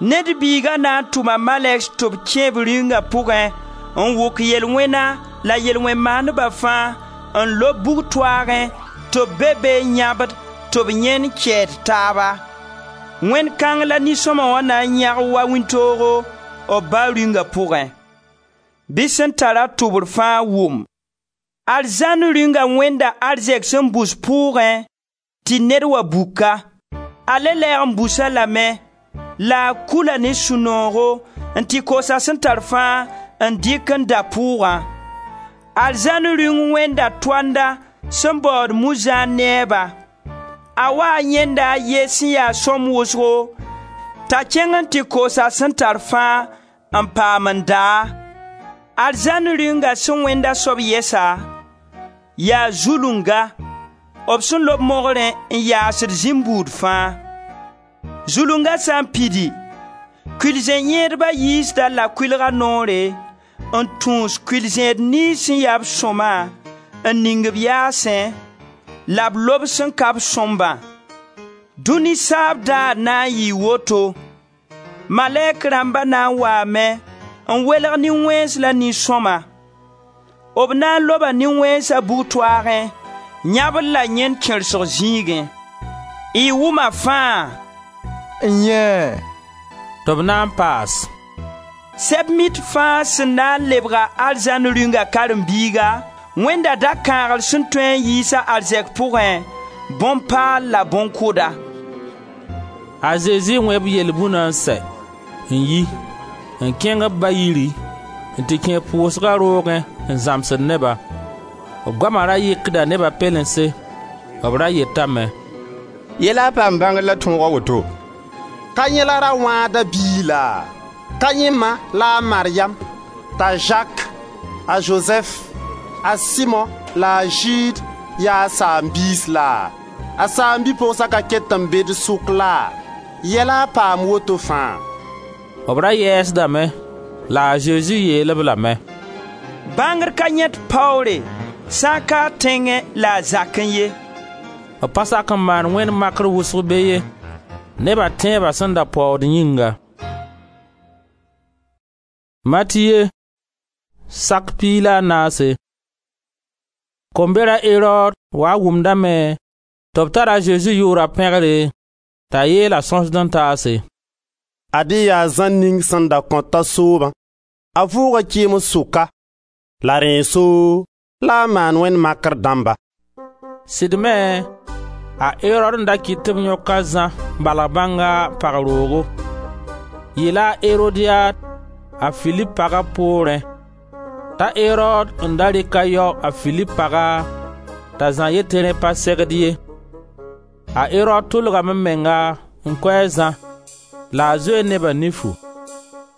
Ned Biiga na n tʋma malɛgs tɩ b kẽ b rĩungã pʋgẽ n wʋk yel-wẽna la yel-wẽn maandba fãa n lob bug-toaagẽ tɩ b be be n yãbd tɩ b yẽnd kɛɛd taaba. Wẽnd kãng la nin-sõma wã na n yãg wa wĩntoogo b Ba Rĩunga pʋgẽ. Bɩ sẽn tara tʋbr fãa wʋm. Arzãn Rĩunga wẽnda arzɛk sẽn bus pʋʋgẽ tɩ ned wa buka. A le lɛɛg n bus-a lame la a kula ne sũ-noogo n tɩ kos a sẽn tar fãa n dɩk n da pʋʋgã. Arzãn Rĩung wẽnda toanda sẽn baood muzãan neeba. A waa yãenda a ye sẽn ya sõm wʋsgo t'a kẽng n tɩ kos a sẽn tar fãa n paam n daa. Arzãn Rĩunga sẽn wẽnd a soab yɛsa, yaa zulunga b sẽn lob mogrẽ n yaasd zĩm-buud fãa. Zulunga sã n pidi, kʋɩl-zẽ-yẽedba yiisd-a la kʋɩlga noore n tũus kʋɩl-zẽed niyns sẽn ya b sõma n ning b yaasẽ, la b lob sẽn ka b sõmbã. Dũni saab daar na n yɩɩ woto: malɛk rãmba na n waame n welg nin-wẽns la nin-sõma. B na n loba nin-wẽnsa bug-toaagẽ, yãbr la yẽnd kẽrsg zĩigẽ. Y wʋma fãa? N-yẽe! Tɩ b na n paas: Sɛb-mit fãa sẽn na n lebg-a arzãn Rĩunga karen-biiga, Wẽnda da-kãagr sẽn tõe n yiis a arzɛk pʋgẽ, bõn-paal la bõn-kʋda.» A Zezi wẽ b yelbũna n sɛ, n yi, n kẽng b ba yiri n tɩ kẽ pʋʋsga roogẽ n zãmsd neba. B goama ra yɩkda neba pelense, b ra yetame: Yɛ la a paam bãngr la tõog a woto? Ka yẽ la ra-wãada biig laa? Ka yẽ ma la a Maryam, t'a Zak, a Zozɛf, a Simo la a Zɩɩd ya a saam-biis laa? A saam-bi-pogsa ka ket n be d sʋk laa? Yɛ la a paam woto fãa?» B ra yɛɛsdame la a Zezi yeel-b lame: «Bãngr ka yãet paoore sã n ka a tẽngẽ la a zakẽ ye.» B pa sak n maan wẽnd makr wʋsg be ye, neba tẽeba sẽn da paood yĩnga. Matiye sak piig la a naase. Kombera Erod wa wʋmdame tɩ b tara a Zezi yʋʋra pẽgre, t'a yeel a sõsd-n-taase: «Ad-y yaa Zã ning sẽn da kõta soobã. A vʋʋga kɩɩms sʋka, la rẽesoo la a maan wẽnd makr dãmba.» Sɩd me, a Erod n da kɩt tɩ b yõk a Zã balg bãnga pag roogo. Yɩla a Erodiad, a Filip paga poorẽ, t'a Erod n da rɩk a yao a Filip paga t'a Zã yet tɩ rẽ pa segd ye. A Erod tʋlgame menga n kʋ a Zã la a zoe neba nifu,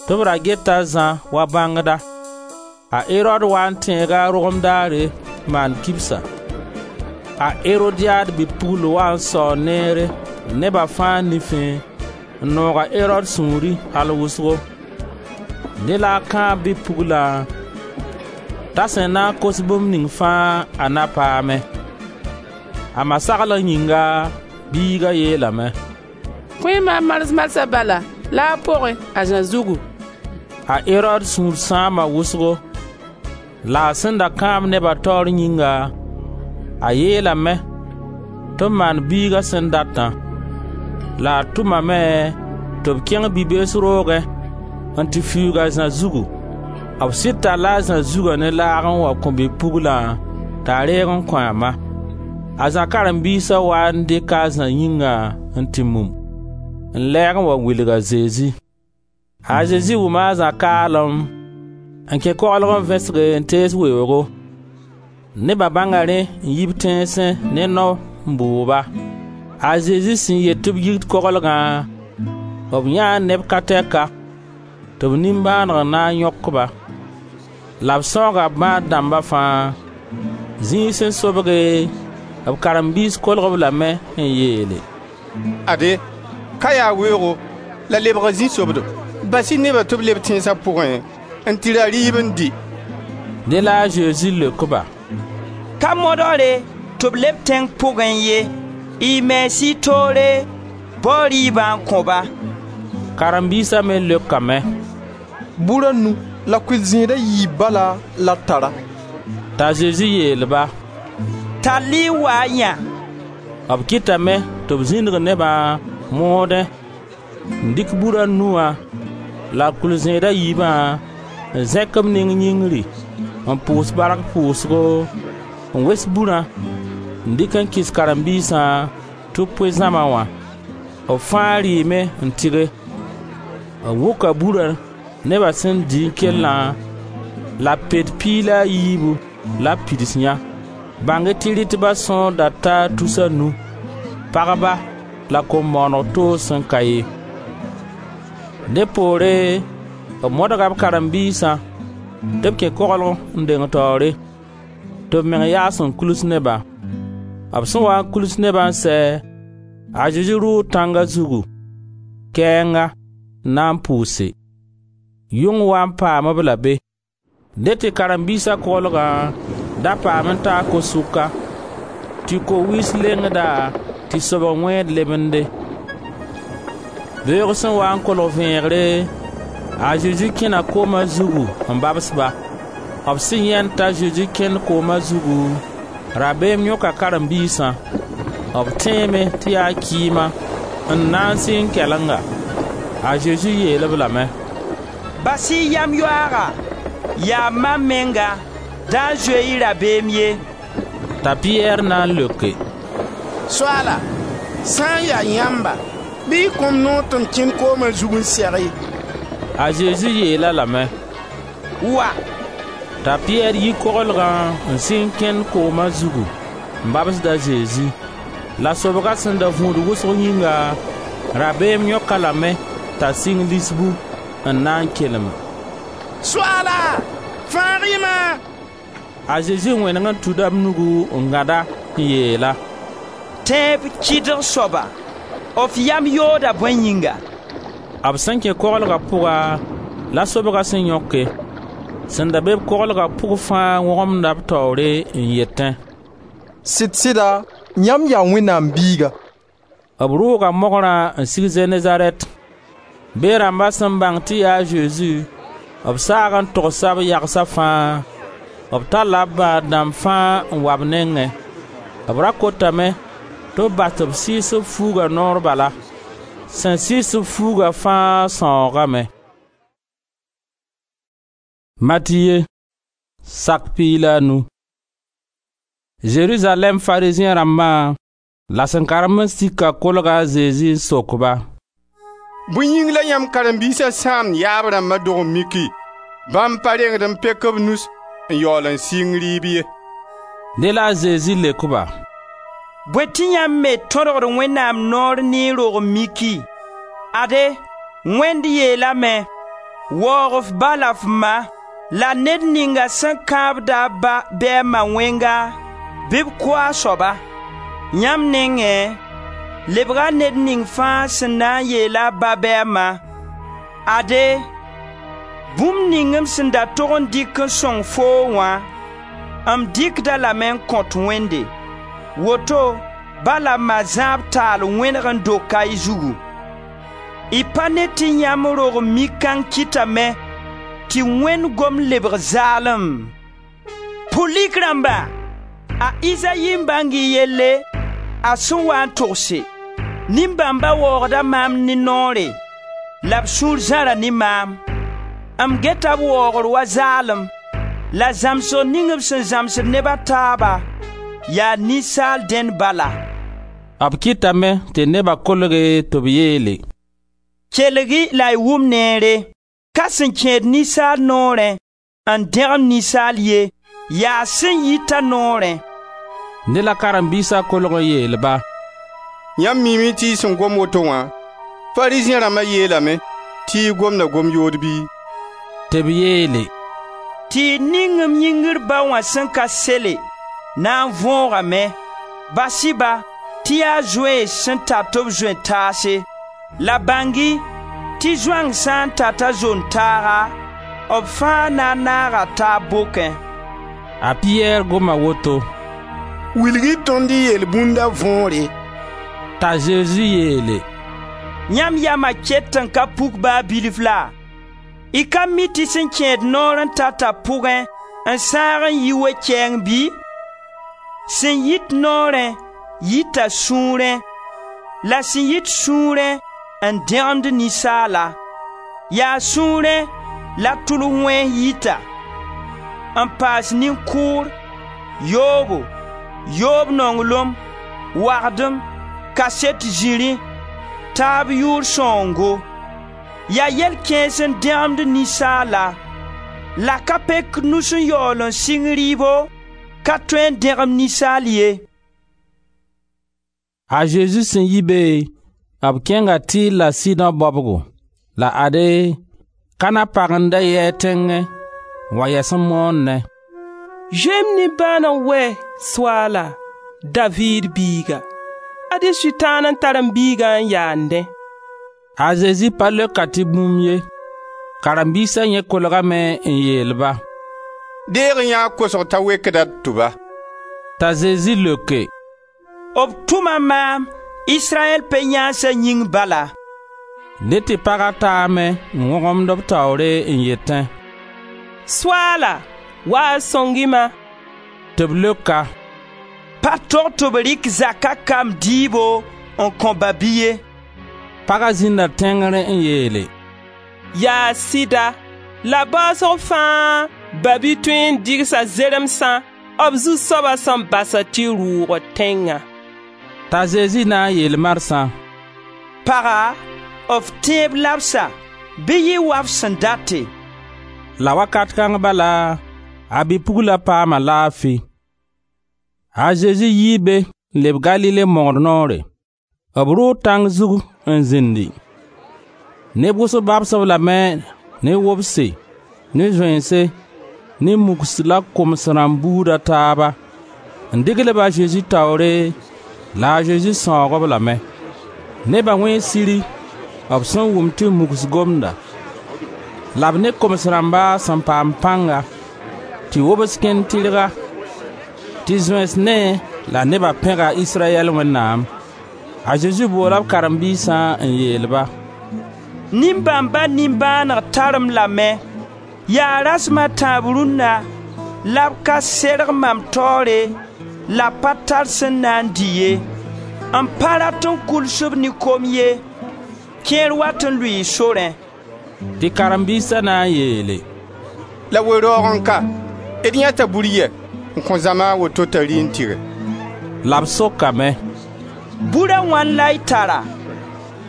tɩ b ra geta a Zã wa bãngda. A Erod waa n tẽega a rogem daare n maan kibsa. A Erodiad bi-pugl waa n sao neere neba fãa nifẽ n noog a Erod sũuri al wʋsgo. Dẽ la a kãab bi-puglã t'a sẽn na n kos bũmb ning fãa a na paame. A ma saglg yĩnga, biiga yeelame: «Kõ-y maam mars marsã bala laag pʋgẽ, a Zã zugu.» A Erod sũur sãama wʋsgo, la a sẽn da kãab neba taoor yĩnga, a yeelame tɩ b maan biiga sẽn datã. La a tʋmame tɩ b kẽng bi-bees roogẽ n tɩ fiuug a Zã zugu. B sɩd talla a Zã zugã ne laag n wa kõ bi-puglã t'a reeg n kõ a ma. A Zã karen-biisa waa n dɩka a Zã yĩngã n tɩ mum, n lɛɛg n wa wilg a Zezi. A Zezi wʋma a Zã kaalem n kẽ koglg n vẽsge n tees weoogo. Neba bãnga rẽ n yi b tẽnsẽ ne nao n bʋʋg-ba. A Zezi sẽn yet tɩ b yik koglgã, b yãee neb ka tɛka tɩ b nimbãaneg na n yõk-ba. La b sãooga b bãad dãmba fãa. Zĩig sẽn sobge, b karen-biis kolg-b lame n yeele: «Ade, ka yaa weoogo la lebga zĩ-sobdo. Bas-y nebã tɩ b leb tẽnsa pʋgẽ n tɩ ra rɩɩb n dɩ.» Dẽ la a Zezi leok-ba: «Ka modgre tɩ b leb tẽng pʋgẽ ye, y mens y toore, bao rɩɩbã n kõ-ba.» Karen-biisa me leokame: «Bur a nu la kʋɩl-zẽed a yiib bala la d tara.» T'a Zezi yeel-ba: «Tall-y n wa n yã.» B kɩtame tɩ b zĩnig nebã moodẽ n dɩk bur a nu wã la kʋɩl-zẽed a yiibã n zẽk b ning yĩngri n pʋʋs bark pʋʋsgo n wes burã n dɩk n kɩs karen-biisã tɩ b pʋɩ zãma wã. B fãa rɩɩme n tɩge. B wʋka burã neba sẽn dɩ n kellã la pet piig la a yiibu la b pids yã. Bãng-y tɩ rɩtba sõor da ta tus a nu, pagba la kom-bõoneg toog sẽn ka ye. Dẽ poore b modga b karen-biisã tɩ b kẽ koglg n deng taoore, tɩ b meng yaas n kuls nebã. B sẽn wa n kuls nebã n sɛ, a Zezi rʋʋ tãnga zugu, kɛɛnga, n na n pʋʋse. Yʋng wa n paam-b la be. Dẽ tɩ karen-biisa koglgã da paam n taa ko-sʋka, tɩ ko-wɩɩs lengda tɩ sobg wẽed lemende. Beoog sẽn waa n kolg vẽegre, a Zezi kẽna kooma zugu n babs-ba. B sẽn yãend t'a Zezi kẽnd kooma zugu, rabeem yõka karen-biisã. B tẽeme tɩ yaa kɩɩma n na n sɩng kɛlenga. A Zezi yeel-b lame: «Bas-y yam yoaaga, yaa mam menga, da zoe-y rabeem ye.» T'a Piyɛr na n leoke: «Soaala, sã n ya yãmba, bɩ y kõ-m noor tɩ m kẽnd kooma zug n seg-y.» A Zezi yeel-a lame: «Wa!» T'a Piyɛr yi koglgã n sɩng kẽnd kooma zugu n babsd a Zezi. La sobga sẽn da vũud wʋsg yĩnga, rabeem yõk-a lame t'a sɩng lisbu n na n kelem: «Soaala, fãag-y-ma!» A Zezi wẽneg n tuda b nugu n gãd-a n yeel-a: «Tẽeb kɩdg soaba, f yam yooda bõe yĩnga?» B sẽn kẽ koglga pʋga la sobga sẽn yõke. Sẽn da be-b koglga pʋg fãa wõgemda b taoore n yetẽ: «Sɩd-sɩda yãmb yaa Wẽnnaam Biiga.» B rʋʋga mogrã n sig Zenezarɛt. Beẽ rãmba sẽn bãng tɩ yaa a Zezi, b saag n togsa b yagsa fãa. B talla b bãad dãmb fãa n wa b nengẽ. B ra kotame tɩ b bas tɩ b sɩɩs b fuuga noor bala. Sẽn sɩɩs b fuuga fãa sãoogame. Matiye sak piig la a nu. Zerizalɛɛm Farizẽ rãmbã la sẽn karem n sika kolga a Zezi n sok-ba: «Bõe yĩng la yãmb karen-biisa sãamd yaab rãmba dog-n-miki? Bãmb pa rengd n pek b nus n yaool n sɩng rɩɩb ye.» Dẽ la a Zezi leok-ba: «Bõe tɩ yãmb me tõdgd Wẽnnaam noor ne y rog-n-miki? Ade, Wẽnd yeelame: ‹Waoog f ba la f ma, la ned ninga sẽn kãabd a ba bɩ a ma wẽnga, bɩ b kʋ a soaba.› Yãmb nengẽ, lebga ned ning fãa sẽn na n yeel a ba bɩ a ma: ‹Ade, bũmb ning m sẽn da tog n dɩk n sõng foo wã, m dɩkd-a lame n kõt Wẽnde.› Woto ba la ma zãab taal wẽneg n doka y zugu. Y pa ne tɩ yãmb rog-n-mik-kãng kɩtame tɩ Wẽnd gom lebg zaalem? Pʋlik rãmba, a Izayi n bãng y yelle, a sẽn waa n togse: ‹Nin-bãmba waoogda maam ne noore, la b sũur zãra ne maam. M geta b waoogr wa zaalem, la zãmsg ning b sẽn zãmsd neb a taaba yaa ninsaal dẽnd bala.›» B kɩtame tɩ neba kolge tɩ b yeele: «Kelg-y la y wʋm neere: ka sẽn kẽed ninsaal noorẽ n dẽgem ninsaal ye, yaa sẽn yit a noorẽ.» Dẽ la karen-biisa kolg n yeel-ba: «Yãmb miime tɩ y sẽn gom woto wã, Farizẽ rãmba yeelame tɩ y gomda gom-yood bɩ?» Tɩ b yeele: «Tɩɩg ning m yĩngr ba wã sẽn ka sele na n võogame. Bas-y-ba tɩ yaa zoeens sẽn tat b zoe-taase. La bãng-y tɩ zoang sã n tat a zon-taaga, b fãa na n naaga taab bokẽ.» A Piyɛr goma woto: «Wilg-y tõnd y yelbũnda võore.» T'a Zezi yeele: «Yãmb yama ket n ka puk ba bilf laa? Y ka mi tɩ sẽn kẽed noor n tata pʋgẽ n sãag n yi we-kɛɛng bɩ? Sẽn yit noorẽ yita sũurẽ, la sẽn yit sũurẽ n dẽgemd ninsaala. Yaa sũurẽ la tʋls wẽns yita, n paas nin-kʋʋr, yoobo, yoob nonglem, wagdem, kaset zĩrĩ, taab yʋʋr sãoongo. Yaa yɛl kãens n dẽgemd ninsaala. La ka pek nus n yaool n sɩng rɩɩbo ka tõe n dẽgem ninsaal ye.» A Zezi sẽn yi be, b kẽnga Tɩr la Sidõ baobgo. La ade, Kana pag n da yɩ a tẽngẽ n wa yɛs n moonnẽ: «Zoe-m nimbãaneg wɛ, Soaala!» Daviid biiga, ad-y Sʋtãan n tar m biigã n yaandẽ.» A Zezi pa leok-a tɩ bũmb ye. Karen-biisa yẽ kolgame n yeel-ba: «Deeg-y yã a kosg t'a wekda d tʋba.» T'a Zezi leoke: «B tʋma maam Israyɛl pe-yãansa yĩng bala.» Dẽ tɩ paga taame n wõgemd b taoore n yetẽ: «Soaala, wa n sõng-y-ma!» Tɩ b leok-a: «Pa tog tɩ b rɩk zaka kamb dɩɩbo n kõ ba-bi ye.» Paga zĩnda tẽngr n yeele: «Yaa sɩda, la baoosg fãa ba-bi tõe n dɩgsa zeremsã b zu-soaba sẽn basd tɩ rʋʋgd tẽngã.» T'a Zezi na n yeel marsã: «Paga, f tẽeb labsa, bɩ yɩ wa f sẽn date.» La wakat kãng bala, a bi-pugla paama laafi. A Zezi yii be n leb Galile mogr noore. B rʋʋ tãng zug n zĩndi. Neb wʋsg babs-b lame ne wobse, ne zoense, ne mugs la koms rãmb buud a taaba, n degl-b a Zezi taoore la a Zezi sãoog-b lame. Neba wẽe siri b sẽn wʋm tɩ mugs gomda, la b ne koms rãmba sẽn paam pãnga, tɩ wobs kẽnd tɩrga, tɩ zoens ne la neba pẽga Israyɛl Wẽnnaam. A Zezi boola b karen-biisã n yeel-ba: «Nin-bãmba nimbãaneg tar-m lame. Yaa rasem a tãab rũnna la b ka serg mam taoore la b pa tar sẽn na n dɩ ye. M pa rat n kuls-b ne kom ye, kẽer wat n lʋɩɩ sorẽ.» Tɩ karen-biisa na n yeele: «La we-raoog n ka, d yãeta bur yɛ n kõ zãma a woto t'a rɩ n tɩge?» La b sokame: «Bur a wãn la y tara?»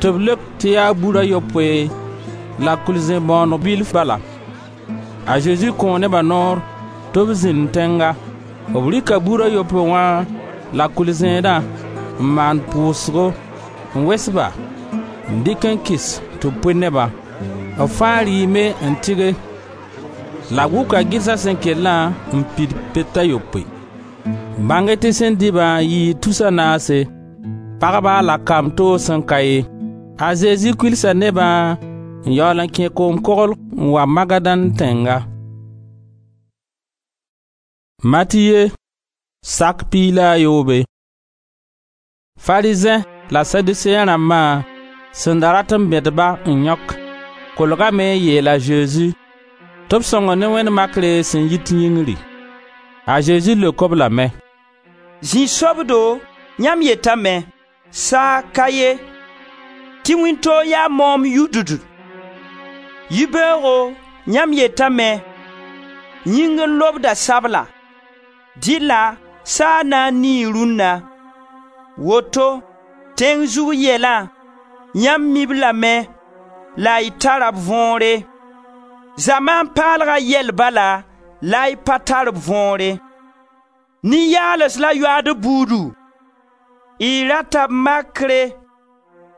Tɩ b leok tɩ yaa bur a yopoe la kʋɩl-zẽn-bõoneg bilf bala. A Zezi kõo neba noor tɩ b zĩnd tẽnga. B rɩka bur a yopoe wã la kʋɩl-zẽedã n maan pʋʋsgo, n wes-ba, n dɩk n kɩs tɩ b pʋɩ nebã. B fãa rɩɩme n tɩge la b wʋka gɩlsa sẽn kellã n pid pet a yopoe. Bãng-y tɩ sẽn dɩ-bã yɩɩ tus a naase, pagba la kamb toog sẽn ka ye. A Zezi kʋɩlsa nebã n yaool n kẽ koom-koglg n wa Magadan tẽnga. Matiye sak piig la a yoobe. Farizẽ la Saduseẽ rãmbã sẽn da rat n bẽd-ba n yãok, kolgame n yeel a Zezi tɩ b sõng ne wẽnd makre sẽn yit yĩngri. A Zezi leok-b lame: «Zĩ-sobdo, yãmb yetame: saag ka ye, tɩ wĩntoog yaa moom yudud. Yibeoogo yãmb yetame: yĩngr n lobda sabla, dɩlla saag na n nii rũnna. Woto tẽng zug yɛlã yãmb mi-b lame la y tara b võore. Zamaan paalga yɛl bala la y pa tar b võore. Nin-yaals la yoaad buudu. Y rata b makre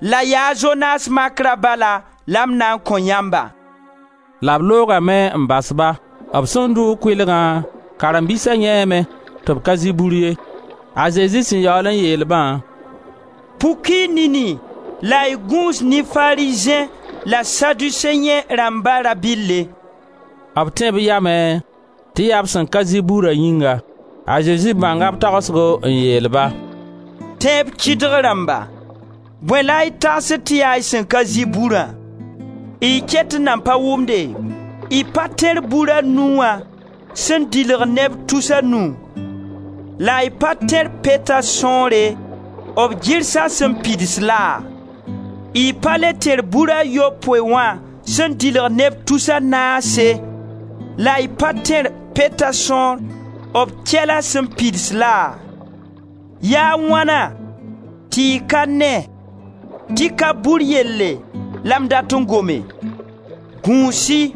la yaa Zonas makra bala la m na n kõ yãmba.» La b loogame n bas-ba. B sẽn dʋʋg kʋɩlgã, karen-biisa yãeeme tɩ b ka zɩ bur ye. A Zezi sẽn yaool n yeel-bã: «Puk-y y nini la y gũus ne Farizẽ la Saduseẽ rãmba rabɩlle.» B tẽ b yamẽ tɩ yaa b sẽn ka zɩ burã yĩnga. A Zezi bãnga b tagsgo n yeel-ba: «Tẽeb kɩdg rãmba, bõe la y tagsd tɩ yaa y sẽn ka zɩ burã? Y ket n nan pa wʋmde? Y pa tẽr bur a nu wã sẽn dɩlg neb tus a nu? La y pa tẽr peta sõore, b gɩrsa sẽn pids laa? Y pa le tẽr bur a yopoe wã sẽn dɩlg neb tus a naase? La y pa tẽr peta sõor, b kɛla sẽn pids laa? Yaa wãna tɩ y ka ne tɩ ka bur yelle la m dat n gome? Gũus-y,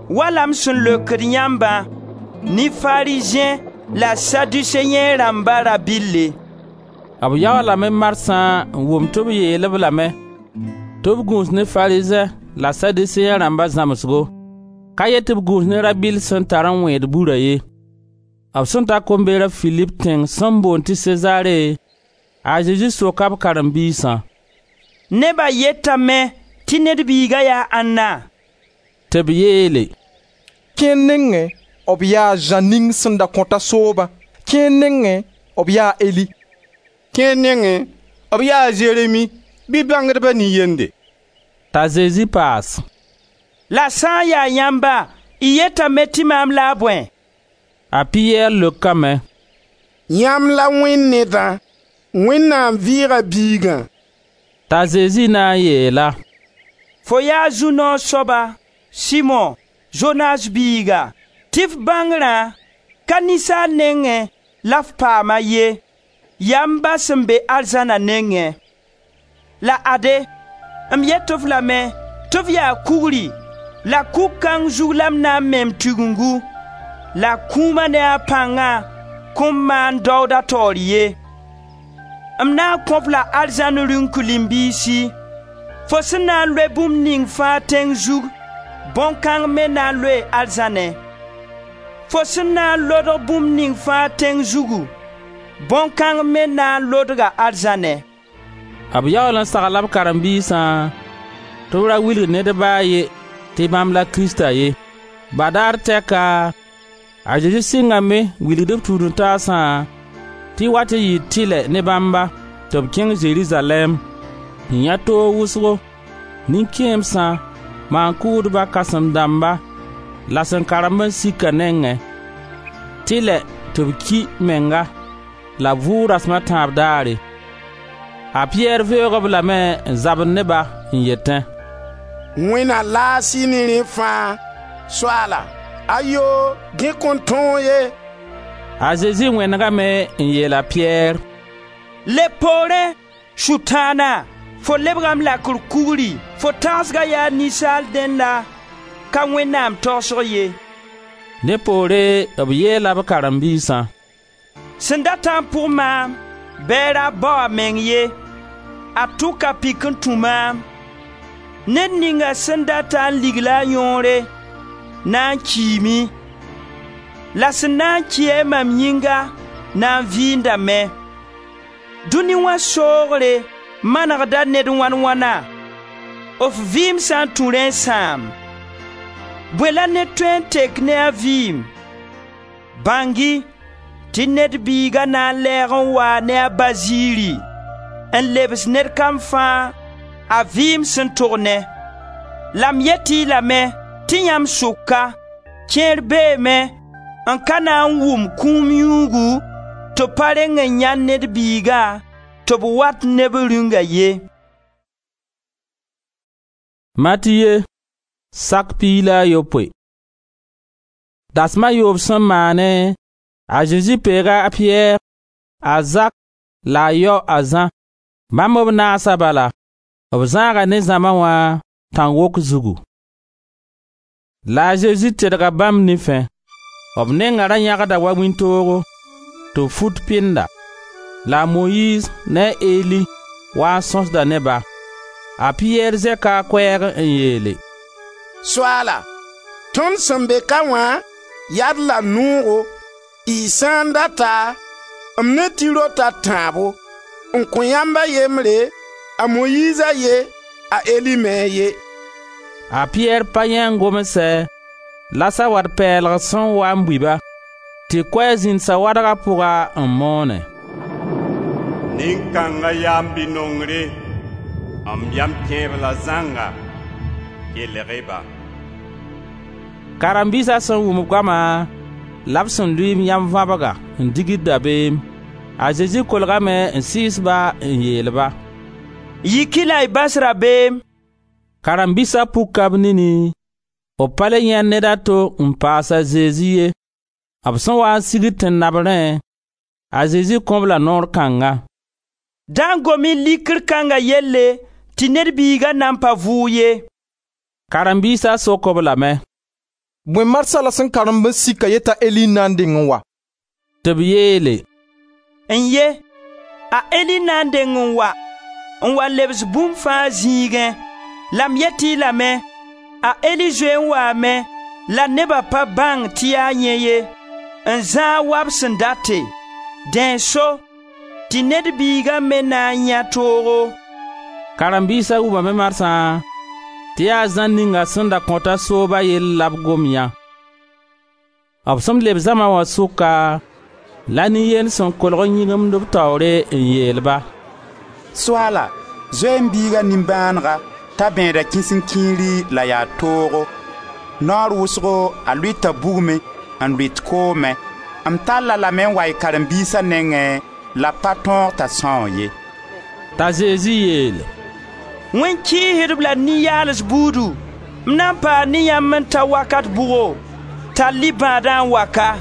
wala m sẽn leokd yãmbã ne Farizẽ la Saduseẽ rãmba rabɩlle.» B yaoolame marsã n wʋm tɩ b yeel-b lame tɩ b gũus ne Farizẽ la Saduseẽ rãmba zãmsgo, ka yet tɩ b gũus ne rabɩll sẽn tar n wẽed burã ye. B sẽn ta kombɛɛr a Filip tẽng sẽn boond tɩ Sezare, a Zezi soka b karen-biisã: «Neba yetame tɩ Ned Biiga yaa ãnna?» Tɩ b yeele: «Kẽer nengẽ b yaa a Zã ning sẽn da kõta soobã, kẽer nengẽ b yaa Eli, kẽer nengẽ b yaa a Zeremi bɩ bãngdba nin-yende.» T'a Zezi paas: «La sã n ya yãmba, y yetame tɩ maam la a bõe?» A Piyɛr leokame: «Yãmb la Wẽnd Nedã, Wẽnnaam vɩɩga Biigã.» T'a Zezi na n yeel-a: «Fo yaa zu-noog soaba, Simo, Zonas biiga, tɩ f bãngrã ka ninsaal nengẽ la f paam-a ye, yaa m Ba sẽn be arzãna nengẽ. La ade, m yet-f lame tɩ f yaa kugri la kug kãng zug la m na n me m Tigengu, la kũuma ne a pãnga kõn maan daood a taoor ye. M na n kõ-f la arzãn rĩnk-limbiisi. Fo sẽn na n loe bũmb ning fãa tẽng zug, bõn-kãng me na n loee arzãnẽ. Fo sẽn na n lodg bũmb ning fãa tẽng zugu, bõn-kãng me na n lodga arzãnẽ.» B yaool n sagla b karen-biisã tɩ b ra wilg ned ba a ye tɩ bãmb la Krista ye. Badaar tɛka, a Zezi sɩngame n wilgd b tũud-n-taasã tɩ wat n yɩ tɩlɛ ne bãmba tɩ b kẽng Zerizalɛɛm, n yãe toog wʋsgo, nin-kẽemsã, maan-kʋʋdba kãsem-dãmba la sẽn karemb n sika nengẽ, tɩlɛ tɩ b ki menga la b vʋʋg rasem a tãab daare. A Piyɛr veoog-b lame n zabd ne-ba n yetẽ: «Wẽnd na laas-y ne rẽ fãa. Soaala, ayoo, dẽ kõn tõog ye.» A Zezi wẽnegame n yeel a Piyɛr: «Leb poorẽ, Sʋtãana, fo lebga m lakr kugri, fo tagsga yaa ninsaal dẽnda, ka Wẽnnaam tagsg ye.» Dẽ poore b yeela b karen-biisã: «Sẽn datã n pʋg maam, bɩ a ra bao a meng ye, a tʋk a pik n tũ maam. Ned ninga sẽn data n ligl a yõore, na n kiime, la sẽn na n ki-a mam yĩnga na n vɩɩndame. Dũni wã soogre manegda ned wãn-wãna, f vɩɩm sã n tũ rẽ n sãam? Bõe la ned tõe n tek ne a vɩɩm? Bãng-y tɩ Ned Biiga na n lɛɛg n waa ne a Ba ziiri n lebs ned kam fãa a vɩɩm sẽn tog ne. La m yet-y lame tɩ yãmb sʋka, kẽer beeme n ka na n wʋm kũum yũugu tɩ b pa reng n yãend Ned Biiga tɩ b wat ne b Rĩunga ye.» Matiye sak piig la a yopoe. Dasma a yoob sẽn maane, a Zezi peega a Piyɛr, a Zak la a yao a Zã. Bãmb b naasa bala, b zãaga ne zãma wã tãn-wok zugu. La a Zezi tedga bãmb nifẽ. B nenga ra yãgda wa wĩntoogo, tɩ b fut pɩnda. La a Moyiiz ne a Eli waa n sõsda ne ba. A Piyɛr zẽka a koɛɛg n yeele: «Soaala, tõnd sẽn be ka wã yaa-d la noogo, y sã n data, m ne tɩ-rot a tãabo, n kõ yãmb a yembre, a Moyiiz a ye, a Eli me a ye.» A Piyɛr pa yãe n gomsɛ la sawat pɛɛlg sẽn wa n bui-ba, tɩ koɛɛg zĩnd sawadga pʋga n moone: Nin-kãnga yaa m Bi-nongre, m yam kẽeb la zãnga, kelg-y-ba. Karen-biisa sẽn wʋm goama la b sẽn lʋɩ yãmb vãbga n digd dabeem. A Zezi kolgame n sɩɩs-ba n yeel-ba: «Yik-y la y bas rabeem.» Karen-biisa puka b nini, b pa le yãend ned a to n paas a Zezi ye. B sẽn waa n sigd tẽn-nabrẽ, a Zezi kõ-b la noor kãnga: «Da n gom-y likr kãnga yelle tɩ Ned Biiga nan pa vʋʋg ye.» Karen-biisa sok-b lame: «Bõe marsã la sẽn karemb n sika yetã Eli n na n deng n wa?» Tɩ b yeele: «N-ye, a Eli na n deng n wa, n wa lebs bũmb fãa zĩigẽ. La m yet-y lame, a Eli zoe n waame la neba pa bãng tɩ yaa yẽ ye. n zãag wa b sẽn date. Dẽ n so tɩ Ned Biiga me na n yãe toogo.» Karen-biisa wʋmame marsã tɩ yaa Zã ninga sẽn da kõta sooba yell la b gom yã. B sẽn leb zãma wã sʋka, la nin-yend sẽn kolg n yĩgimd b taoore n yeel-ba: «Soaala, zoe m biiga nimbãanega t'a bẽeda kĩsen-kĩiri la yaa toogo. Naoor wʋsgo a lʋɩta bugmẽ n lʋɩt koomẽ. M tall-a lame n wa y karen-biisa nengẽ la b pa tõog t'a sãoog ye.» T'a Zezi yeel: «Wẽn kɩɩsd-b la nin-yaals buudu, m na n paa ne yãmb n ta wakat bʋgo? Tall-y bãadã n wa ka.»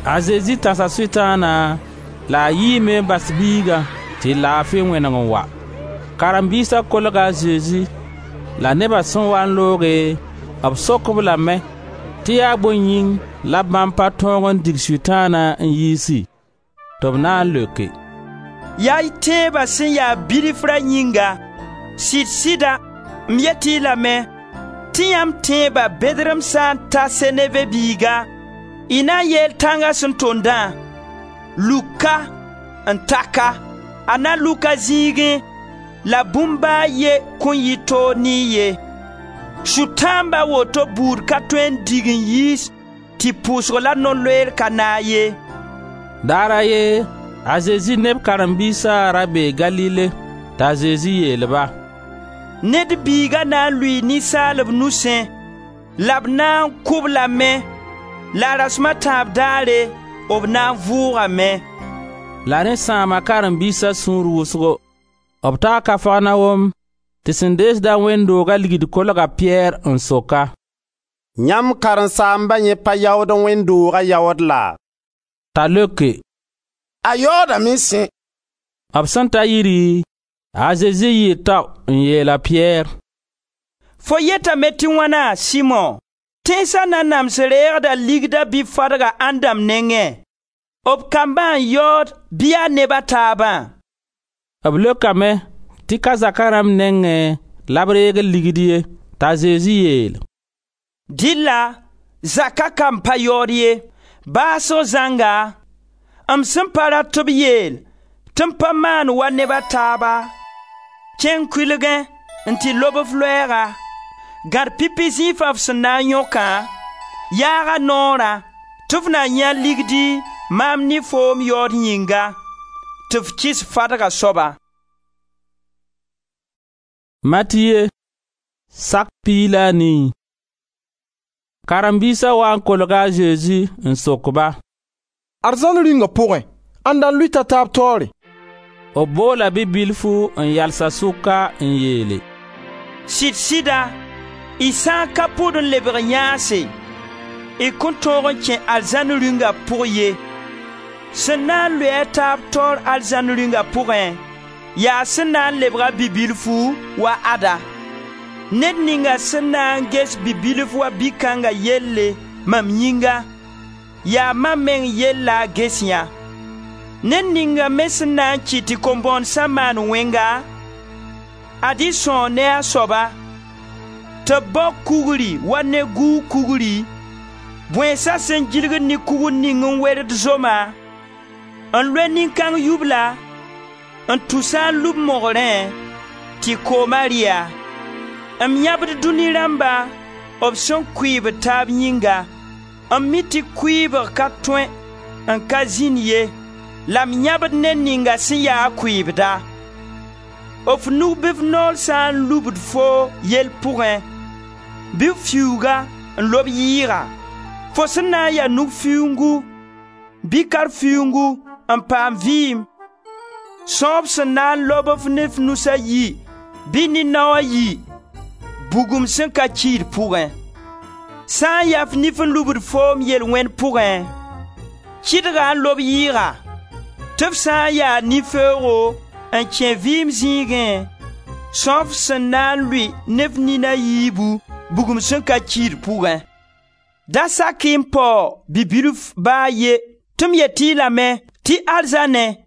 A Zezi tãsa Sʋtãana la a yiime n bas biigã tɩ laafi wẽneg n wa. Karen-biisa kolga a Zezi la neba sẽn waa n looge, b sok-b lame tɩ yaa bõe yĩng la bãmb pa tõog n dig Sʋtãana n yiisi? Tɩ b na n leoke: «Yaa y tẽeba sẽn ya bilfra yĩnga. Sɩd-sɩda m yet-y lame tɩ yãmb tẽeba bɛdrem sã n ta seneve biiga, y na n yeel tãnga sẽn tondã: luk ka n ta ka, a na luk a zĩigẽ la bũmb ba a ye kõn yɩ toog ne-y ye. Sʋtãamb a woto buud ka tõe n dig n yiis tɩ pʋʋsg la no-loeer ka naag ye.» Daar a ye, a Zezi ne b karen-biisa ra bee Galile, t'a Zezi yeel-ba: «Ned Biiga na n lʋɩɩ ninsaalb nusẽ la b na n kʋ-b lame la rasem a tãab daare b na n vʋʋgame.» La rẽ sãama karen-biisa sũur wʋsgo. B taa Kafarnaom tɩ sẽn deesd-a wẽnd dooga ligd kolg a Piyɛr n sok-a: «Yãmb karen-saamba yẽ pa yaood wẽnd dooga yaood laa?» T'a leoke: «A yaoodame sẽ.» B sẽn ta yiri, a Zezi yɩɩ tao n yeel a Piyɛr: «Fo yetame tɩ wãna, Simo? Tẽnsa nanams reegda ligda bɩ fadga ãndãmb nengẽ? B kambã n yaood bɩ yaa neb a taabã?» B leokame tɩ ka zaka rãmb nengẽ la b reegd ligd ye. T'a Zezi yeel: «Dɩlla zaka kamb pa yaood ye. Baasg zãnga, m sẽn pa rat tɩ b yeel tɩ m pa maan wa neb a taaba, kẽng kʋɩlgẽ n tɩ lob f loɛɛga, gãd pipi zĩifã f sẽn na n yõkã, yaag-a noorã tɩ f na yãe ligdi maam ne foom yaood yĩnga, tɩ f kɩs fadga soaba.» Matiye sak piig la a nii. Karen-biisa waa n kolga a Zezi n sok-ba: «Arzãn Rĩunga pʋgẽ, ãnda n lʋɩt a taab taoore?» B boola bi-bilfu n yals a sʋka n yeele: «Sɩd-sɩda, y sã n ka pʋd n lebg yãase, y kõn tõog n kẽ arzãn Rĩunga pʋg ye. Sẽn na n lʋɩ a taab taoor arzãn Rĩunga pʋgẽ, yaa sẽn na n lebg-a bi-bilfu wa ada. Ned ninga sẽn na n ges bi-bilf wa bi-kãnga yelle mam yĩnga, yaa mam meng yell la a ges yã. Ned ninga me sẽn na n kɩt tɩ kom-bõondsã maan wẽnga, ad-y sõog ne a soaba, tɩ b bao kugri wa ne gʋʋg kugri, bõensa sẽn gilgd ne kugr ning n werd zoma, n loe nin-kãng yubla, n tus-a n lub mogrẽ, tɩ kooma rɩ-a. M yãbd dũni rãmba b sẽn kʋɩɩbd taab yĩnga. M mi tɩ kʋɩɩbg ka tõe n ka zĩnd ye, la m yãbd ned ninga sẽn ya a kʋɩɩbda. F nug bɩ f noor sã n lubd foo yell pʋgẽ, bɩ f fiuuga n lob yɩɩga. Fo sẽn na n ya nug fiuungu bɩ kar-fiuungu n paam vɩɩm, sõor f sẽn na n lob f ne f nus a yi bɩ ne nao a yi, bugum sẽn ka kiid pʋgẽ. Sã n ya f nif n lubd foom yel-wẽnd pʋgẽ, kɩdga n lob yɩɩga, tɩ f sã n ya nin-feoogo n kẽ vɩɩm zĩigẽ, sõor f sẽn na n lʋɩ ne f nin a yiibu bugum sẽn ka kiid pʋgẽ. Da sak-y n pao bi-bilf ba a ye tɩ m yet-y lame tɩ arzãnẽ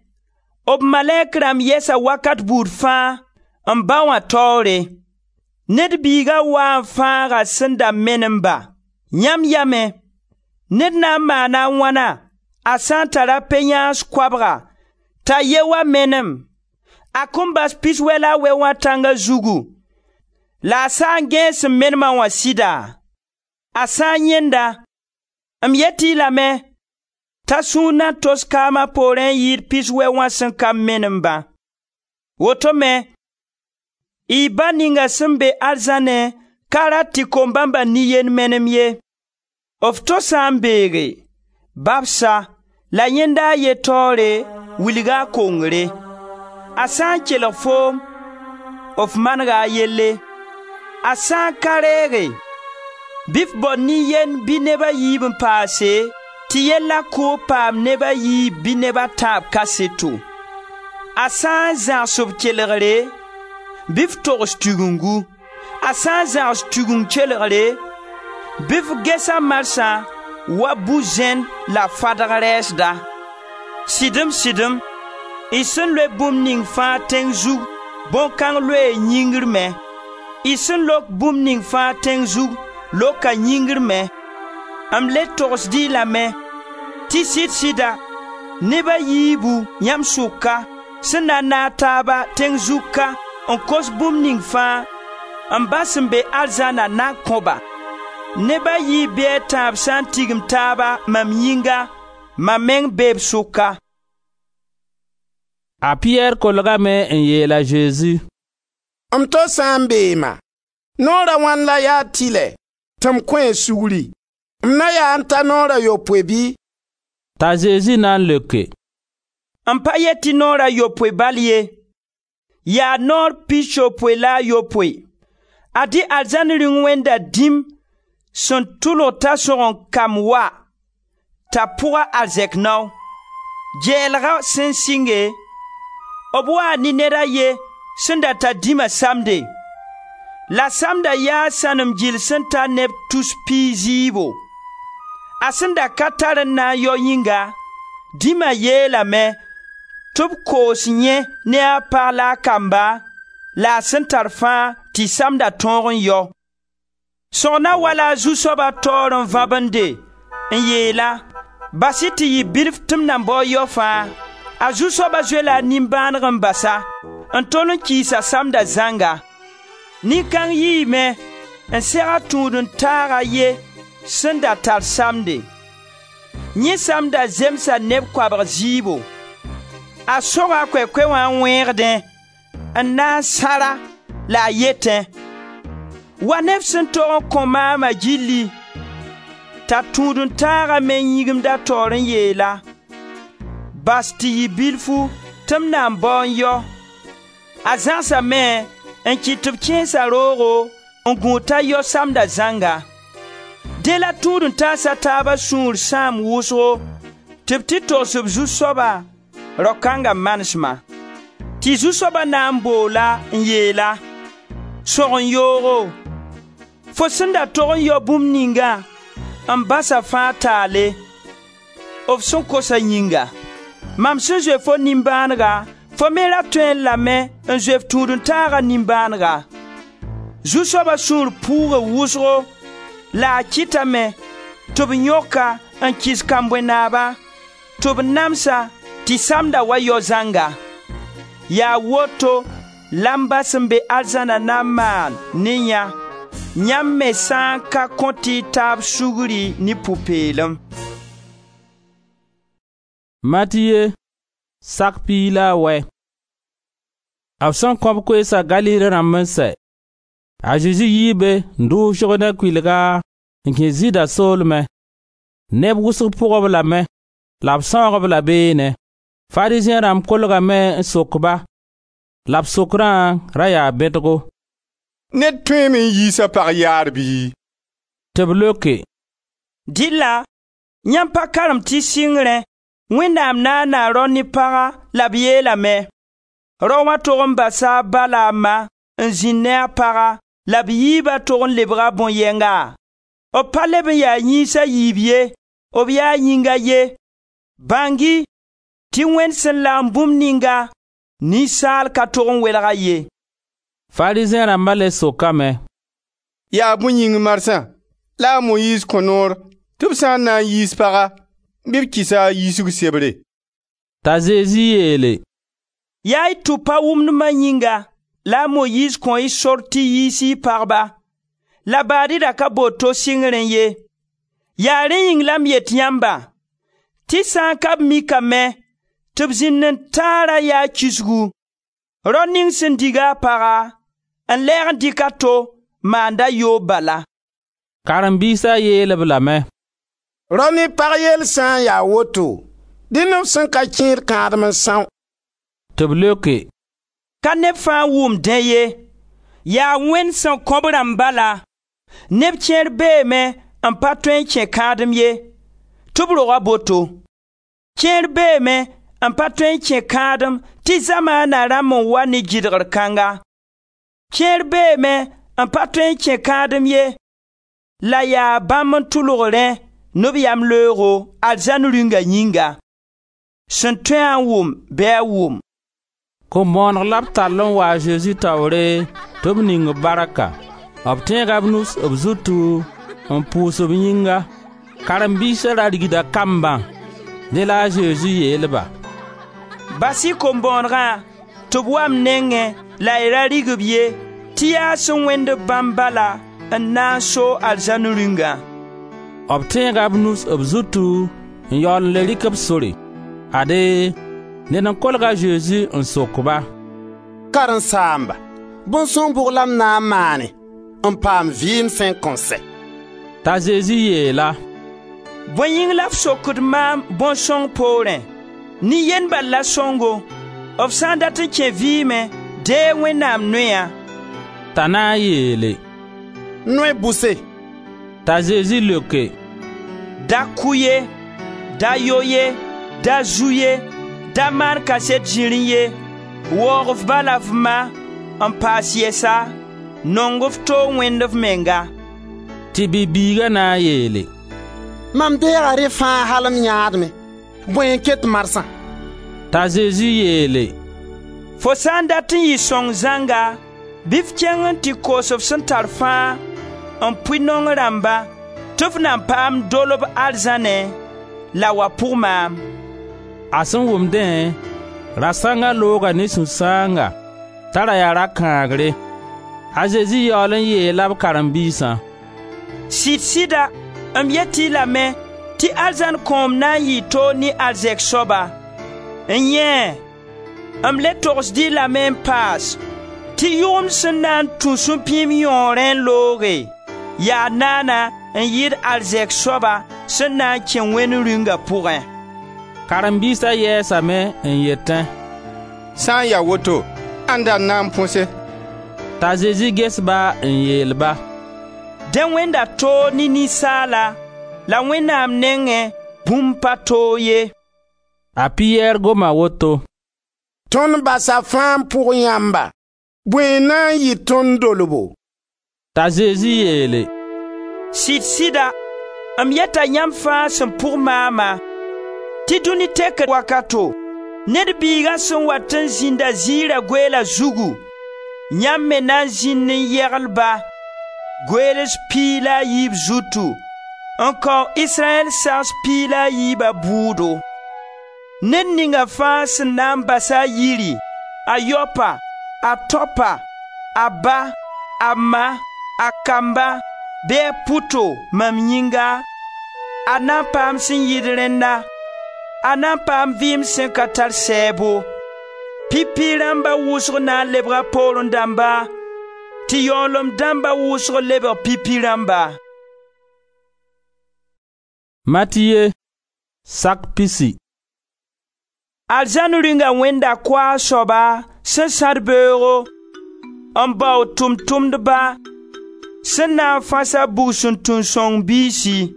b malɛk rãmb yɛsa wakat buud fãa m Ba wã taoore. Ned Biiga waa n fãaga sẽn da menem-ba. Yãmb yamẽ, Ned na n maana a wãna a sã n tara pe-yãans koabga t'a ye wã menem, a kõn bas piswɛ la a wɛ wã tãnga zugu la a sa n gãees sẽn menem-a wã sɩda? A sã n yãend-a, m yet-y lame t'a sũur na tos kaama poorẽ n yɩɩd piswɛ wã sẽn ka menem-bã. Woto me, y Ba ninga sẽn be arzãnẽ ka rat tɩ kom-bãmba nin-yend menem ye. F to sã n beege, babs-a la yẽnda a ye taoore, wilg-a a kongre. A sã n kelg foom, f manega a yelle. A sã n ka reege, bɩ f bao nin-yend bɩ neb a yiib n paase, tɩ yella kʋʋb paam neb a yiib bɩ neb a tãab kaseto. A sã n zãgs b kelgre, bɩ f togs Tigengu. A sã n zãgs Tigeng kelgre, bɩ f ges-a marsã wa bu-zẽn la fadg rɛɛsda. Sɩdem sɩdem, y sẽn loe bũmb ning fãa tẽng zug, bõn-kãng loee yĩngr me. Y sẽn lok bũmb ning fãa tẽng zug, loka yĩngr me. M le togsd-y lame tɩ sɩd-sɩda neb a yiibu yãmb sʋka sẽn na n naag taaba tẽng zug ka n kos bũmb ning fãa, m Ba sẽn be arzãna na kõ-ba. Neb a yiib bɩ a tãab sã n tigim taaba mam yĩnga, mam meng bee b sʋka.» A Piyɛr kolgame n yeel a Zezi: «M to sã n beema, noor a wãn la yaa tɩlɛ tɩ m kõ a sugri? M na yaa n ta noor a yopoe bɩ?» T'a Zezi na n leoke: «M pa yet tɩ noor a yopoe bal ye, yaa noor pisopoe la a yopoe. Ad-y arzãn Rĩung wẽnda dĩm sẽn tʋlg t'a sõgen-kamb wa, t'a pʋg a arzɛk nao. Gɛɛlga sẽn sɩnge, b waa ne ned a ye sẽn da tar dĩma samde. La samda yaa sãnem gil sẽn ta neb tus piig zɩɩbo. A sẽn da ka tar n na n yao yĩnga, dĩma yeelame tɩ b koos yẽ ne a pag la a kamba, la a sẽn tar fãa tɩ samda tõog n yao. Sõgna wa la a zu-soaba taoor n vãbende n yeel-a: ‹Bas-y tɩ yɩ bilf tɩ m nan bao yao fãa.› A zu-soaba zoe-la a nimbãaneg n bas-a, n tol n kiis a samda zãnga. Nin-kãng yiime n seg a tũud-n-taag a ye sẽn da tar samde. Yẽ samda zemsa neb koabg zɩɩbo. A soga a koɛkoɛ wã n wẽegdẽ n na n sãr-a la a yetẽ: ‹Wa ne f sẽn tog n kõ maama gilli.› T'a tũud-n-taaga me yĩgimd a taoor n yeel-a: ‹Bas tɩ yɩ bilfu tɩ m na n bao n yao.› A zãgsame n kɩt tɩ b kẽes-a roogo n gũud t'a yao samda zãnga. Dẽ la tũud-n-taas a taaba sũur sãam wʋsgo tɩ b tɩ togs b zu-soaba rao kãnga manesma. Tɩ zu-soaba na n bool-a n yeel-a: ‹Sõgen-yoogo, fo sẽn da tog n yao bũmb ningã, m basa fãa taale, f sẽn kosa yĩnga. Mam sẽn zoe fo nimbãanega, fo me ra tõe lame n zoe f tũud-n-taaga nimbãanega.› Zu-soaba sũur pʋʋga wʋsgo la a kɩtame tɩ b yõk-a n kɩs kambõe-naaba tɩ b nams-a tɩ samda wa yao zãnga. Yaa woto la m Ba sẽn be arzãna na n maan ne yã, yãmb me sã n ka kõt y taab sugri ne pʋ-peelem.» Matiye, sak piig la a wɛ. B sẽn kõ b koeesa Galile rãmb n sɛ, a Zezi yii be n dʋʋg Zʋrdẽ kʋɩlga n kẽ Zɩɩda soolmẽ. Neb wʋsg pʋg-b lame la b sãoog-b la beene. Farizẽ rãmb kolgame n sok-ba la b sokrã ra yaa bẽdgo: «Ned tõeeme n yiis a pag yaar bɩ?» Tɩ b leoke: «Dɩlla yãmb pa karem tɩ sɩngrẽ Wẽnnaam naana rao ne paga la b yeelame: rao wã tog n basa a ba la a ma n zĩnd ne a paga la b yiiba tog n lebga bõn-yɛnga? B pa leb n yaa yĩns a yiib ye, b yaa yĩng a ye. Bãng-y tɩ Wẽnd sẽn lagem bũmb ninga, ninsaal ka tog n welg-a ye.» Farizẽ rãmba le sokame: «Yaa bõe yĩng marsã la a Moyiiz kõ noor tɩ Tɩ b sã n na n yiis paga, bɩ b kɩs-a a yiisg sebre.» T'a Zezi yeele: «Yaa y tʋpa wʋmdma yĩnga la a Moyiiz kõ-y sor tɩ y yiis-y y pagba, la baad-y da ka bool to sɩngrẽ ye. Yaa rẽ yĩng la m yet yãmba tɩ sã n ka b mikame tɩ b zĩnd-n-taara yaa kisgu. Rao ning sẽn dig-a a paga n lɛɛg n dɩk a to maanda yoob bala.» Karen-biisa yeel-b lame: «Rao ne pag yell sã n ya woto, dẽnd f sẽn ka kẽed kãadem n são.» Tɩ b leoke: «Ka neb fãa n wʋm dẽ ye, yaa Wẽnd sẽn kõ b rãmb bala. Neb kẽer beeme n pa tõe n kẽ kãadem ye, tɩ b roga boto. Kẽer beeme n pa tõe n kẽ kãadem tɩ zamaana rãmb n wa ne gɩdgr kãnga. Kẽer beeme n pa tõe n kẽ kãadem ye, la yaa bãmb n tʋlg rẽ ne b yamleoogo arzãn Rĩunga yĩnga. Sẽn tõe-a n wʋm bɩ a wʋm.» Kom-bõoneg la b tall n wa a Zezi taoore tɩ b ning b barka. B tẽega b nus b zutu n pʋʋs b yĩnga. Karen-biisa ra rigda kambã. Dẽ la a Zezi yeel-ba: «Bas-y kom-bõonegã tɩ b wa m nengẽ la y ra rig-b ye, tɩ yaa sẽn wẽnd-b bãmb bala n na n so arzãn Rĩungã.» B tẽega b nus b zutu n yaool n le rɩk b sore. Ade, ned n kolg a Zezi n sok-ba: «Karen-saamba, bõn-sõng bʋg la m na n maane n paam vɩɩm sẽn kõn sɛ?» T'a Zezi yeel-a: «Bõe yĩng la f sokd maam bõn-sõng poorẽ? Nin-yend bal la sõngo. F sã n dat n kẽ vɩɩmẽ, deeg Wẽnnaam noyã.» T'a na n yeele: «Noy bʋse?» T'a Zezi leoke: «Da kʋ ye, da yo ye, da zu ye, da maan kaset zĩrĩ ye, waoog f ba la f ma, n paas yɛsa, nong f to Wẽnd f menga.» Tɩ bi-biiga na n yeele: «Mam deega rẽ fãa al m yãadmẽ, bõe n ket marsã?» T'a Zezi yeele: «Fo sã n dat n yɩ sõng zãnga, bɩ f kẽng n tɩ koos f sẽn tar fãa n pʋɩ naong rãmba tɩ f na paam dolb arzãnẽ, la wa pʋg maam.» A sẽn wʋm dẽ, rasãnga looga ne sũ-sãanga t'a ra yaa rakãagre. A Zezi yaool n yeela b karen-biisã: «Sɩd-sɩda m yet-y lame tɩ arzãn kõom na n yɩɩ toog ne arzɛk soaba. N yẽe, m le togsd-y lame n paas tɩ yʋgemd sẽn na n tũ sũ-pĩim yõorẽ n looge, yaa naana n yɩɩd arzɛk soaba sẽn na n kẽ Wẽnd Rĩunga pʋgẽ.» Karen-biisa yɛɛsame n yetẽ: «Sã n ya woto, ãnda n na n põse?» T'a Zezi ges-ba n yeel-ba: «Dẽ wẽnda toog ne ninsaala, la Wẽnnaam nengẽ bũmb pa toog ye.» A Piyɛr goma woto: «Tõnd basa fãa n pʋg yãmba, bõe n na n yɩ tõnd dolbo?» T'a Zezi yeele: «Sɩd-sɩda, m yeta yãmb fãa sẽn pʋg maama, tɩ dũni tekr wakato, Ned Biiga sẽn wat n zĩnda ziira goeela zugu, yãmb me na n zĩnd n yegl-ba, goeels piig la a yiib zutu, n kao Israyɛl sags piig la a yiiba bʋʋdo. Ned ninga fãa sẽn na n bas a yiri, a yaopa, a tãopa, a ba, a ma, a kamba, bɩ a pʋto mam yĩnga, a na n paam sẽn yɩɩd rẽnna, a na n paam vɩɩm sẽn ka tar sɛɛbo. Pipi rãmba wʋsg na n lebga poorẽ dãmba, tɩ yaoolem dãmba wʋsg lebg pipi rãmba. Matiye sak pisi. Arzãn Rĩunga wẽnda koaag soaba sẽn sãd beoogo n bao tʋʋm-tʋmdba sẽn na n fãs a bugsuntu-sõng biisi.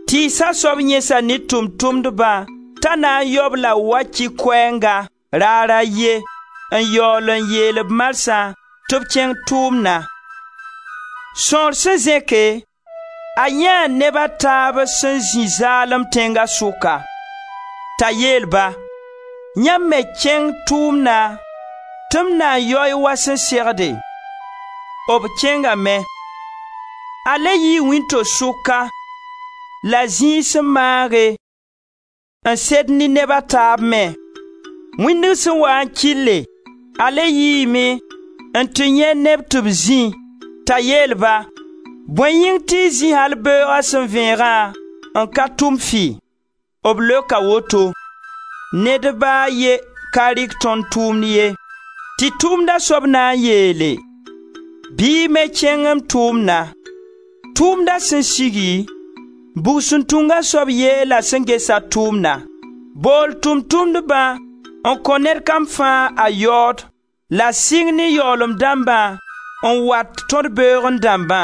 Tɩɩsa soab yẽsa ne tʋʋm-tʋmdbã t'a na n yao-b la waki koɛɛnga raar a ye n yaool n yeel-b marsã tɩ b kẽng tʋʋmna. Sõor sẽn zẽke, a yãee neb a taab sẽn zĩ zaalem tẽnga sʋka. T'a yeel-ba: yãmb me kẽng tʋʋmna tɩ m na n yaoe wa sẽn segde. B kẽngame. A le yii wĩnto-sʋka la zĩig sẽn maage n sed ne neb a taab me. Wĩndg sẽn waa n kɩlle, a le yiime n tɩ yãe neb tɩ b zĩ, t'a yeel-ba: ‹Bõe yĩng tɩ y zĩ al beooga sẽn vẽegã n ka tʋm fɩ?› B leoka woto: ‹Ned ba a ye ka rɩk tõnd tʋʋmd ye.› Tɩ tʋʋmda soab na n yeele: ‹Bɩ y me kẽng m tʋʋmna.› Tʋʋmda sẽn sigi, bugsuntunga soab yeela sẽn ges-a tʋʋmna: ‹Bool tʋʋm-tʋmdbã n kõ ned kam fãa a yaood la sɩng ne yaoolem dãmbã n wat tõd-beoogẽ dãmbã.›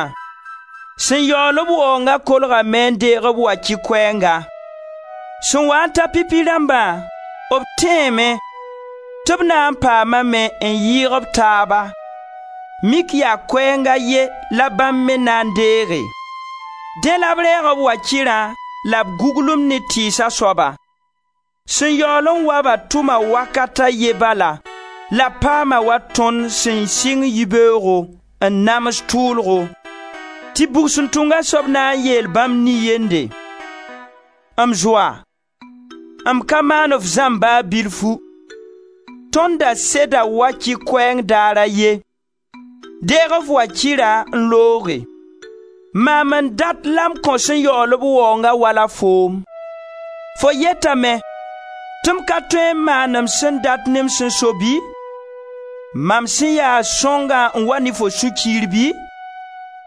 Sẽn yaool-b waoonga kolgame n deeg b wakɩ koɛɛnga. Sẽn waa n ta pipi rãmbã, b tẽeme tɩ b na n paamame n yɩɩg b taaba, mik yaa koɛɛng a ye la bãmb me na n deege. Dẽ la b reeg b wakɩrã la b guglem ne tɩɩsa soaba. Sẽn yaool n wa-ba tʋma wakat a ye bala la paama wa tõnd sẽn sɩng yibeoogo n nams tʋʋlgo. Tɩ bugsuntunga soab na n yeel bãmb nin-yende: ‹M zoa, m ka maan f zãmb ba bilfu. Tõnd da seda wakɩ koɛɛng daar a ye. Deeg f wakɩra n looge. Maam n dat la m kõ sẽn yaool b waoongã wala foom. Fo yetame tɩ m ka tõe n maan m sẽn dat ne m sẽn so bɩ? Mam sẽn ya sõngã n wa ne fo sũ-kiir bɩ?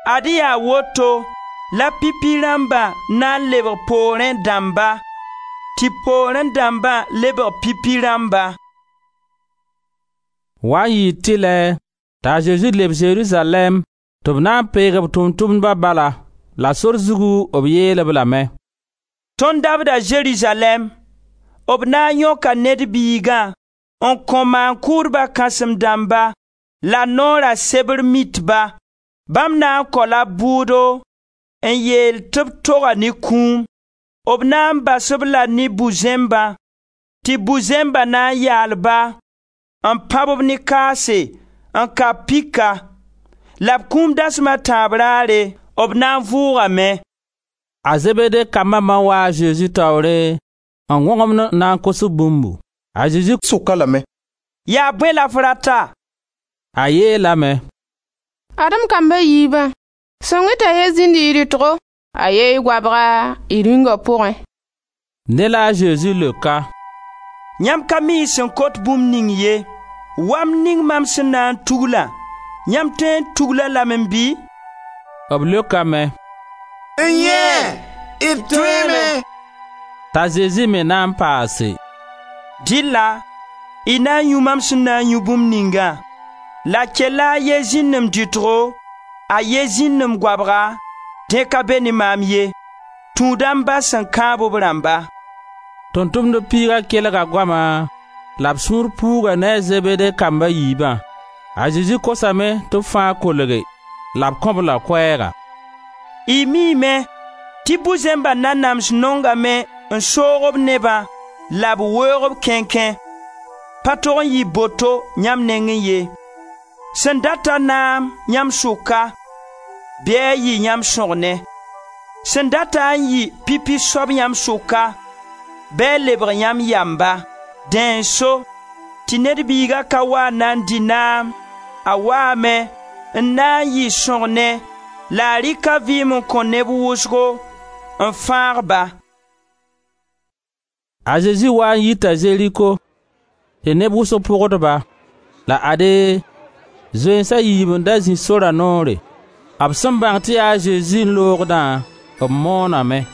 Ad-y yaa woto la pipi rãmba na n lebg poorẽ dãmba, tɩ poorẽ dãmba lebg pipi rãmba.» Wa n yɩ tɩlɛ t'a Zezi leb Zerizalɛɛm tɩ b na n peeg b tʋʋm-tʋmdba bala, la sor zugu b yeel-b lame: «Tõnd dabda Zerizalɛɛm, b na n yõka Ned Biigã n kõ maan-kʋʋdba kãsem-dãmba la noora sebr mitba. Bãmb na n kao-la bʋʋdo n yeel tɩ b toga ne kũum. B na n bas-b la ne bu-zẽmbã, tɩ bu-zẽmba na n yaal-ba, n pãb-b ne kaase, n kab pika. La b kũum dasem a tãab raare, b na n vʋʋgame.» A Zebede kamba ma waa a Zezi taoore n wõgemd n na n kos bũmbu. A Zezi sok-a lame: «Yaa bõe la f rata?» A yeelame: «Ad-m kamba yiibã, sõng-y t'a ye zĩnd y rɩtgo, a ye y goabga y rĩnga pʋgẽ.» Ne la a Zezi leoka: «Yãmb ka mi y sẽn kot bũmb ning ye. Wamd ning mam sẽn na n tuglã, yãmb tõe n tugl-a lame bɩ?» B leokame: «N-yẽe, d tõeeme.» T'a Zezi me na n paase: «Dɩlla y na n yũ mam sẽn na n yũ bũmb ningã, la kella a ye zĩnd m dɩtgo, a ye zĩnd m goabga, dẽ ka be ne maam ye. Tũuda m Ba sẽn kãab b rãmba.» Tʋʋm-tʋmdb piiga kelga goama la b sũur puuga ne a Zebede kamba yiibã. A Zezi kosame tɩ b fãa kolge la b kõ-b la koɛɛga. Y miime tɩ bu-zẽmba nanams nongame n soog b nebã la b weoog b kẽnkẽ. Pa tog n yɩ boto yãmb nengẽ ye. Sẽn dat-a naam yãmb sʋka, bɩ a yɩ yãmb sõgne. Sẽn data n yɩ pipi soab yãmb sʋka, bɩ a lebg yãmb yamba. Dẽ n so tɩ Ned Biiga ka wa n na n dɩ naam, a waame n na n yɩ sõgne la a rɩk a vɩɩm n kõ neb wʋsgo n fãag-ba. A Zezi waa n yita Zeriko tɩ neb wʋsg pʋgd-ba. La ade, zoeens a yiib n da zĩ sora noore. B sẽn bãng tɩ yaa a Zezi n loogdã, b mooname: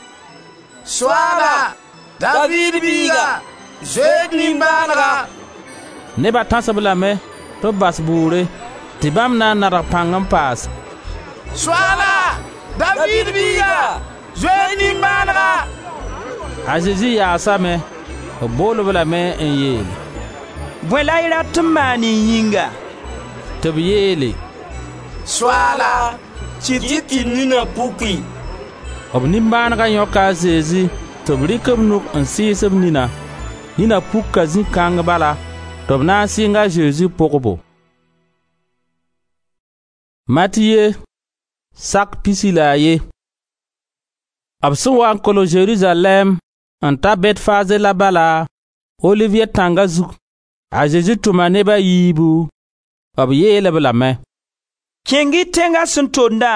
«Soaala, Daviid biiga, zoe d nimbãanega!» Neba tãs-b lame tɩ b bas bʋʋre, tɩ bãmb na n nadg pãng n paas: «Soaala, Daviid biiga, zoe d nimbãanega!» A Zezi yaasame, b bool-b lame n yeele: «Bõe la y rat tɩ m maan y yĩnga?» Tɩ b yeele: «Soaala, kɩt-y tɩ d nina puki.» B nimbãanega yõka a Zezi tɩ b rɩk b nug n sɩɩs b nina. Nina puka zĩ-kãng bala tɩ b na n sɩng a Zezi pʋgbo. Matiye sak pisi la a ye. B sẽn wa n kolg Zerizalɛɛm n ta Betfaze la bala, Oliviye tãnga zug, a Zezi tʋma neb a yiibu. B yeel-b lame: «Kẽng-y tẽnga sẽn tondã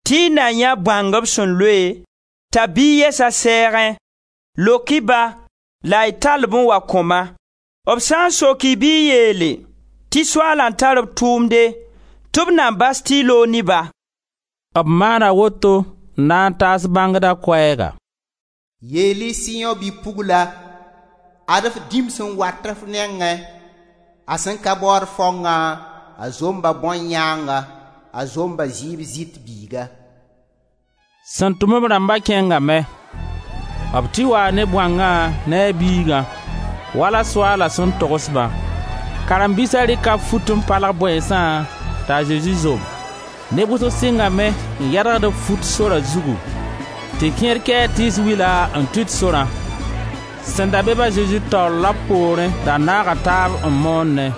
tɩ y na yãe bãng b sẽn loe, t'a biig yɛs a sɛɛgẽ. Lok-y-ba la y tall-b n wa kõ-ma. B sã n sok-y bɩ y yeele tɩ Soaala n tar b tʋʋmde tɩ b na bas tɩ y loog ne-ba.» B maana woto n na n taas bãngda koɛɛga: Yeel-y Siyõ bi-pugla: ad f dĩm sẽn wat f nengẽ, a sẽn ka baood faongã, a zomba bõn-yãanga, a zomba zɩɩb zɩt biiga. Sẽn tʋm b rãmba kẽngame. B tɩ waa ne bõangã ne a biigã, wala Soaala sẽn togs-bã. Karen-biisa rɩka fut n palg bõensã t'a Zezi zom. Neb wʋsg sɩngame n yɛdgd b fut sora zugu, tɩ kẽer kɛɛ tɩɩs wila n tʋt sorã. Sẽn da be-b a Zezi taoor la b poorẽ da naaga taab n moonẽ: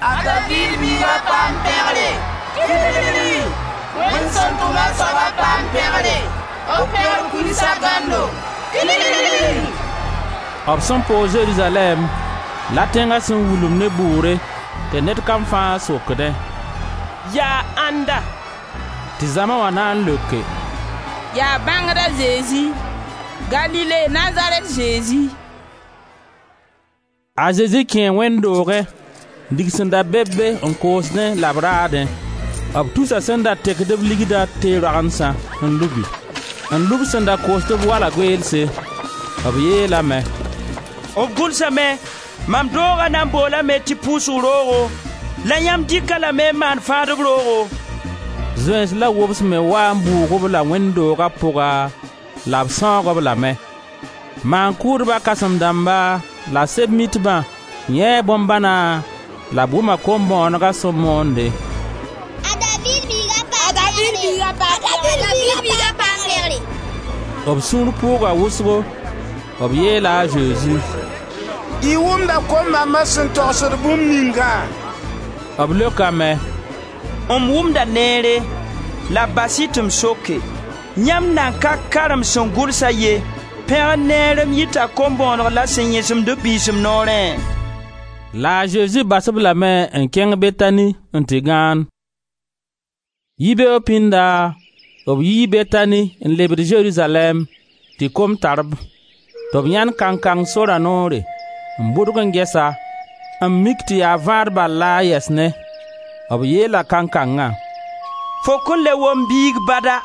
A Daviid biiga paam pẽgre! Wẽnd sẽn tʋm a soaba paam pẽgre! B pẽgr kulsa gãndo! B sẽn poog Zerizalɛɛm, la tẽnga sẽn wulum ne bʋʋre tɩ ned kam fãa sokdẽ: Yaa ãnda? Tɩ zãma wã na n leoke: Yaa bãngda Zezi, Galile Nazarɛt Zezi. A Zezi kẽe wẽnd doogẽ, n dig sẽn da be be n koosdẽ la b raadẽ. B tusa sẽn da tekd b ligda tee-roagendsã n lubi, n lub sẽn da koosd b wala goeelse. B yeelame: B gʋlsame: mam dooga na n boolame tɩ pʋʋsg roogo, la yãmb dɩk-a lame n maan fãadb roogo. Zoeens la wobs me waa n bʋʋg-b la wẽnd dooga pʋga la b sãoog-b lame. Maan-kʋʋdba kãsem-dãmba la Sɛb-mitbã yãee bõn-bãna la b wʋma kom-bõonega sẽn moonde: A Daviid biiga paam pẽgre! B sũur pʋʋga wʋsgo, b yeela a Zezi: Y wʋmda kom-bãmba sẽn togsd bũmb ningã? B leokame: M wʋmda neere, la bas-y tɩ m soke: Yãmb nan ka karem sẽn gʋlsa ye: pẽgr neer n yita kom-bõoneg la sẽn yẽsemd b biisem noorẽ? La a Zezi bas-b lame n kẽng Betani n tɩ gãan. Yibeoog pĩnda b yii Betani n lebd Zerizalɛɛm tɩ kom tar-b, tɩ b yãend kankang sora noore, n bʋdg n ges-a, n mik tɩ yaa vãad bal la a yɛs ne. B yeela kankangã: Fo kõn le wom biig bada.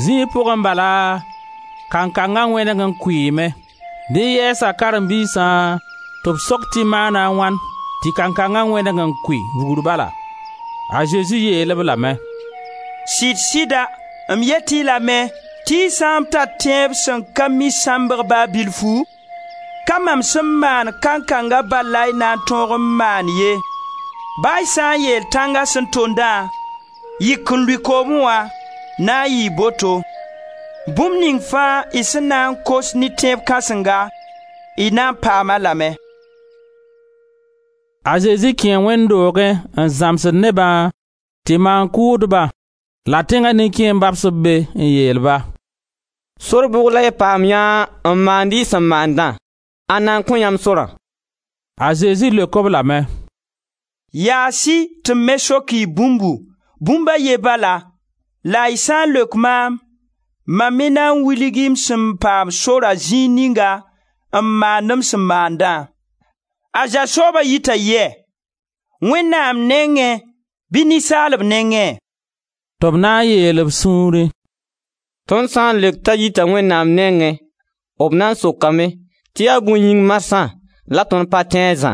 Zĩig pʋgẽ bala, kankangã wẽneg n kʋɩɩme. Dẽ yɛɛsa karen-biisã tɩ b sok tɩ maana a wãn tɩ kankangã wẽneg n kʋɩ vugr bala. A Zezi yeel-b lame: Sɩd-sɩda, m yet-y lame tɩ y sã n tar tẽeb sẽn ka mi sãmbg ba bilfu, ka mam sẽn maan kankanga bal la y na n tõog n maan ye. Ba y sã n yeel tãnga sẽn tondã: yik n lʋɩ koomẽ wã, na n yɩɩ boto. Bũmb ning fãa y sẽn na n kos ne tẽeb kãsenga, y na n paam-a lame. A Zezi kẽe wẽnd doogẽ n zãmsd nebã tɩ maan-kʋʋdba la tẽnga nin-kẽemb babs b be n yeel-ba: Sor bʋg la y paam yã n maand y sẽn maandã? Ãnna n kõ yãmb sorã? A Zezi leok-b lame: Yaas-y tɩ m me sok-y bũmbu, bũmb a ye bala, la y sã n leok maam, mam me na n wilg-y m sẽn paam sora zĩig ninga n maand m sẽn maandã. A Zã sooba yita yɛ? Wẽnnaam nengẽ bɩ ninsaalb nengẽ?» Tɩ b na n yeel b sũurẽ: Tõnd sã n leok t'a yita Wẽnnaam nengẽ, b na n sokame tɩ yaa bõe yĩng marsã la tõnd pa tẽ a Zã?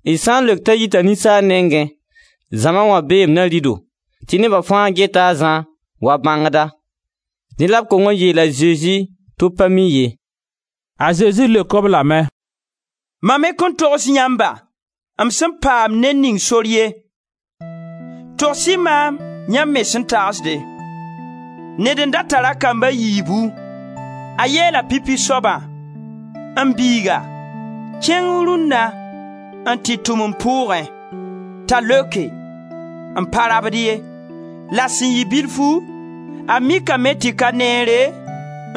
D sã n leok t'a yita ninsaal nengẽ, zãma wã beem na rɩ-do, tɩ neba fãa geta a Zã wa bãngda. Dẽ la b kong n yeel a Zezi tɩ b pa mi ye. A Zezi leok-b lame: Mam me kõn togs yãmba m sẽn paam ned ning sor ye. Togs-y maam yãmb me sẽn tagsde. Ned n da tar a kamb a yiibu. A yeela pipi soabã: M biiga, kẽng rũnna n tɩ tʋm m pʋʋgẽ. T'a leoke: M pa rabd ye. La sẽn yɩ bilfu, A mikame tɩ ka neere,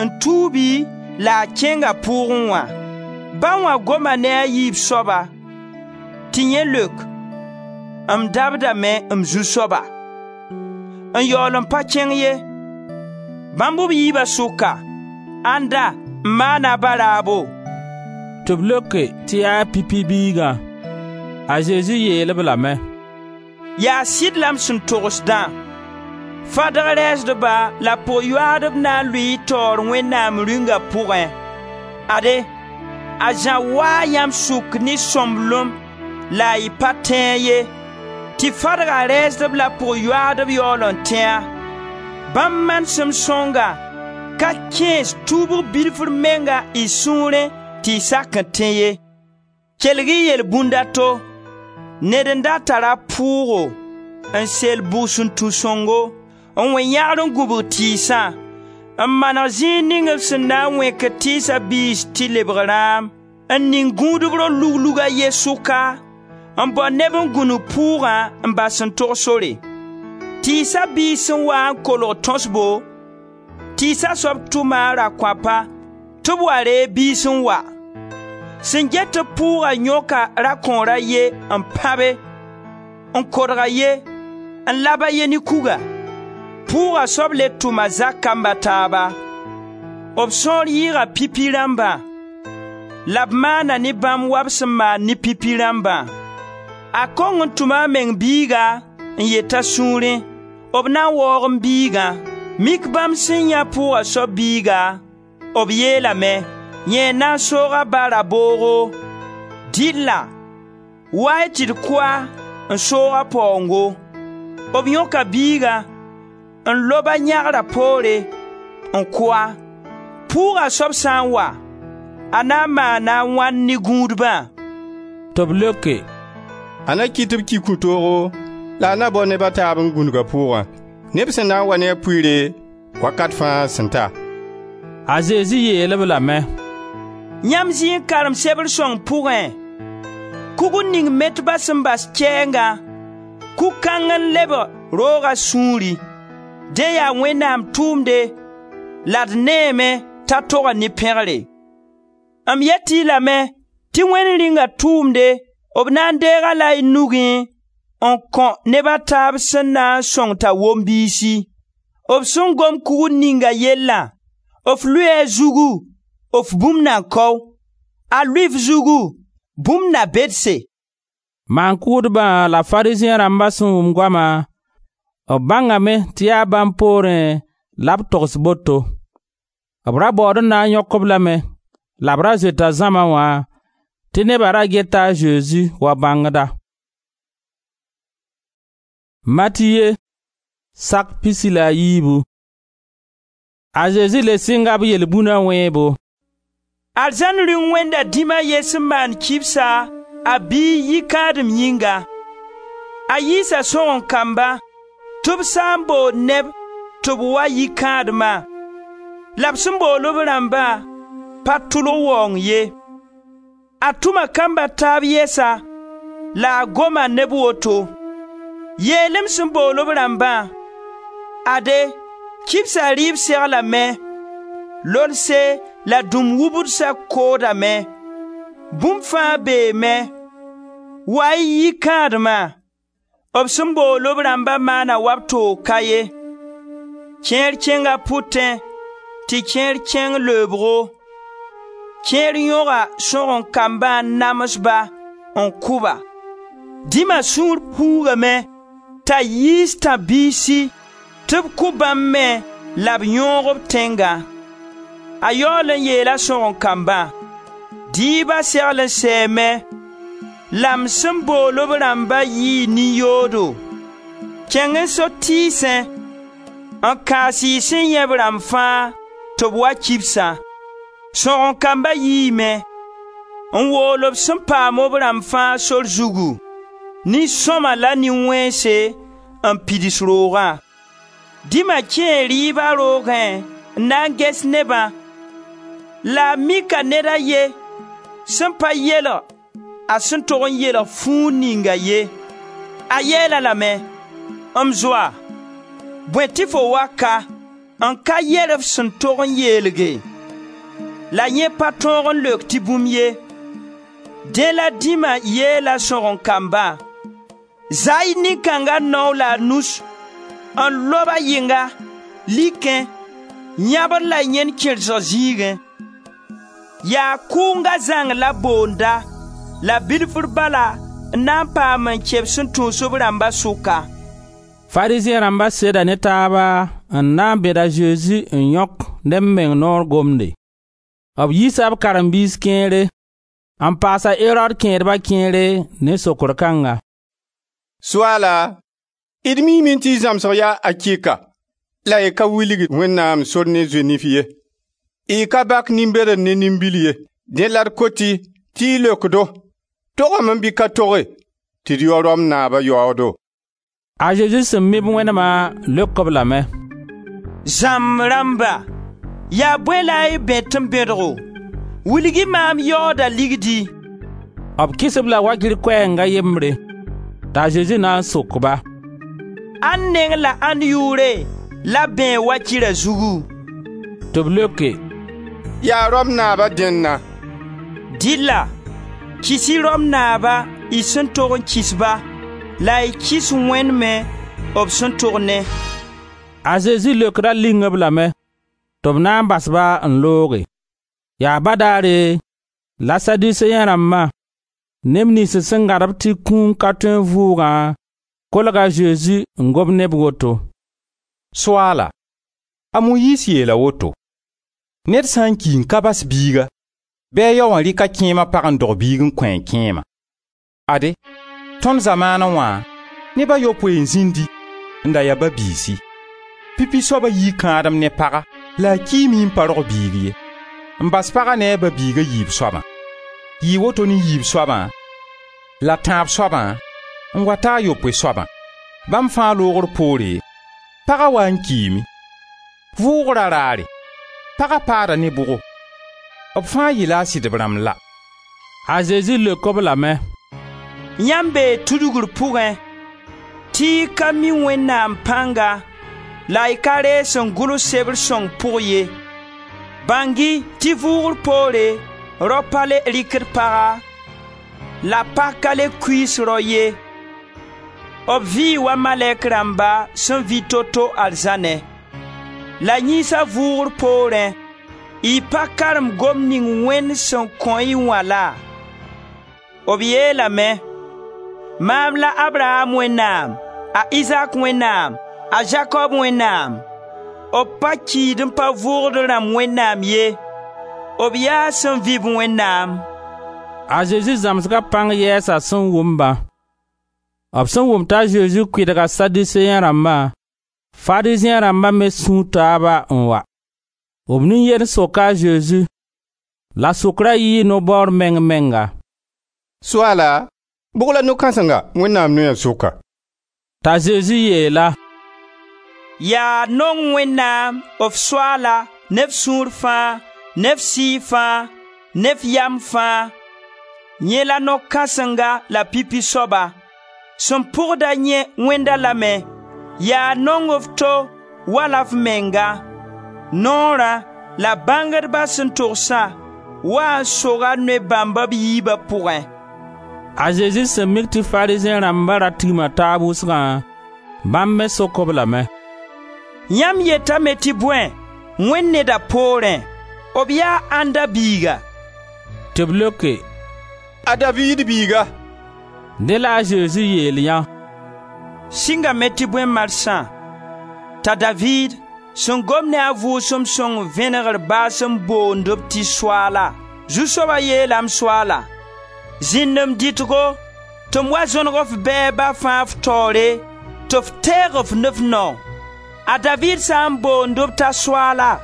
n tuubi la a kẽnga pʋʋgẽ wã. Ba wã goma ne a yiib soaba tɩ yẽ leok: ‹M dabdame, m zu-soaba, n yaool n pa kẽng ye. Bãmb b yiiba sʋka, ãnda n maan-a ba-raabo?› Tɩ b leoke tɩ yaa pipi biigã. A Zezi yeel-b lame: «Yaa sɩd la m sẽn togsdã: Fadg rɛɛsdba la pʋg-yoaadb na n lʋɩ y taoor Wẽnnaam Rĩunga pʋgẽ. Ade, a Zã waa yãmb sʋk ne sõmblem la y pa tẽ-a ye, tɩ fadga rɛɛsdb la pʋg-yoaadb yaool n tẽ-a. Bãmb manesem sõnga ka kẽes tuubg bilfr menga y sũurẽ tɩ y sak n tẽ ye. Kelg-y yelbũnd a to: Ned n da tar a pʋʋgo n sel bugsuntu sõngo, n wẽ yãgr n gũbg tɩɩsã, n maneg zĩig ning b sẽn na n wẽkd tɩɩsa biis tɩ lebg rãam, n ning gũudb ro-luglug a ye sʋka, n bao neb n gũnug pʋʋgã n bas n tog sore. Tɩɩsa biis sẽn waa n kolg tõsbo, tɩɩsa soab tʋma a rakõapa tɩ b wa reeg biis n wa. Sẽn get-b pʋʋga yõka rakõor a ye n pãbe, n kodg a ye, n lab a ye ne kuga. Pʋʋga soab le tʋma zak kamb a taaba. B sõor yɩɩga pipi rãmbã la b maana ne bãmb wa b sẽn maan ne pipi rãmbã. A kong n tʋma a meng biiga n yet a sũurẽ: b na n waoog m biigã. Mik bãmb sẽn yãe pʋʋga soab biiga, b yeelame: yẽ n na n soog a ba raboogo. Dɩlla, wa-y tɩ d kʋ-a n soog a paoongo.» B yõka biiga n lob-a yãgra poore n kʋ-a. Pʋʋga soab sã n wa, a na n maana a wãn ne gũudbã?» Tɩ b leoke: «A na kɩt tɩ b ki kũ-toogo la a na bao neb a taab n gũnug a pʋʋgã, neb sẽn na n wa ne a pʋɩɩre, wakat fãa sẽn ta.» A Zezi yeel-b lame: «Yãmb zĩ n karem sebr sõng pʋgẽ: Kugr ning metba sẽn bas kɛɛngã, kug-kãng n lebg rooga sũuri. Dẽ yaa Wẽnnaam tʋʋmde la d neeme t'a toga ne pẽgre.» M yet-y lame tɩ Wẽnd Rĩunga tʋʋmde b na n deeg-a la y nugẽ n kõ neb a taab sẽn na n sõng t'a wom biisi. B sẽn gom kugr ninga yellã, f lʋɩ a zugu, f bũmb na kao; a lʋɩ f zugu, bũmb na bedse.» Maan-kʋʋdbã la Farizẽ rãmba sẽn wʋm goama, b bãngame tɩ yaa bãmb poorẽ la b togs boto. B ra baood n na n yõk-b lame la b ra zoeta zãma wã, tɩ neba ra geta a Zezi wa bãngda. Matiye sak pisi la a yiibu. A Zezi le sɩnga b yelbũna wẽebo. Arzãn Rĩung wẽnda dĩm a ye sẽn maan kibsa a biig yikãadem yĩnga. A yiisa sõgen-kamba tɩ b sã n bool neb tɩ b wa yikãadma, la b sẽn bool b rãmba pa tʋlg waoong ye. A tʋma kamb a taab yɛsa la a goma ne b woto: ‹Yeel-m sẽn bool b rãmbã: Ade, kibsa rɩɩb seglame, lolse la dũm wubdsa koodame, bũmb fãa beeme, wa-y yikãadma.› B sẽn bool b rãmba maana wa b toog ka ye. Kẽer kẽnga pʋtẽ tɩ kẽer kẽng leoobgo. Kẽer yõga sõgen-kambã n nams-ba n kʋ-ba. Dĩma sũur puugame t'a yiis tãb-biisi tɩ b kʋ bãmb me la b yõog b tẽngã. A yaool n yeela sõgen-kambã: ‹Dɩɩba segl n sɛɛme la m sẽn bool b rãmba yɩɩ nin-yoodo. Kẽng n so tɩɩsẽ n kaas y sẽn yãe b rãmb fãa tɩ b wa kibsã.› Sõgen-kamba yiime n wool b sẽn paam b rãmb fãa sor zugu, nin-sõma la nin-wẽnse n pids roogã. Dĩma kẽe rɩɩba roogẽ n na n ges nebã la a mika ned a ye sẽn pa yelg a sẽn tog n yelg fuug ninga ye. A yeel-a lame: ‹M zoa, bõe tɩ fo wa ka?› n ka yer f sẽn tog n yeelge. La yẽ pa tõog n leok tɩ bũmb ye. Dẽ la dĩma yeela sõgen-kambã: ‹Zaa-y nin-kãnga nao la a nus n lob-a yɩnga, likẽ, yãbr la yẽn kẽrsg zĩigẽ.› Yaa kʋʋnga zãng la boonda la bilfr bala n na n paam n kẽ b sẽn tũus b rãmba sʋka.» Farizẽ rãmba seda ne taaba n na n bẽd a Zezi n yõk ne b meng noor gomde. B yiisa b karen-biis kẽere n paas a Erod kẽedba kẽere ne sokr kãnga: «Soaala, d miime tɩ y zãmsg yaa akɩka la y ka wilgd Wẽnnaam sor ne zoe-nif ye. Y ka bak nin-bɛdd ne nin-bil ye. Dẽ la d kot-y tɩ y leok-do: Togame bɩ ka toge tɩ d yao Rom naaba yaoodo?» A Zezi sẽn mi b wẽnema leok-b lame: «Zãmb rãmba, yaa bõe la y bẽt m bẽdgo? Wilg-y maam yaooda ligdi.» B kɩs-b la wakɩr koɛɛng a yembre. T'a Zezi na n sok-ba: «Ãnd neng la ãnd yʋʋre la bẽeg wakɩra zugu?» Tɩ b leoke: «Yaa Rom naaba dẽnna.» «Dɩlla, kɩs-y Rom naaba y sẽn tog n kɩs-ba la y kɩs Wẽnd me b sẽn tog ne.» A Zezi leokra ling-b lame tɩ b na n bas-ba n looge. Yaa badaare la Saduseẽ rãmba, neb niyns sẽn gãd-b tɩ kũum ka tõe n vʋʋgã, kolga a Zezi n gom ne b woto: «Soaala, a Moyiis yeela woto: ‹Ned sã n ki n ka bas biiga, bɩ a yao wã rɩk a kẽema pag n dog biig n kõ a kẽema.› Ade, tõnd zamaanẽ wã, neb a yopoe n zĩndi, n da ya ba-biisi. Pipi soaba yii kãadem ne paga la a kiime n pa rog biig ye, n bas paga ne a ba-biig a yiib soabã. Yɩɩ woto ne yiib soabã la tãab soabã n wa ta a yopoe soabã. Bãmb fãa loogr poore, paga waa n kiime. Vʋʋgra raare, paga paada ne bʋgo? B fãa yɩla a sɩdb rãmb la?» A Zezi leok-b lame: «Yãmb bee tudgr pʋgẽ tɩ y ka mi Wẽnnaam pãnga la y ka reeg sẽn gʋls sebr sõng pʋg ye. Bãng-y tɩ vʋʋgr poore rao pa le rɩkd paga la pag ka le kuiis rao ye. B vɩɩ wa malɛk rãmba sẽn vɩ to-to arzãnẽ. La yĩnsa vʋʋgr poorẽ, y pa karem gomd ning Wẽnd sẽn kõ-y wã laa? B yeelame: ‹Maam la Abraam Wẽnnaam, a Izaak Wẽnnaam, a Zakob Wẽnnaam.› B pa kiid n pa vʋʋgd rãmb Wẽnnaam ye, b yaa sẽn vɩ-b Wẽnnaam.» A Zezi zãmsga pãng yɛɛsa sẽn wʋm-bã. B sẽn wʋm t'a Zezi kʋɩdga Saduseẽ rãmbã, Farizẽ rãmba me sũu taaba n wa. B nin-yend soka a Zezi, la sokra yɩɩ no-baoor meng menga: «Soaala, bʋg la no-kãsenga Wẽnnaam noya sʋka?» T'a Zezi yeel-a: «Yaa nong Wẽnnaam, f Soaala, ne f sũur fãa, ne f sɩɩg fãa, ne f yam fãa. Yẽ la no-kãsenga la pipi soaba. Sẽn pʋgd-a yẽ wẽnd-a lame: yaa nong f to wala f menga. Noorã la bãngdba sẽn togsã waa n soga noy bãmba b yiiba pʋgẽ.» A Zezi sẽn mik tɩ Farizẽ rãmba ra tigma taab wʋsgã, bãmb me sok-b lame: «Yãmb yetame tɩ bõe, Wẽnd neda poorẽ? B yaa ãnda biiga?» Tɩ b leoke: «A Daviid biiga.» Dẽ la a Zezi yeel yã: «Sɩngame tɩ bõe marsã t'a Daviid sẽn gom ne a Vʋʋsem Sõng vẽnegr baas n boond-b tɩ Soaala? Zu-soaba yeela m Soaala: zĩnd m dɩtgo tɩ m wa zõneg f bɛɛba fãa f taoore tɩ f teeg f ne f nao. A Daviid sã n boond-b t'a Soaala,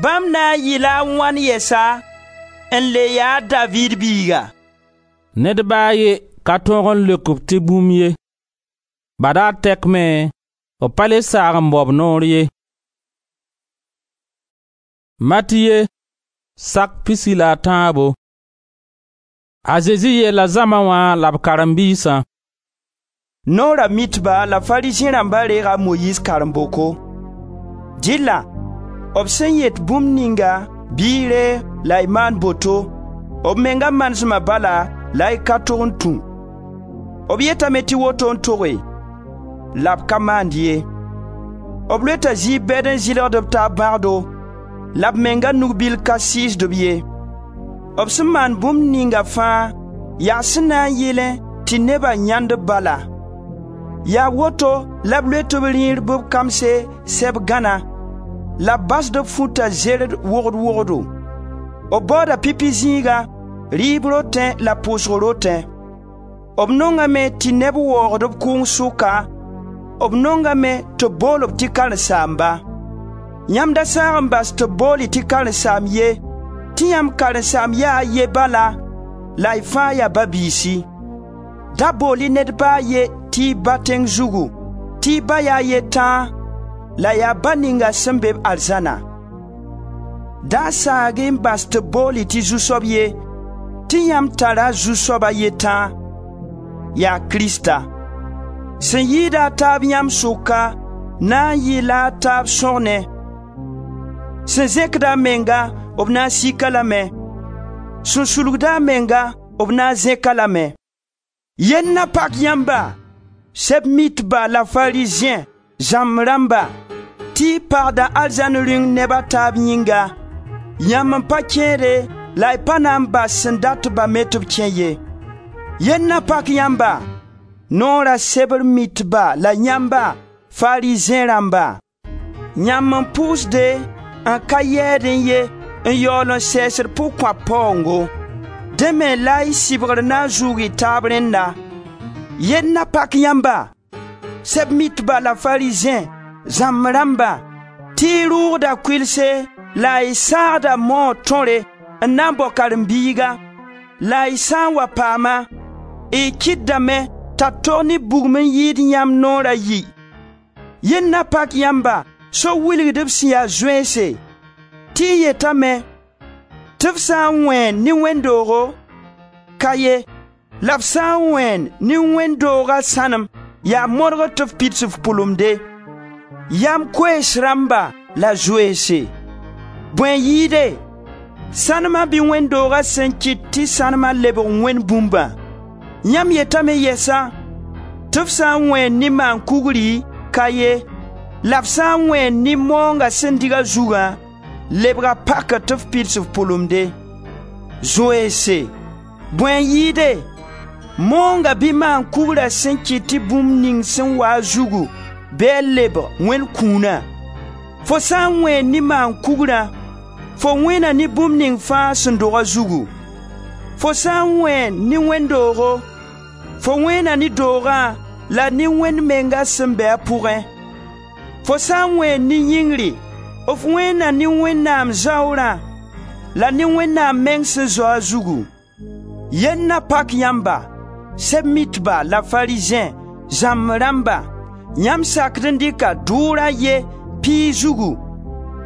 bãmb na n yɩla a wãn yɛsa n le ya a Daviid biiga?» Ned ba a ye ka tõog n leok-b tɩ bũmb ye. Badaar tɛk me, b pa le saag n bao b noor ye. Matiye, sak pisi la a tãabo. A Zezi yeela zãma wã la b karen-biisã: Noora mitba la Farizẽ rãmba reega a Moyiis karen-boko. Dɩlla b sẽn yet bũmb ninga bɩ y reeg la y maan boto, b menga manesma bala la y ka tog n tũ. B yetame tɩ woto n toge, la b ka maand ye. B loeta zɩɩb bɛd n zɩlgd b taab bãgdo, la b menga nug-bil ka sɩɩsd-b ye. B sẽn maan bũmb ninga fãa yaa sẽn na n yɩlẽ tɩ neba yãend-b bala. Yaa woto la b loet b rĩir bɩ b kamse sɛb gãna, la b basd b futa zered wogd wogdo. B baooda pipi zĩiga, rɩɩb rotẽ la pʋʋsg rotẽ. B nongame tɩ neb waoogd b kʋʋng sʋka, b nongame tɩ b bool-b tɩ karen-saamba. Yãmb da saag n bas tɩ b bool-y tɩ karen-saamb ye, tɩ yãmb karen-saamb yaa a ye bala la y fãa yaa ba-biisi. Da bool-y ned ba a ye tɩ y ba tẽng zugu, tɩ y ba yaa a ye tãa, la yaa ba ninga sẽn be-b arzãna. Da saag-y n bas tɩ b bool-y tɩ zu-soab ye, tɩ yãmb tara zu-soab a ye tãa, yaa Krista. Sẽn yɩɩd a taab yãmb sʋka na n yɩ-la a taab sõgne. Sẽn zẽkd a menga, b na n sik-a lame; sẽn sulgd a menga, b na n zẽk-a lame. Yell na pak yãmba, Sɛb-mitba la Farizẽ, zãmb rãmba, tɩ y pagda arzãn rĩung neb a taab yĩnga; yãmb n pa kẽede la y pa na n bas sẽn dat-ba me tɩ b kẽ ye. Yell na pak yãmba, Noora sebr mitba la yãmba, Farizẽ rãmba! Yãmb n pʋʋsde n ka yɛɛdẽ ye n yaool n sɛɛsd pʋgkõap paoongo. Dẽ me la y sɩbgr na n zʋʋg y taab rẽnda. Yell na pak yãmba, Sɛb-mitba la Farizẽ, zãmb rãmba, tɩ y rʋʋgda kʋɩlse la y saagda maoog tõre n na n bao karen-biiga, la y sã n wa paama, y kɩtdame t'a tog ne bugum n yɩɩd yãmb noor a yi. Yell na pak yãmba, so-wilgdb sẽn ya zoeense, tɩ y yetame tɩ f sã n wẽen ne wẽnd-doogo, ka ye, la f sã n wẽen ne wẽnd-dooga sãnem, yaa modgr tɩ f pids f pʋlemde. Yam koees rãmba la zoeense! Bõe n yɩɩde, sãnema bɩ wẽnd-dooga sẽn kɩt tɩ sãnema lebg wẽnd bũmbã? Yãmb yetame yɛsa tɩ f sã n wẽen ne maan-kugri, ka ye, la f sã n wẽen ne maoonga sẽn dig a zugã, lebga pakr tɩ f pids f pʋlemde. Zoeense, bõe n yɩɩde, maoonga bɩ maan-kugra sẽn kɩt tɩ bũmb ning sẽn wa a zugu bɩ a lebg wẽnd kũuna? Fo sã n wẽen ne maan-kugrã, fo wẽna ne bũmb ning fãa sẽn dog a zugu. Fo sã n wẽen ne wẽnd-doogo, fo wẽna ne doogã la ne Wẽnd menga sẽn be a pʋgẽ. Fo sã n wẽen ne yĩngri, f wẽna ne Wẽnnaam zaoorã la ne Wẽnnaam meng sẽn zao a zugu. Yell na pak yãmba, Sɛb-mitba la Farizẽ, zãmb rãmba, yãmb sakd n dɩka dʋʋr a ye piig zugu,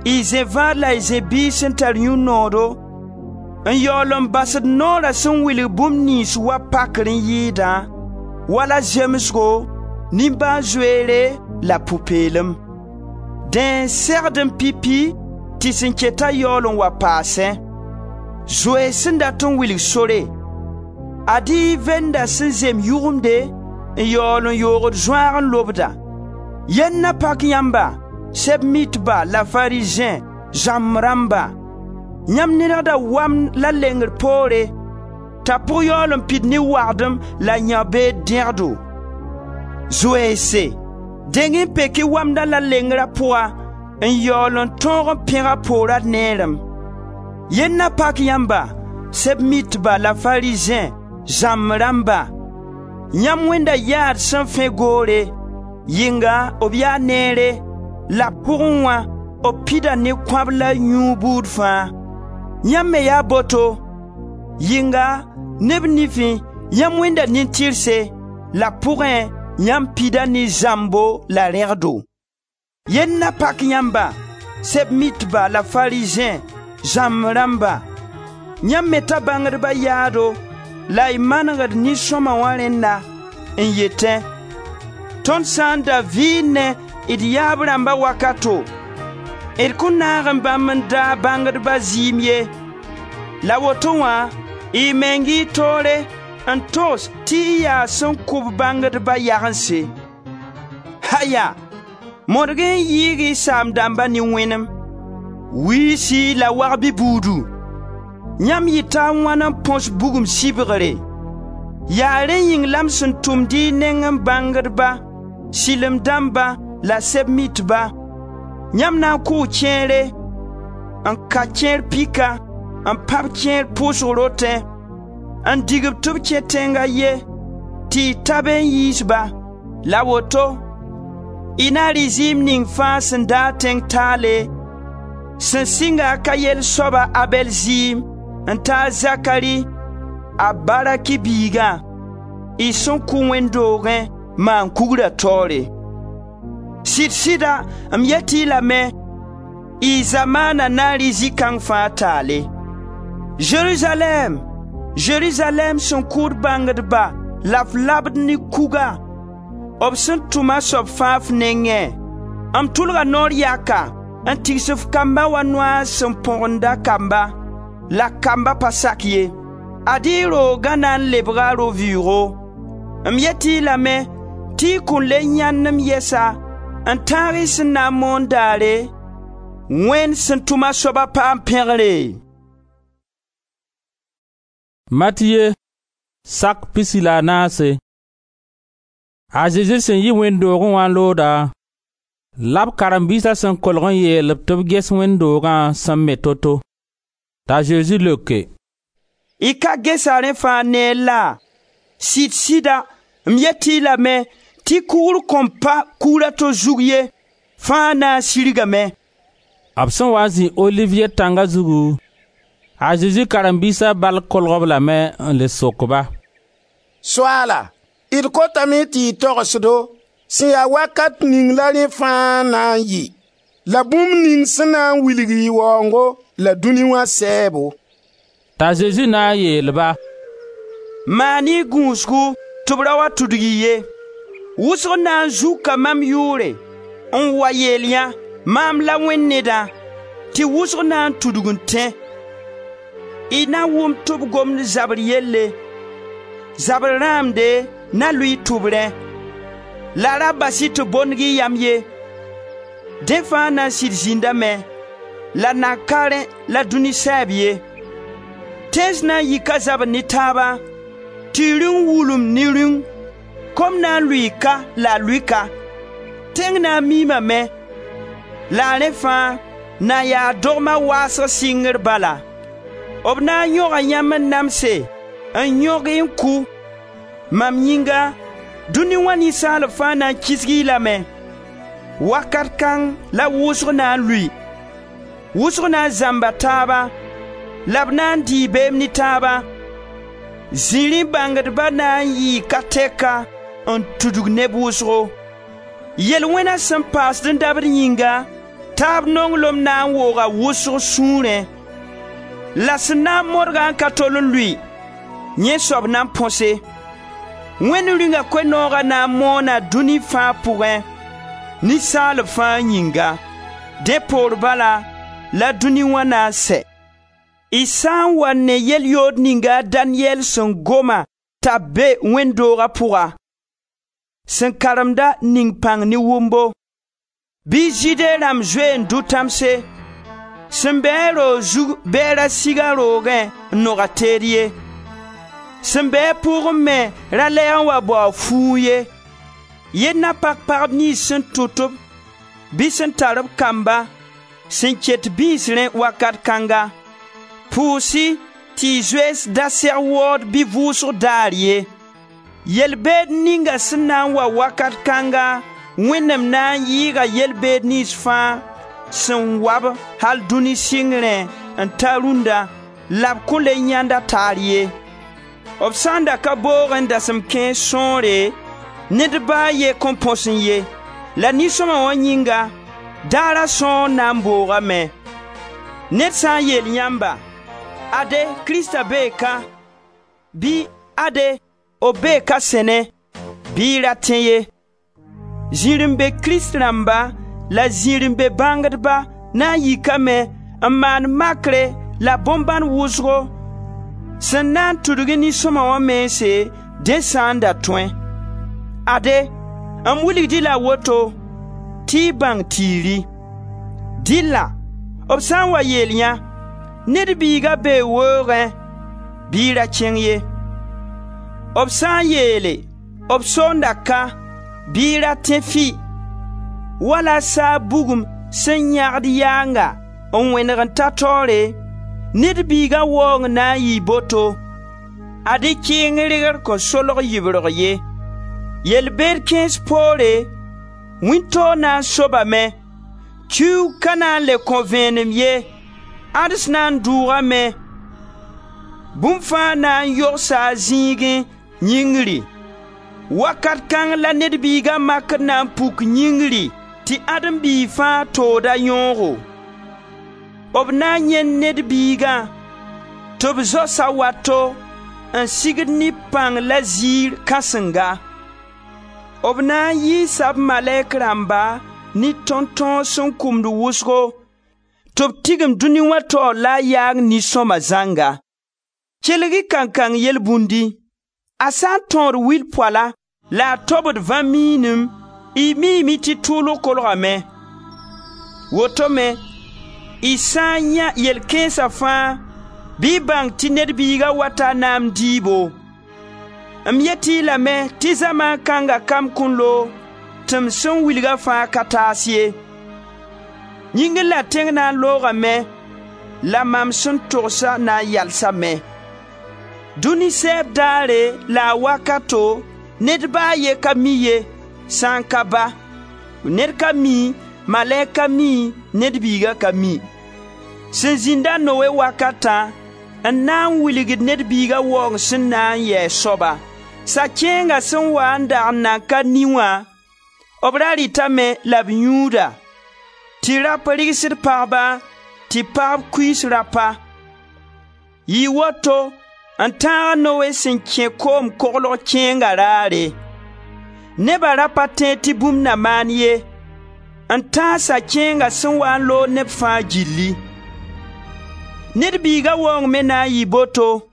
y zẽ-vaad la y zẽ-biis sẽn tar yũ-noodo, n yaool n basd noora sẽn wilg bũmb niyns wa pakr n yɩɩdã, wala zemsgo, nimbãan-zoeere la pʋ-peelem. Dẽ n segd n pipi tɩ sẽn keta yaool n wa paasẽ. Zoees sẽn dat n wilg sore, ad-y y venda sẽn zem yʋgemde n yaool n yoogd zõaag n lobda. Yell na pak yãmba, Sɛb-mitba la Farizẽ, zãmb rãmba! Yãmb nedgda wamd la lengr poore, t'a pʋg yaool n pid ne wagdem la yãbeed dẽgdo. Zoeense, deng n pek-y wamdã la lengra pʋga n yaool n tõog n pẽg a poora neerem. Yell na pak yãmba, Sɛb-mitba la Farizẽ, zãmb rãmba! Yãmb wẽnda yaad sẽn fẽ goore, yɩnga b yaa neere la pʋgẽ wã b pida ne kõab la yũu buud fãa. Yãmb me yaa boto, yɩnga neb nifẽ yãmb wẽnda nin-tɩrse, la pʋgẽ yãmb pida ne zãmbo la rẽgdo. Yell na pak yãmba, Sɛb-mitba la Farizẽ, zãmb rãmba! Yãmb meta bãngdba yaado la y manegd nin-sõma wã rẽnna n yetẽ: ‹Tõnd sã n da vɩɩnẽ d yaab rãmba wakato, D kõn naag n bãmb n daag bãngdba zɩɩm ye. La woto wã, y meng y toore n togs tɩ y yaa sẽn kʋ-b bãngdba yagense. Haya! Modg n yɩɩg y saam-dãmba ne wẽnem. Wiisi la wagb-y buudu! Yãmb yɩta a wãn n põs bugum sɩbgre? Yaa rẽ yĩng la m sẽn tʋmd y nengẽ bãngdba, sɩlem dãmba la Sɛb-mitba. Yãmb na n kʋʋ kẽere, n ka kẽer pika, n pãb kẽer pʋʋsg rotẽ, n dig-b tɩ b kẽ tẽng a ye tɩ y ta be n yiis-ba. La woto, y na rɩ zɩɩm ning fãa sẽn daag tẽng taale, sẽn sɩnga a Kayɛl soaba Abɛl zɩɩm n ta a Zakari, a Baraki biigã, y sẽn kʋ wẽnd doogẽ maan-kugra taoore. Sɩd-sɩda m yet-y lame, y zamaana na n rɩ zĩ-kãng fãa taale. Zerizalɛɛm, Zerizalɛɛm sẽn kʋʋd bãngdba la f labd ne kuga, b sẽn tʋm a soab fãa f nengẽ. M tʋlga noor yaka n tigs f kamba wa noaas sẽn põgenda kamba, la kamba pa sak ye. Ad-y y roogã na n lebga ro-vɩʋʋgo. M yet-y lame tɩ y kõn le yãend m yɛsa n tãag y sẽn na n moon daare, Wẽnd sẽn tʋm a soaba paam pẽgre.» Matiye sak pisi la a naase. A Zezi sẽn yi wẽnd doogẽ wã n looda, la b karen-biisa sẽn kolg n yeel-b tɩ b ges wẽnd-doogã sẽn me to-to. T'a Zezi leoke: «Y ka gesa rẽ fãa neer laa? Sɩd-sɩda, m yet-y lame tɩ kugr kõn pa kugra to zug ye, fãa na n sirgame.» B sẽn wa n zĩ Oliviye tãnga zugu, a Zezi karen-biisa bal kolg-b lame n le sok-ba: «Soaala, d kotame tɩ y togs-do sẽn ya wakat ning la rẽ fãa na n yɩ, la bũmb ning sẽn na n wilg y waoongo la dũni wã sɛɛbo.» T'a Zezi na n yeel-ba: «Maan-y gũusgu tɩ b ra wa tudg-y ye. Wʋsg na n zuka mam yʋʋre n wa yeel yã: ‹Maam la Wẽnd Nedã›, tɩ wʋsg na n tudg n tẽ. Y na wʋm tɩ b gomd zabr yelle, zabr rãamde na lʋɩ tʋbrẽ. La ra bas-y tɩ bondg y yam ye. Dẽ fãa na n sɩd zĩndame, la nan ka rẽ la dũni sɛɛb ye. Tẽns na n yika zabr ne taaba, tɩ rĩung wulum ne rĩung. Kom na n lʋɩ ka la a lʋɩ ka. Tẽng na n miimame, la rẽ fãa na yaa dogma waasg sɩngr bala. B na n yõga yãmb n namse, n yõg-y n kʋ. Mam yĩnga, dũni wã ninsaalb fãa na n kisg-y lame. Wakat kãng la wʋsg na n lʋɩ. Wʋsg na n zãmba taaba, la b na n dɩɩ beem ne taaba. Zĩrĩ bãngdba na n yɩɩ ka tɛka n tudg neb wʋsgo. Yel-wẽna sẽn paasd n dabd yĩnga, taab nonglem na n wooga wʋsg sũurẽ. La sẽn na n modga n ka tol n lʋɩ, yẽ soab na n põse. Wẽnd Rĩunga Koe-nooga na n moona dũni fãa pʋgẽ, ninsaalb fãa yĩnga. Dẽ poor bala la dũni wã na n sɛ. Y sã n wa ne yel-yood ninga a Daniyɛl sẽn goma t'a be wẽnd-dooga pʋga, sẽn karemda ning pãng ne wʋmbo, bɩ Zɩɩde rãmb zoe n dʋ tãmse, sẽn bɩ-a roog zug bɩ a ra sig a roogẽ n nog a teed ye. Sẽn be-a pʋʋgẽ me ra lɛɛg n wa bao a fuug ye. Yell na pak pagb niyns sẽn tʋt-b bɩ sẽn tar b kamba sẽn ket bĩisrẽ wakat kãnga. Pʋʋs-y tɩ y zoees da seg waood bɩ vʋʋsg daar ye. Yel-beed ninga sẽn na n wa wakat kãnga, Wẽnnaam na n yɩɩga yel-beed niyns fãa sẽn wa-b al dũni sɩngrẽ n ta rũnda, la b kõn le yãend a taar ye. B sã n da ka boogẽ dasem kãens sõore, ned ba a ye kõn põsẽ ye. La nin-sõma wã yĩnga, daara sõor na n boogame. Ned sã n yeel yãmba: ‹Ade, Krista bee ka›, bɩ ‹ade, b bee ka sẽne›, bɩ y ra tẽ ye. Zĩr-n-be Krist rãmba la zĩr-n-be bãngdba na n yikame n maan makre la bõn-bãn wʋsgo sẽn na n tudg nin-sõma wã mense, dẽ sã n da tõe. Ade, m wilgd-y la woto tɩ y bãng tɩ y rɩ. Dɩlla b sã n wa yeel yã: Ned Biiga bee weoogẽ, bɩ y ra kẽng ye. B sã n yeele: B soonda ka, bɩ y ra tẽ fɩ. Wala saag bugum sẽn yãgd yaanga n wẽneg n ta taoore, Ned Biiga waoong na n yɩɩ boto. Ad-y kɩɩng regr kõn solg yibrg ye. Yel-beed kãens poore, wĩntoog na n sobame, kiuug ka na n le kõ vẽenem ye, ãds na n dʋʋgame, bũmb fãa na n yogsa a zĩigẽ yĩngri. Wakat kãng la Ned Biiga makr na n puk yĩngri tɩ Adem biig fãa tood a yõogo. B na n yãend Ned Biigã tɩ b zaos a wato n sigd ne pãng la ziir kãsenga. B na n yiisa b malɛk rãmba ne tõntõos sẽn kumd wʋsgo tɩ b tigim dũni wã taoor la a yaang nin-sõma zãnga. Kelg-y kankang yelbũndi: a sã n tõod wil poala la a tobd vã-miinim, y miime tɩ tʋʋlg kolgame. Woto me, y sã n yã yel-kãensa fãa, bɩ y bãng tɩ Ned Biiga wata naam dɩɩbo. M yet-y lame tɩ zamaan kãnga kam kõn loog tɩ m sẽn wilga fãa ka taas ye. Yĩngr la tẽng na n loogame la mam sẽn togsa na n yalsame. Dũni sɛɛb daare la a wakato ned ba a ye ka mi ye, sã n ka Ba. Ned ka mi, malɛk ka mi, Ned Biiga ka mi. Sẽn zĩnd a Noe wakatã n na n wilgd Ned Biiga waoong sẽn na n yɩ a soaba. Sa-kẽenga sẽn waa n dag n nan ka ni wã, b ra rɩtame la b yũuda, tɩ rap rɩgsd pagba, tɩ pagb kuiis rapa. Yɩɩ woto n tãag a Noe sẽn kẽ koom koglg kẽenga raare. Neba ra pa tẽed tɩ bũmb na maan ye, n tãag sa-kẽenga sẽn waa n loog neb fãa gilli. Ned Biiga waoong me na n yɩ boto.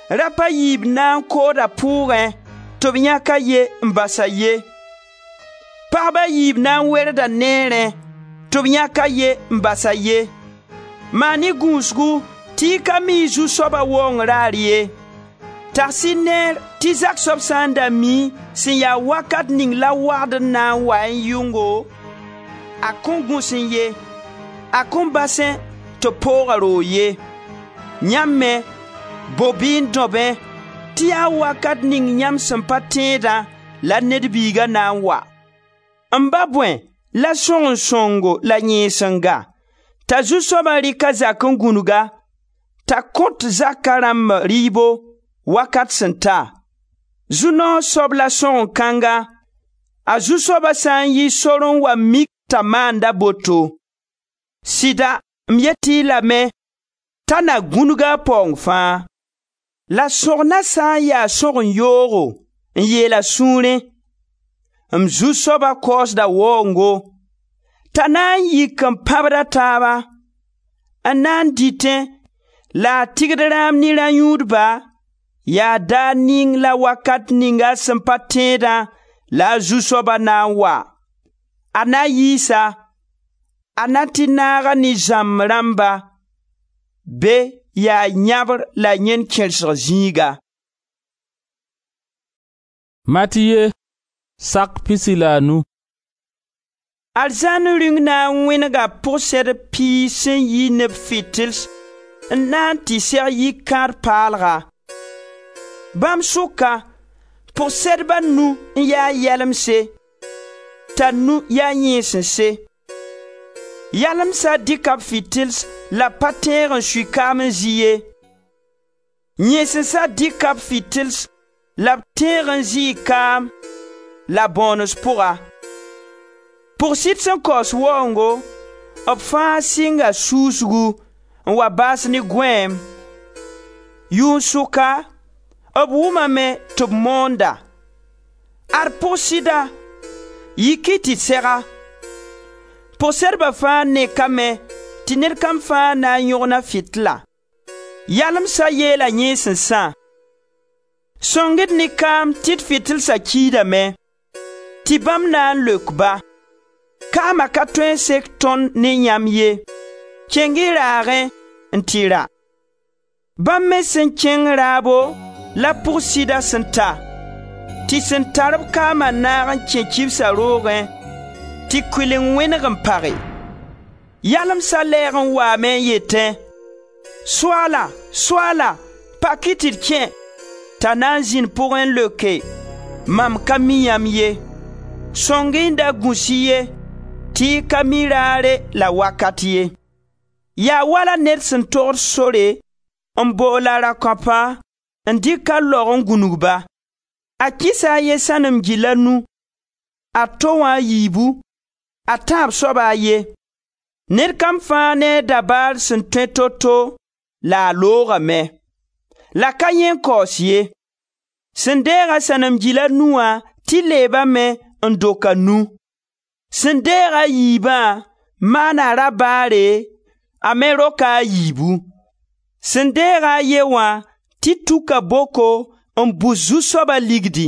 Rap a yiib na n kooda pʋʋgẽ tɩ b yãk a ye n bas a ye. Pagba a yiib na n werda neerẽ tɩ b yãk a ye n bas a ye. Maan-y gũusgu tɩ y ka mi y zu-soaba waoong raar ye. Tags-y neer tɩ zak soab sã n da mi sẽn ya wakat ning la wagd n na n wa n yʋngo, a kõn gũsẽ ye, a kõn basẽ tɩ pooga roog ye. Yãmb me, bob-y n dõbẽ tɩ yaa wakat ning yãmb sẽn pa tẽedã la Ned Biiga na n wa. M ba bõe la sõgen-sõngo la yẽesenga t'a zu-soabã rɩk a zak n gũnug-a, t'a kõt zaka rãmb rɩɩbo wakat sẽn ta? Zu-noog soab la sõgen-kãnga, a zu-soaba sã n yi sor n wa mik t'a maanda boto. Sɩda m yet-y lame t'a na gũnug-a a paoong fãa. La sõgna sã n ya sõgen-yoogo n yeel a sũurẽ: M zu-soaba kaoosda waoongo, t'a na n yik n pãbd a taaba, n na n dɩtẽ la a tɩgd rãam ne rã-yũudba, yaa daar ning la wakat ning a sẽn pa tẽedã la a zu-soaba na n wa. A na yiis-a, a na tɩ naag-a ne zãmb rãmba. Be yaa yãbr la yẽn kẽrsg zĩiga. Matiye sak pisi la a nu. Arzãn rĩung na n wẽnega pʋgsɛdb piig sẽn yi ne b fɩtɩls n na n tɩ seg yikãad paalga. Bãmb sʋka, pʋgsɛdba nu n yaa yalemse, t'a nu yaa yẽesense. Yalemsa dɩka b fɩtɩls la b pa tẽeg n sui kaam n zɩ ye. Yẽesensã dɩka b fɩtɩls la b tẽeg n zɩɩ kaam la bõones pʋga. Pʋg-sɩd sẽn kaoos waoongo, b fãa sɩnga susgu n wa baas ne gõeem. Yʋʋn-sʋka, b wʋmame tɩ b moonda: Ad pʋg-sɩda, yik-y tɩ d seg-a. Pʋg-sedba fãa nekame tɩ ned kam fãa na n yõgna fɩtla. Yalemsa yeela yẽesensã: ‹Sõng-d ne kaam tɩ d fɩtɩlsa kiidame.› Tɩ bãmb na n leok-ba: ‹Kaama ka tõe n sek tõnd ne yãmb ye. Kẽng-y raagẽ n tɩ ra.› Bãmb me sẽn kẽng raabo la pʋg-sɩda sẽn ta. Tɩ sẽn tar-b kaama naag n kẽ kibsa roogẽ tɩ kʋɩleng wẽneg n page. Yalemsa lɛɛg n waame n yetẽ: ‹Soaala, Soaala, pak-y tɩ d kẽ!› T'a na n zĩnd pʋgẽ n leoke: ‹Mam ka mi yãmb ye.› Sõng-y n da gũs-y ye, tɩ y ka mi raare la wakat ye. Yaa wala ned sẽn togd sore n bool a rakõapa n dɩk a laog n gũnug-ba. A kɩsa a ye sãnem gil a nu, a to wã a yiibu, a tãab soaba a ye. Ned kam fãa ne a dabaar sẽn tõe to-to la a loogame. La ka yẽ n kaoos ye. Sẽn deeg-a sãnem gil a nu wã tɩ leebame n dok a nu. Sẽn deeg a yiibã maana rabaare, a me roka a yiibu. Sẽn deeg-a a ye wã tɩ tuka boko n bus zu-soaba ligdi.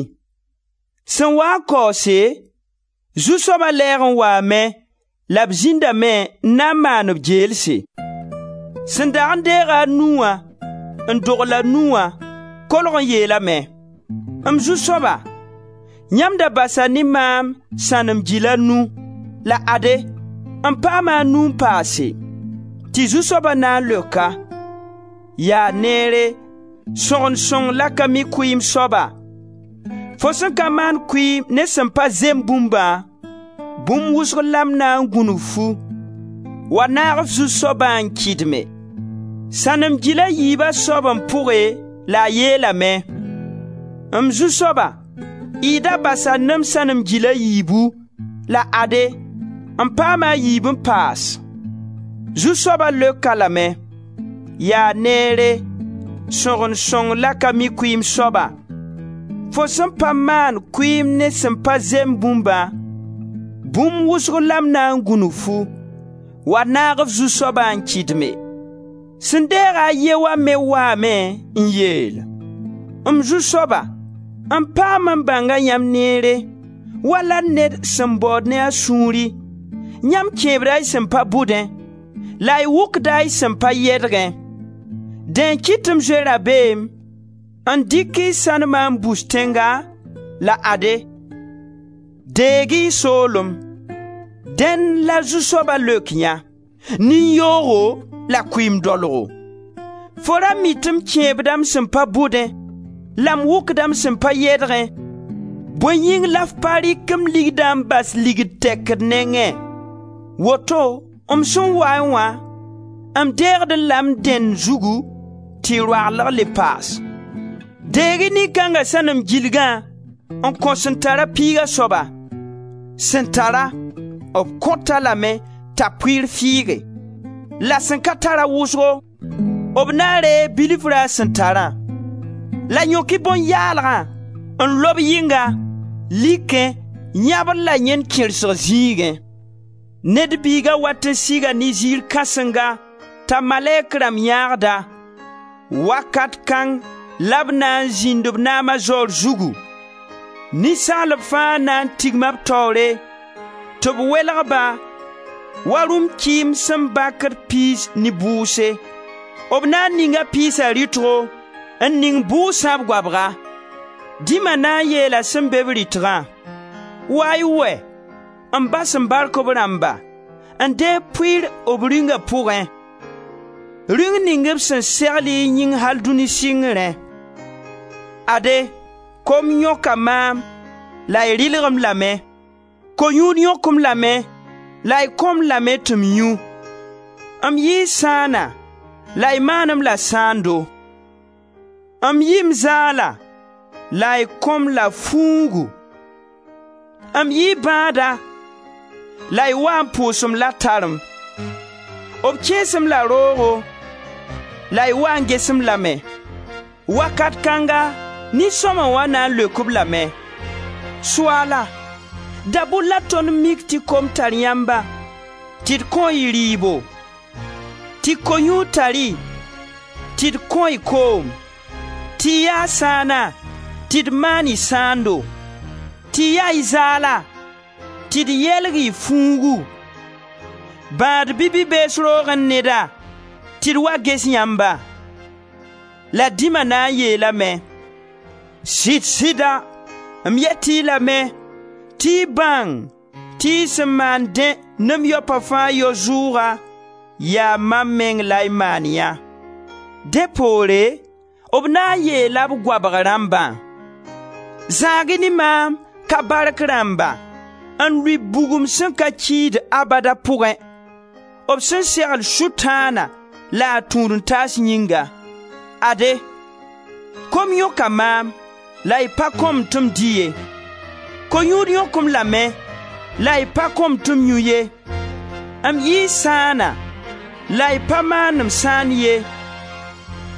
Sẽn waa n kaoose, zu-soaba lɛɛg n waame la b zĩndame n na n maan b geelse. Sẽn dag n deeg-a a nu wã n dogl a nu wã, kolg n yeelame: ‹M zu-soaba, yãmb da basa ne maam sãnem gil a nu, la ade, m paama a nu n paase.› Tɩ zu-soaba na n leok-a: ‹Yaa neere, sõgend sõng la ka mi kʋɩɩm soaba! Fo sẽn ka maan kʋɩɩm ne sẽn pa zem bũmbã, bũmb wʋsg la m na n gũnug-fu. Wa naag f zu-soabã n kɩdme.› Sãnem gil a yiiba soab n pʋge la a yeelame: ‹M zu-soaba, y da basa ne m sãnem gil a yiibu, la ade, m paama a yiib n paas.› Zu-soaba leok-a lame: ‹Yaa neere, sõgend sõng la ka mi kʋɩɩm soaba! Fo sẽn pa maan kʋɩɩm ne sẽn pa zem bũmbã, bũmb wʋsg la m na n gũnug-fu. Wa naag f zu-soabã n kɩdme.› Sẽn deeg-a a ye wã me waame n yeel: ‹M zu-soaba, m paam n bãnga yãmb neere, wala ned sẽn baood ne a sũuri. Yãmb kẽebda y sẽn pa bʋdẽ, la y wʋkda y sẽn pa yɛdgẽ. Dẽ n kɩt tɩ m zoe rabeem n dɩk y sãnema n bus tẽnga, la ade, deeg-y y soolem.› Dẽnd la zu-soaba leok yã: ‹Nin-yoogo la kʋɩɩm-dolgo! Fo ra mi tɩ m kẽebda m sẽn pa bʋdẽ la m wʋkda m sẽn pa yɛdgẽ, bõe yĩng la f pa rɩk m ligdã n bas ligd tɛkd nengẽ? Woto m sẽn waẽ wã, m deegd-n la m dẽnd zugu tɩ roaglg le paas. Deeg-y nin-kãnga sãnem gilgã n kõ sẽn tara piiga soaba. Sẽn tara, b kõt-a lame t'a pʋɩɩr fiige. La sẽn ka tara wʋsgo, b na n reeg bilfra a sẽn tarã. La yõk-y bõn-yaalgã n lob yɩnga, likẽ, yãbr la yẽn kẽrsg zĩigẽ. Ned Biiga wat n siga ne ziir kãsenga t'a malɛk rãmb yãagda. Wakat kãng la b na n zĩnd b naama zaoor zugu. Ninsaalb fãa na n tigma b taoore tɩ b welg-ba wa rũm-kɩɩm sẽn bakd piis ne bʋʋse. B na n ninga piisa rɩtgo n ning bʋʋsã b goabga. Dĩma na n yeela sẽn be b rɩtgã: ‹Wa-y wɛ, m Ba sẽn bark b rãmba, n deeg pʋɩɩr b Rĩunga pʋgẽ, Rĩung ning b sẽn segl y yĩng al dũni sɩngrẽ. Ade, kom yõka maam la y rɩlg-m lame, ko-yũud yõk-m lame la y kõ-m lame tɩ m yũ. M yɩɩ sãana la y maan-m la sãando. M yɩ m zaala la y kõ-m la fuugu. M yɩɩ bãada la y waa n pʋʋs-m la tarem. B kẽes-m la roogo la y waa n ges-m lame.› Wakat kãnga nin-sõma wã na n leok-b lame: ‹Soaala, dabʋr la tõnd mik tɩ kom tar yãmba tɩ d kõ-y rɩɩbo? Tɩ ko-yũud tar-y, tɩ d kõ-y koom? Tɩ y yaa sãana, tɩ d maan-y sãando? Tɩ y yaa y zaala, tɩ d yelg y fuugu? Bãad bɩ bi-bees roogẽ neda, tɩ d wa ges yãmba?› La dĩma na n yeelame: ‹Sɩd-sɩda, m yet-y lame tɩ y bãng tɩ y sẽn maan dẽ ne m yaopa fãa yao zʋʋga, yaa mam meng la y maan yã.› Dẽ poore, b na n yeela b goabg rãmbã: ‹Zãag-y ne maam, ka bark rãmba, n lʋɩ bugum sẽn ka kiid abada pʋgẽ, b sẽn segl Sʋtãana la a tũud-n-taas yĩnga. Ade, kom yõka maam la y pa kõ-m tɩ m dɩ ye. Ko-yũud yõk-m lame la y pa kõ-m tɩ m yũ ye. M yii sãana la y pa maan-m sãan ye.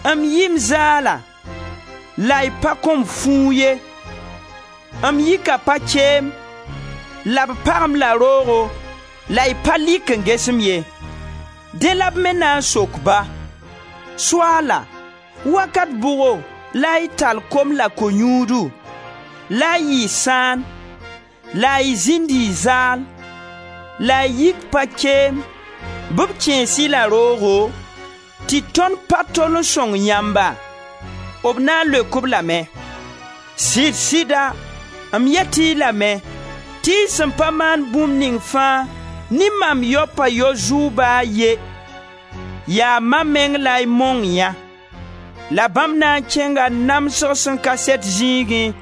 M yɩ m zaala la y pa kõ-m fuug ye. M yika pa-keem la b pag-m la roogo la y pa lik n ges-m ye.› Dẽ la b me na n sok-ba: ‹Soaala, wakat bʋgo la y tall kom la ko-yũudu, la y yɩ sãan, la y zĩnd y zaal, la y yik pa-keem, bɩ b kẽes-y la roogo, tɩ tõnd pa tol n sõng yãmba?› B na n leok-b lame: ‹Sɩd-sɩda, m yet-y lame tɩ y sẽn pa maan bũmb ning fãa ne mam yaopa yao zʋʋg ba a ye, yaa mam meng la y mong yã.› La bãmb na n kẽnga namsg sẽn ka sɛt zĩigẽ,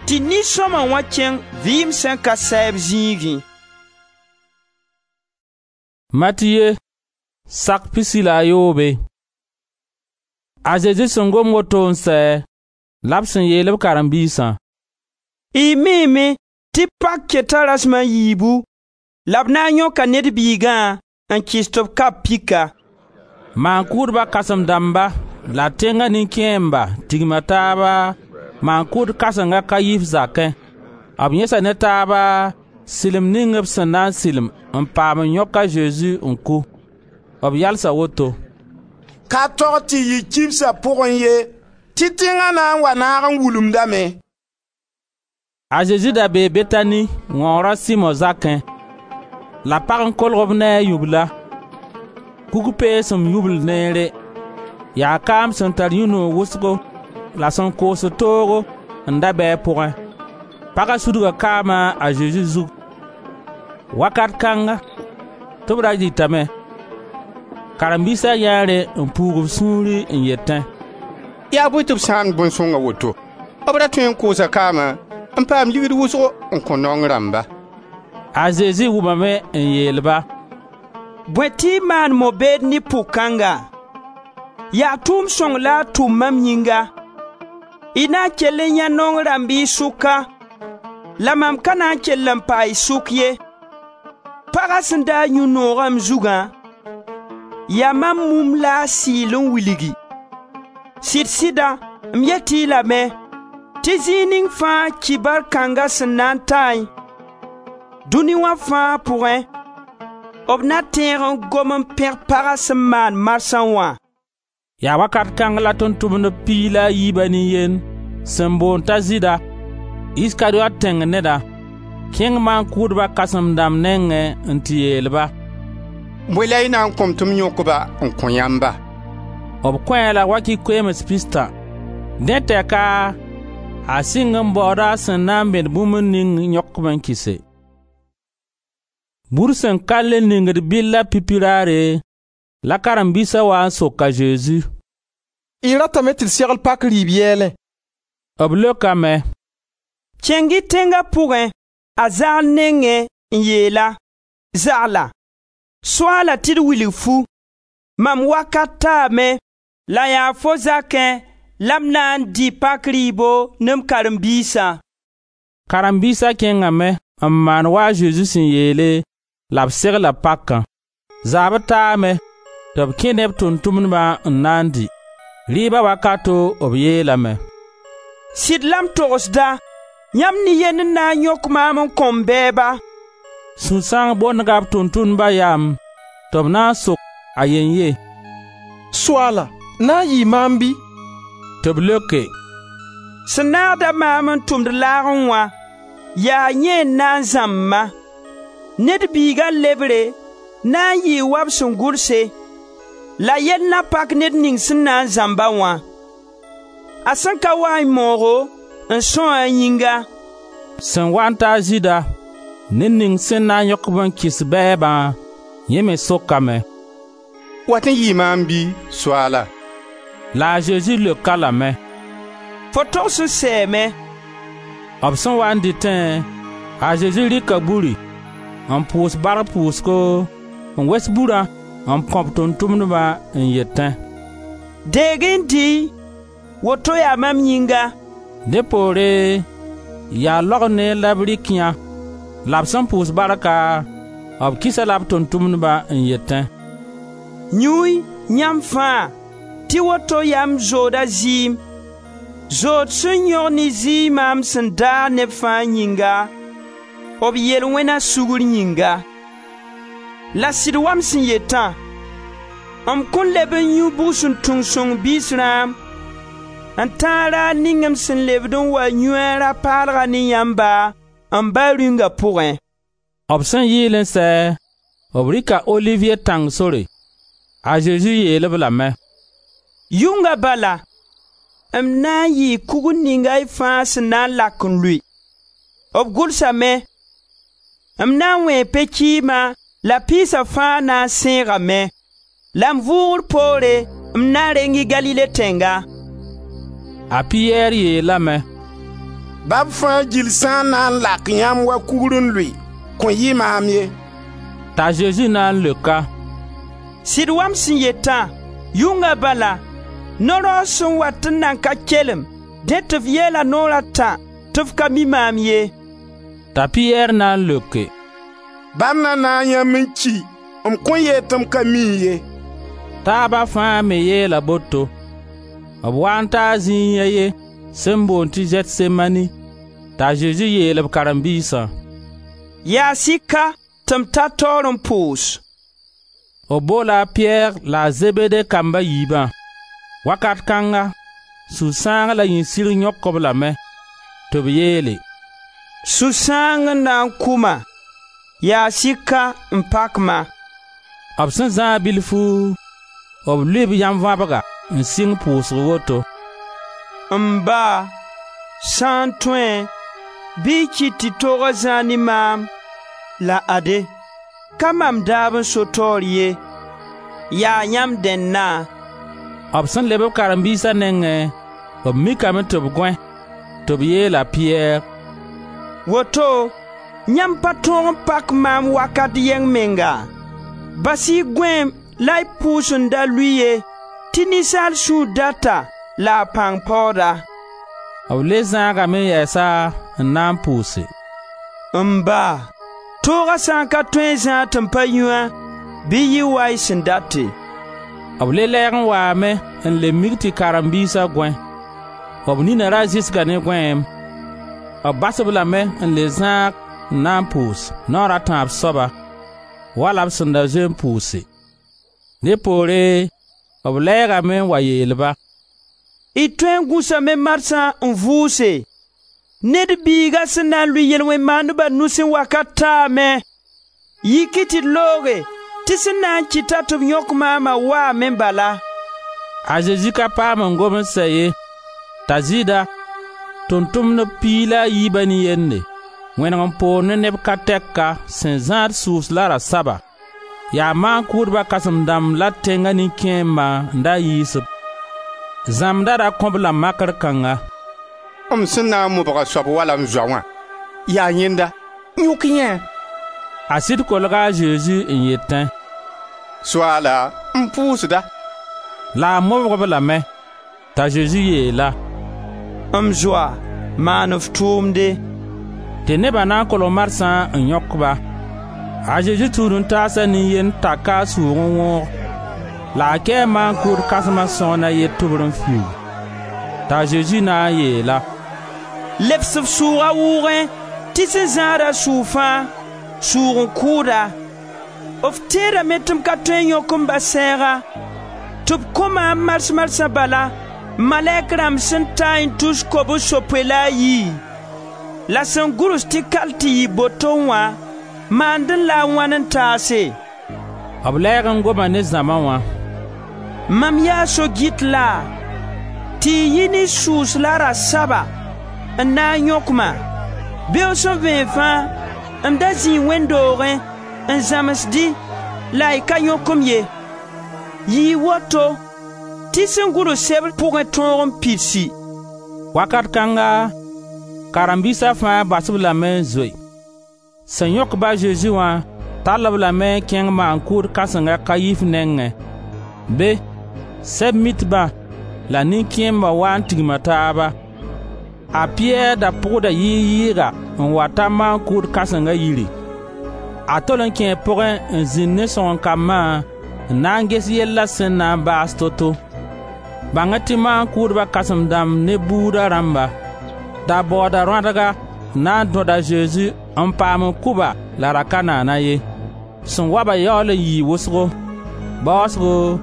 tɩ nin-sõma wã kẽng vɩɩm sẽn ka sɛɛb zĩigẽ.» Matiye sak pisi la a yoobe. A Zezi sẽn gom woto n sɛ, la b sẽn yeel b karen-biisã: Y miime tɩ pak keta rasem a yiibu la b na n yõka Ned Biigã n kɩs tɩ b kab pika.» Maan-kʋʋdba kãsem-dãmba la tẽnga nin-kẽemba tigma taaba maan-kʋʋd kãsenga Kayif zakẽ. B yẽsa ne taaba sɩlem ning b sẽn na n sɩlem n paam n yõk a Zezi n kʋ. B yalsa woto: «Ka tog tɩ yɩ kibsa pʋgẽ ye, tɩ tẽnga na n wa naag n wulumdame.» A Zezi da bee Betani, wãoor a Simo zakẽ. La pag n kolg b ne a yubla. Kug-peesem yubl neere, yaa kaam sẽn tar yũ-noog wʋsgo la sẽn koosd toogo n da bɩ a pʋgẽ. Paga sudga kaama a Zezi zug. Wakat kãnga tɩ b ra dɩtame. Karen-biisa yãee rẽ n puug b sũuri n yetẽ: «Yaa bõe tɩ b sãamd bõn-sõng a woto? B ra tõe n koosa kaamã n paam ligd wʋsgo n kõ naong rãmba.» A Zezi wʋmame n yeel-ba: «Bõe tɩ y maan mo-beed ne pʋg-kãnga? Yaa tʋʋm sõng la a tʋm mam yĩnga. Y na n kell n yãe naong rãmb y sʋka, la mam ka na n kell n paa y sʋk ye. Paga sẽn da n yũ noogã m zugã, yaa mam mum la a sɩɩl n wilgi. Sɩd-sɩda, m yet-y lame tɩ zĩig ning fãa kibar kãnga sẽn na n taẽ, dũni wã fãa pʋgẽ, b na tẽeg n gom n pẽg paga sẽn maan marsã wã.» Yaa wakat kãng la tʋʋm-tʋmdb piig la a yiiba nin-yend sẽn boond t'a Zɩɩda, Iskariot tẽng neda, kẽng maan-kʋʋdba kãsem-dãmb nengẽ n tɩ yeel-ba: «Bõe la y na n kõ-m tɩ m yõk-ba n kõ yãmba?» B kõ-a la wakɩ-koeems pistã. Dẽ tɛka a sɩng n baooda a sẽn na n bẽd bũmb ning yõk-b n kɩse. Bur sẽn ka le ningd bɩlla pipi raare, la karen-biisa wa n sok a Zezi: «Y ratame tɩ d segl pak rɩɩb yɛɛlẽ?» B leokame: «Kẽng-y tẽnga pʋgẽ, a zagl nengẽ n yeel-a: Zagla, Soaala tɩ d wilg fu, mam wakat taame la yaa fo zakẽ la m na n dɩ pak rɩɩbo ne m karen-biisã.» Karen-biisa kẽngame n maan wa a Zezi sẽn yeele la b segla pakã. Zaabr taame tɩ b kẽ ne b tʋʋm-tʋmdbã n na n dɩ. Rɩɩba wakato b yeelame: «Sɩd la m togsda, yãmb nin-yend n na n yõk maam n kõ m bɛɛba.» Sũ-sãang bondga b tʋʋm-tʋmdba yam tɩ b na n sok a yen-ye: «Soaala, na n yɩɩ maam bɩ?» Tɩ b leoke: «Sẽn naagd-a maam n tʋmd laagẽ wã, yaa yẽ n na n zãmb-ma. Ned Biiga lebre na n yɩɩ wa b sẽn gʋlse, la yell na pak ned ning sẽn na n zãmb-a wã. A sẽn ka waẽ moogo, n são a yĩnga.» Sẽn wa n ta a Zɩɩda, ned ning sẽn na n yõk-b n kɩs bɛɛbã, yẽ me sokame: «Wat n yɩɩ maam bɩ, Soaala?» La a Zezi leok-a lame: «Fo togs n sɛɛme.» B sẽn waa n dɩtẽ, a Zezi rɩka buri, n pʋʋs bark pʋʋsgo, n wes burã n kõ b tʋʋm-tʋmdbã n yetẽ: «Deeg-y n dɩ-y, woto yaa mam yĩnga.» Dẽ poore yaa laog neer la b rɩk yã, la b sẽn pʋʋs barka, b kɩs-a-la b tʋʋm-tʋmdbã n yetẽ: «Yũ-y, yãmb fãa, tɩ woto yaa m zooda zɩɩm, zood sẽn yõg ne zɩɩma m sẽn daag neb fãa yĩnga, b yel-wẽna sugr yĩnga. La sɩd wa m sẽn yetã, m kõn leb n yũ bugsuntung sõng biis rãam, n tãag raar ning m sẽn lebd n wa yũ a rã-paalga ne yãmba, m Ba Rĩunga pʋgẽ.» B sẽn yɩɩl n sɛ, b rɩka Oliviye tãng sore. A Zezi yeel-b lame: «Yʋnga bala, m na n yɩɩ kugr ninga y fãa sẽn na n lak n lʋɩ. B gʋlsame: M na n wẽe pe-kɩɩma la piisa fãa na n sẽegame. La m vʋʋgr poore m na reng-y Galile tẽnga.» A Piyɛr yeelame: «Ba b fãa gill sã n na n lak yãmb wa kugr n lʋɩ, kõn yɩ maam ye.» T'a Zezi na n leok-a: «Sɩd wa m sẽn yetã, yʋnga bala, no-raoog sẽn wat n nan ka kelem, dẽ tɩ f yeela naoor a tã tɩ f ka mi maam ye.» T'a Piyɛr na n leoke: «Ba m na naag yãmb n ki, m kõn yeel tɩ m ka mi-y ye.» Taaba fãa me yeela boto. B waa n taa zĩig a ye sẽn boond tɩ Zɛtsemani, t'a Zezi yeel b karen-biisã: «Yaas-y ka tɩ m ta taoor n pʋʋs.» B boola a Piyɛr la a Zebede kamb a yiibã. Wakat kãnga, sũ-sãang la yĩn-sirg yõk-b lame, tɩ b yeele: «Sũ-sãang n na n kʋ-ma, yaas-y ka n pak-ma.» B sẽn zãag bilfu, b lʋɩ b yãm-vãbga n sɩng pʋʋsg woto: «M Ba, sã n tõe, bɩ y kɩt tɩ tooga zãag ne maam, la ade, ka mam daab n so taoor ye, yaa yãmb dẽnna.» B sẽn leb b karen-biisa nengẽ, b mikame tɩ b gõe, tɩ b yeel a Piyɛr: «Woto yãmb pa tõog n pak maam wakat yɛng menga? Bas-y y gõeem la y pʋʋs n da lʋɩ ye, tɩ ninsaal sũur data la a pãng paooda.» B le zãagame yɛɛsa n na n pʋʋse: «M Ba, tooga sã n ka tõe n zãag tɩ m pa yũ-a, bɩ yɩ wa y sẽn date.» B le lɛɛg n waame n le mik tɩ karen-biisa gõe. B nina ra zɩsga ne gõeem. B bas-b lame n le zãag n na n pʋʋs naoor a tãab soaba, wala b sẽn da zoe n pʋʋse. Dẽ poore b lɛɛgame n wa yeel-ba: «Y tõe n gũsame marsã n vʋʋse? Ned Biiga sẽn na n lʋɩ yel-wẽn maandba nusẽ wakat taame. Yik-y tɩ d looge tɩ sẽn na n kɩt-a tɩ b yõk maama waame bala.» A Zezi ka paam n gom n sɛ ye, t'a Zɩɩda, tʋʋm-tʋmdb piig la a yiiba nin-yende, wẽneg n poor ne neb ka tɛka sẽn zãad sʋʋs la rasaba. Yaa maan-kʋʋdba kãsem-dãmb la tẽnga nin-kẽemba n da yiis-b. Zãmbda da kõ-b la makr kãnga: «M sẽn na n mobg a soab wala m zoa wã, yaa yẽnda, yõk-y yẽ.» A sɩd kolga a Zezi n yetẽ: «Soaala, m pʋʋsda.» La a mobg-b lame. T'a Zezi yeel-a: «M zoa, maan f tʋʋmde.» Tɩ neba na n kolg marsã n yõk-ba. A Zezi tũud-n-taasa nin-yend taka a sʋʋg n wõog, la a kɛɛ maan-kʋʋd kãsma sõgen a ye tʋbr n fiuug. T'a Zezi na n yeel-a: «Lebs f sʋʋga wʋʋgẽ tɩ sẽn zãada sʋʋg fãa, Sʋʋg n kʋʋda. F tẽedame tɩ m ka tõe n yõk m Ba sɛɛga, tɩ b kõ maam mars-marsã bala, malɛk rãmb sẽn taẽ tus kobs-yopoe la a yi? La sẽn gʋls tɩ kal tɩ yɩ boto wã maandẽ la a wãn n taase?» B lɛɛg n goma ne zãma wã: «Mam yaa so-gɩt laa, tɩ y yi ne sʋʋs la rasaba n na n yõk-ma? Beoog sẽn vẽeg fãa m da zĩi wẽnd doogẽ n zãmsd-y la y ka yõk-m ye. Yɩɩ woto tɩ sẽn gʋls sebr pʋgẽ tõog n pidsi.» Wakat kãnga, karen-biisa fãa bas-b lame n zoe. Sẽn yõk-ba a Zezi wã tall-b lame n kẽng maan-kʋʋd kãsenga Kayif nengẽ. Be, Sɛb-mitbã la nin-kẽemba waa n tigma taaba. A Piyɛr da pʋgda yɩɩg-yɩɩga n wa ta maan-kʋʋd kãsenga yiri. A tol n kẽe pʋgẽ n zĩnd ne sõgen-kambã n na n ges yella sẽn na n baas to-to. Bãng-y tɩ maan-kʋʋdba kãsem-dãmb ne buuda rãmba da baooda rõadga n na n dõd a Zezi n paam n kʋ-ba la ra ka naana ye. Sẽn wa-ba yaool n yɩɩ wʋsgo. Baoosgo,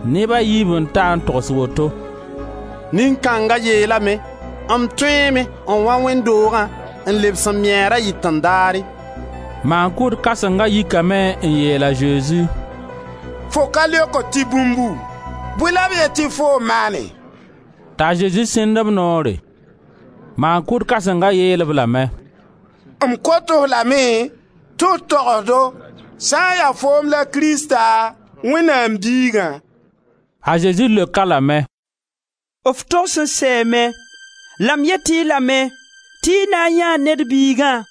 neba yiib n ta n togs woto: «Nin-kãnga yeelame: M tõeeme n wã wẽnd doogã n lebs m mɛɛr a yitẽ daare.» Maan-kʋʋd kãsenga yikame n yeel a Zezi: «Fo ka leokd tɩ bũmbu? Bõe la b yet tɩ foom maane?» T'a Zezi sẽnd b noore. Maan-kʋʋd kãsenga yeel-b lame: «M kot-f lame tɩ f togs-do sã n ya foom la Krista, Wẽnnaam Biigã.» A Zezi leok-a lame: «F togs n sɛɛme, la m yet-y lame tɩ y na n yãee Ned Biigã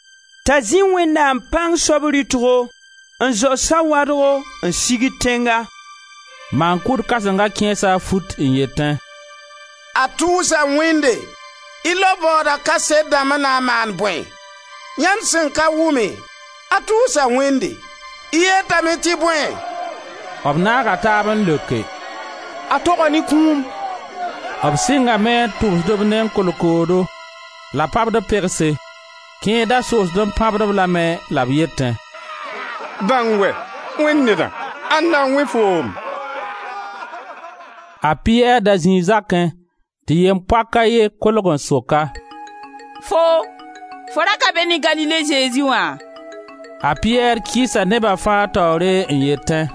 t'a zĩ Wẽnnaam pãng soab rɩtgo n zao sawadgo n sigd tẽnga.» Maan-kʋʋd kãsenga kẽesa a fut n yetẽ: «A tʋʋsa Wẽnde! Y lao baooda kaset dãmb na n maan bõe? Yãmb sẽn ka wʋme, a tʋʋsa Wẽnde, y yetame tɩ bõe?» B naaga taab n leoke: «A toga ne kũum.» B sɩngame n tʋbsd-b ne kolkoodo la pabd pegse. Kẽer da soosd n pãbd-b lame la b yetẽ: «Bãng wɛ, Wẽnd nedã, ãnna n wẽ foom?» A Piyɛr da zĩi zakẽ tɩ yem-poak a ye kolg n sok-a: «Foo, fo ra ka be ne Galile Zezi wã?» A Piyɛr kɩɩsa neba fãa taoore n yetẽ: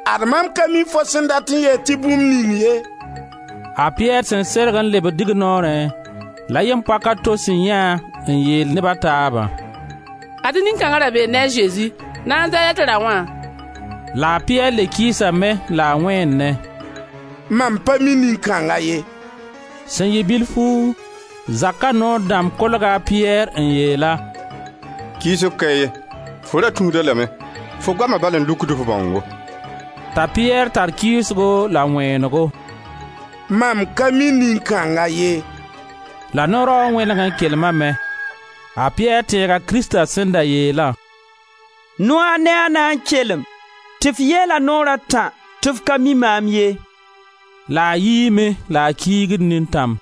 «Ad mam ka mi fo sẽn dat n yeel tɩ bũmb ning ye.» A Piyɛr sẽn serg n lebd dignoorẽ, la yem-poak a to sẽn yãe n yeel neb a taabã: «Ad-y nin-kãnga ra bee ne a Zezi, Nazarɛt raoã.» La a Piyɛr le kɩɩsame la a wẽennẽ: «Mam pa mi nin-kãnga ye.» Sẽn yɩ bilfu, zaka noor dãmb kolga a Piyɛr n yeel-a: «Kɩɩsg ka ye, fo ra tũud-a lame, fo goama bal n lukd f bãongo.» T'a Piyɛr tar kɩɩsgo la wẽenego: «Mam ka mi nin-kãnga ye.» La no-raoog wẽneg n kelmame. A Piyɛr tẽega Krista sẽn da yeelã: «Noaag ne a na n kelem tɩ f yeela naoor a tã tɩ f ka mi maam ye.» La a yiime la a kiigd nintãm.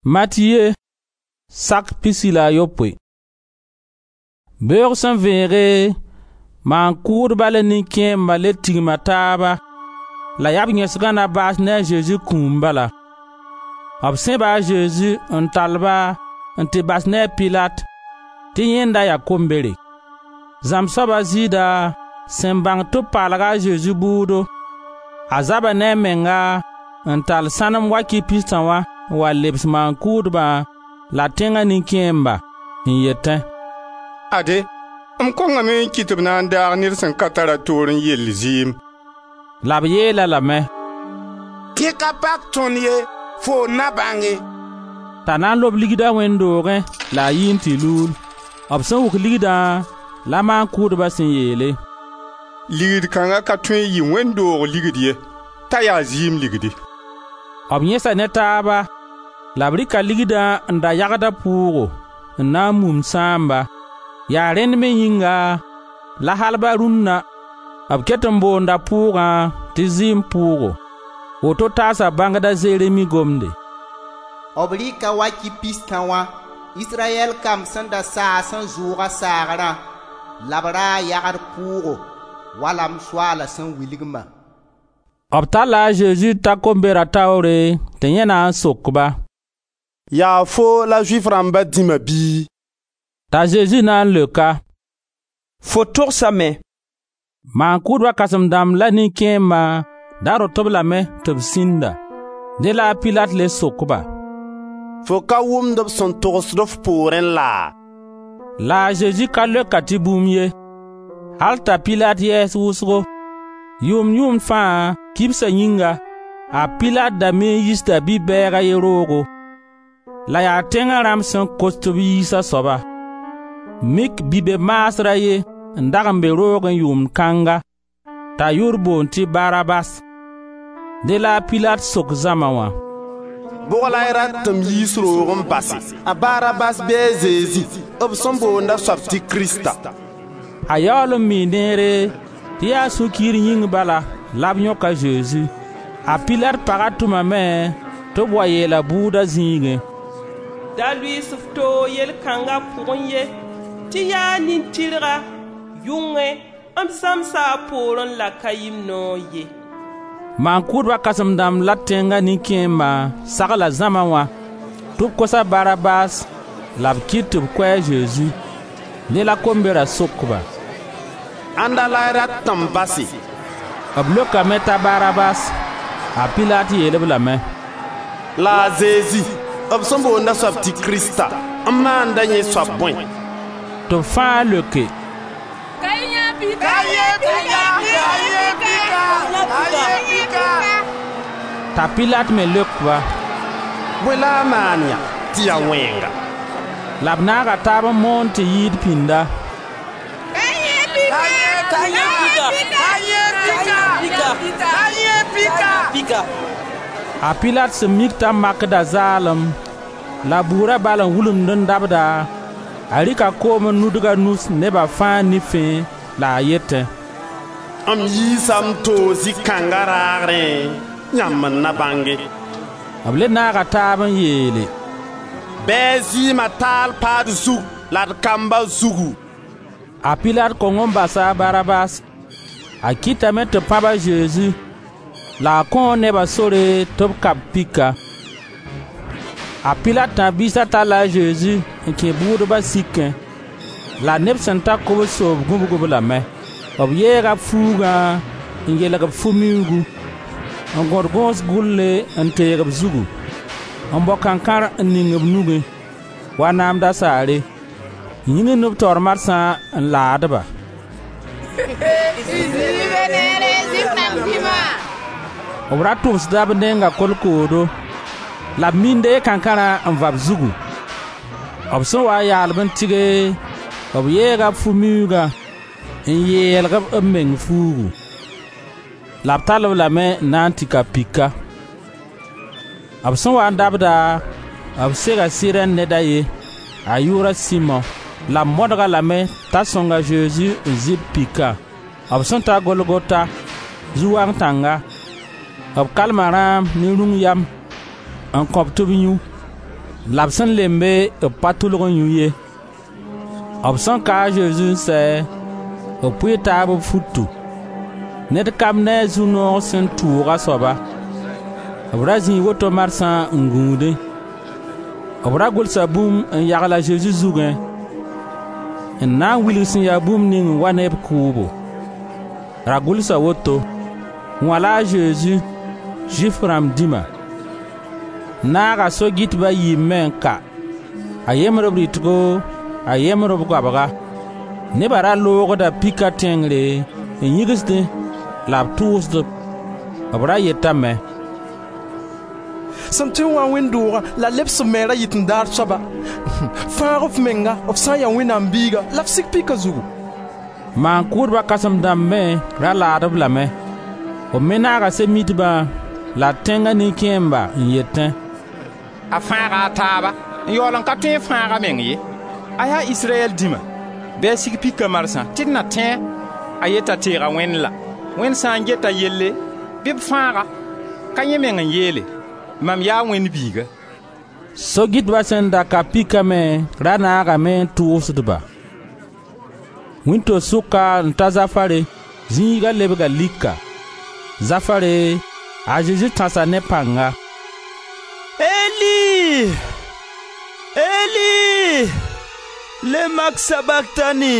Matiye, sak pisi la a yopoe. Beoog sẽn vẽege, maan-kʋʋdba la nin-kẽemba le tigma taaba la yaa b yẽsga na baas ne a Zezi kũum bala. B sẽba a Zezi n tall-ba n tɩ bas ne a Pilat tɩ yẽnda yaa kombere. Zãmb soaba Zɩɩda sẽn bãng tɩ b paalga a Zezi bʋʋdo, a zaba ne a menga n tall sãnem wakɩ pistã wã n wa lebs maan-kʋʋdbã la tẽnga nin-kẽemba n yetẽ: «Ade, m kongame n kɩt tɩ b na n daag ned sẽn ka tar a toor n yell zɩɩm.» La b yeel-a lame: «Dẽ ka pak tõnd ye, foo n na bãnge.» T'a na n lob ligda wẽnd doogẽ la a yi n tɩ luul. B sẽn wʋk ligdã la maan-kʋʋdba sẽn yeele: «Ligd kãnga ka tõe n yɩ wẽnd doog ligd ye, t'a yaa zɩɩm ligdi.» B yẽsa ne taaba la b rɩka ligdã n da yagda pʋʋgo n na n mum sãamba. Yaa rẽnd me yĩnga la al ba rũnna b ket n boonda pʋʋgã tɩ zɩɩm pʋʋgo. Woto taasa bãngda Zeremi gomde: B rɩka wakɩ pistã wã Israyɛl kamb sẽn da saas n zʋʋga saagrã la b ra yagd pʋʋgo, wala m Soaala sẽn wilg-ma.» B talla a Zezi ta kombera taoore tɩ yẽ na n sok-ba: «Yaa foo la Zʋɩf rãmba dĩma bɩ?» T'a Zezi na n leok-a: «Fo togsame.» Maan-kʋʋdba kãsem-dãmb la nin-kẽemba da rõt-b lame tɩ b sĩnda. Dẽ la a Pilat le sok-ba: «Fo ka wʋmd b sẽn togsd f poorẽ laa?» La a Zezi ka leok-a tɩ bũmb ye, al t'a Pilat yɛɛs wʋsgo. Yʋʋmd-yʋʋmd fãa, kibsa yĩnga, a Pilat da me n yiisda bi-bɛɛg a ye roogo. La yaa tẽnga rãmb sẽn kos tɩ b yiis a soaba. Mik bi-be-maasr a ye n dag n be roogẽ yʋʋmd kãnga, t'a yʋʋr boond tɩ Barabas. Dẽ la a Pilat sok zãma wã: «Bʋg la y rat tɩ m yiis roog n base, a Barabas bɩ a Zezi, b sẽn boond a soab tɩ Krista?» A yaool n mii neere tɩ yaa sũ-kiir yĩng bala la b yõk a Zezi. A Pilat paga tʋmame tɩ b wa yeel a bʋʋda zĩigẽ: Da lʋɩɩs f toog yel kãnga pʋgẽ ye, tɩ yaa nin-tɩrga, yʋngẽ m zãmsa a poorẽ la ka yɩ m noor ye. Maan-kʋʋdba kãsem-dãmb la tẽnga nin-kẽemba sagla zãma wã tɩ b kos a Barabas la b kɩt tɩ b kʋ a Zezi. Dẽ la kombera sok-ba: «Ãnda la y rat tɩ m base?» B leokame t'a Barabas. A Pilat yeel-b lame: «La a Zezi, b sẽn boond a soab tɩ Krista, m maanda yẽ soab bõe?» Tɩ b fãa leoke: T'a Pilat me leok-ba: «Bõe la a maan yã tɩ ya wẽnga?» La b naaga taab n moon tɩ yɩɩd pĩnda. A Pilat sẽn mik t'a makda zaalem la bʋʋra bal n wulumd n dabda, a rɩka koom n nudg a nus neba fãa nifẽ la a yetẽ: «M yiisa m toog zĩ-kãnga raagrẽ, yãmb n na bãnge.» B le naaga taab n yeele: «Bɩ a zɩɩma taal pa d zug la d kamba zugu!» A Pilat kong n basa a Barabas. A kɩtame tɩ b pãb a Zezi la a kõo neba sore tɩ b ka-b pika. A Pilat tãb-biisa talla a Zezi n kẽ bʋʋdba sikẽ, la neb sẽn ta kobs-soob gũbg-b lame. B yeega b fuugã n yelg b fu-miuugu, n gõd gõos gʋlle n teeg b zugu, n bao kankãr n ning b nugẽ, wa naam dasaare, n yĩgimd b taoor marsã n laad-ba. B ra tʋbsda b nenga kolkoodo, la b minde kankãrã n va b zugu. B sẽn wa n yaal-b n tɩge, b yeega b fu-miuugã n yeelg-b b meng fuugu. La b tall-b lame n na n tɩ ka pika. B sẽn wa n dabda, b sega Sirɛn ned a ye, a yʋʋra Simɔ, la b modg-a lame t'a sõng a Zezi n zɩ b pika. B sẽn ta Golgota, zu-wang tãnga, b kalma rãam ne rũng yam n kõ-b tɩ b yũ, la b sẽn lembe b pa tʋlg n yũ ye. B sẽn ka a Zezi n sɛ, b pʋɩ taab b futu, ned kam ne a zu-noog sẽn tʋʋg a soaba. B ra zĩi woto marsã n gũudẽ. B ra gʋlsa bũmb n yagl a Zezi zugẽ, n na n wilg sẽn ya bũmb ning n wa ne b kʋʋbo. Ra gʋlsa woto: Wã la a Zezi, Zʋɩf rãmb dĩma. Naaga so-gɩtba a yiib me n ka, a yembr b rɩtgo, a yembr b goabga. Neba ra loogda pika tẽngre n yĩgsdẽ la b tʋʋsd-b. B ra yetame: «Sẽn tõe n wa wẽnd doogã la lebs f meng ra yit-n-daar soaba, fãag f menga f sã n ya Wẽnnaam biiga la f sik pika zugu.» Maan-kʋʋdba kãsem-dãmb me ra laad-b lame. B me naaga sẽn-mitbã la tẽnga nin-kẽemba n yetẽ: «A fãaga a taaba n yaool n ka tõe n fãag a meng ye. A yaa Israyɛl dĩma, bɩ a sig pika marsã tɩ d na tẽ-a. A yeta teega Wẽnd la. Wẽnd sã n get a yelle, bɩ b fãag-a. Ka yẽ meng n yeele: ‹Mam yaa Wẽnd Biiga.›» So-gɩtba sẽn da ka pika me ra naagame n tʋʋsd-ba. Wĩnto-sʋka n ta zafare, zĩiga lebga lika. Zafare, a Zezi tãsa ne pãnga: «Eli, Eli, lema sabaktani?»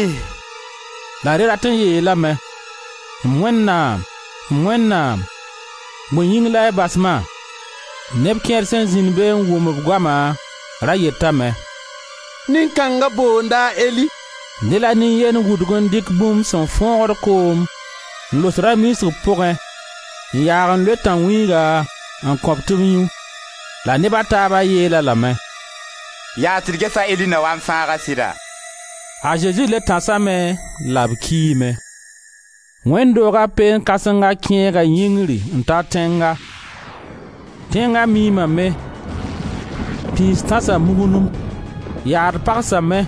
La rẽ rat n yeelame: «M Wẽnnaam, m Wẽnnaam, bõe yĩng la y bas-ma?» Neb kẽer sẽn zĩnd be n wʋm b goama ra yetame: «Nin-kãnga boonda a Eli.» Dẽ la nin-yend wudg n dɩk bũmb sẽn fõogd koom n los rã-miisg pʋgẽ n yaag n loe tãn-wĩiga n kõ-b tɩ b yũ. La neb a taaba yeel-a lame: «Yaa tɩ d ges a Eli na wa n fãag-a sɩda?» A Zezi le tãsame la b kiime. Wẽnd dooga peen-kãsenga kẽega yĩngri n ta tẽnga. Tẽnga miimame, pĩis tãsa mugnum, yaad pagsame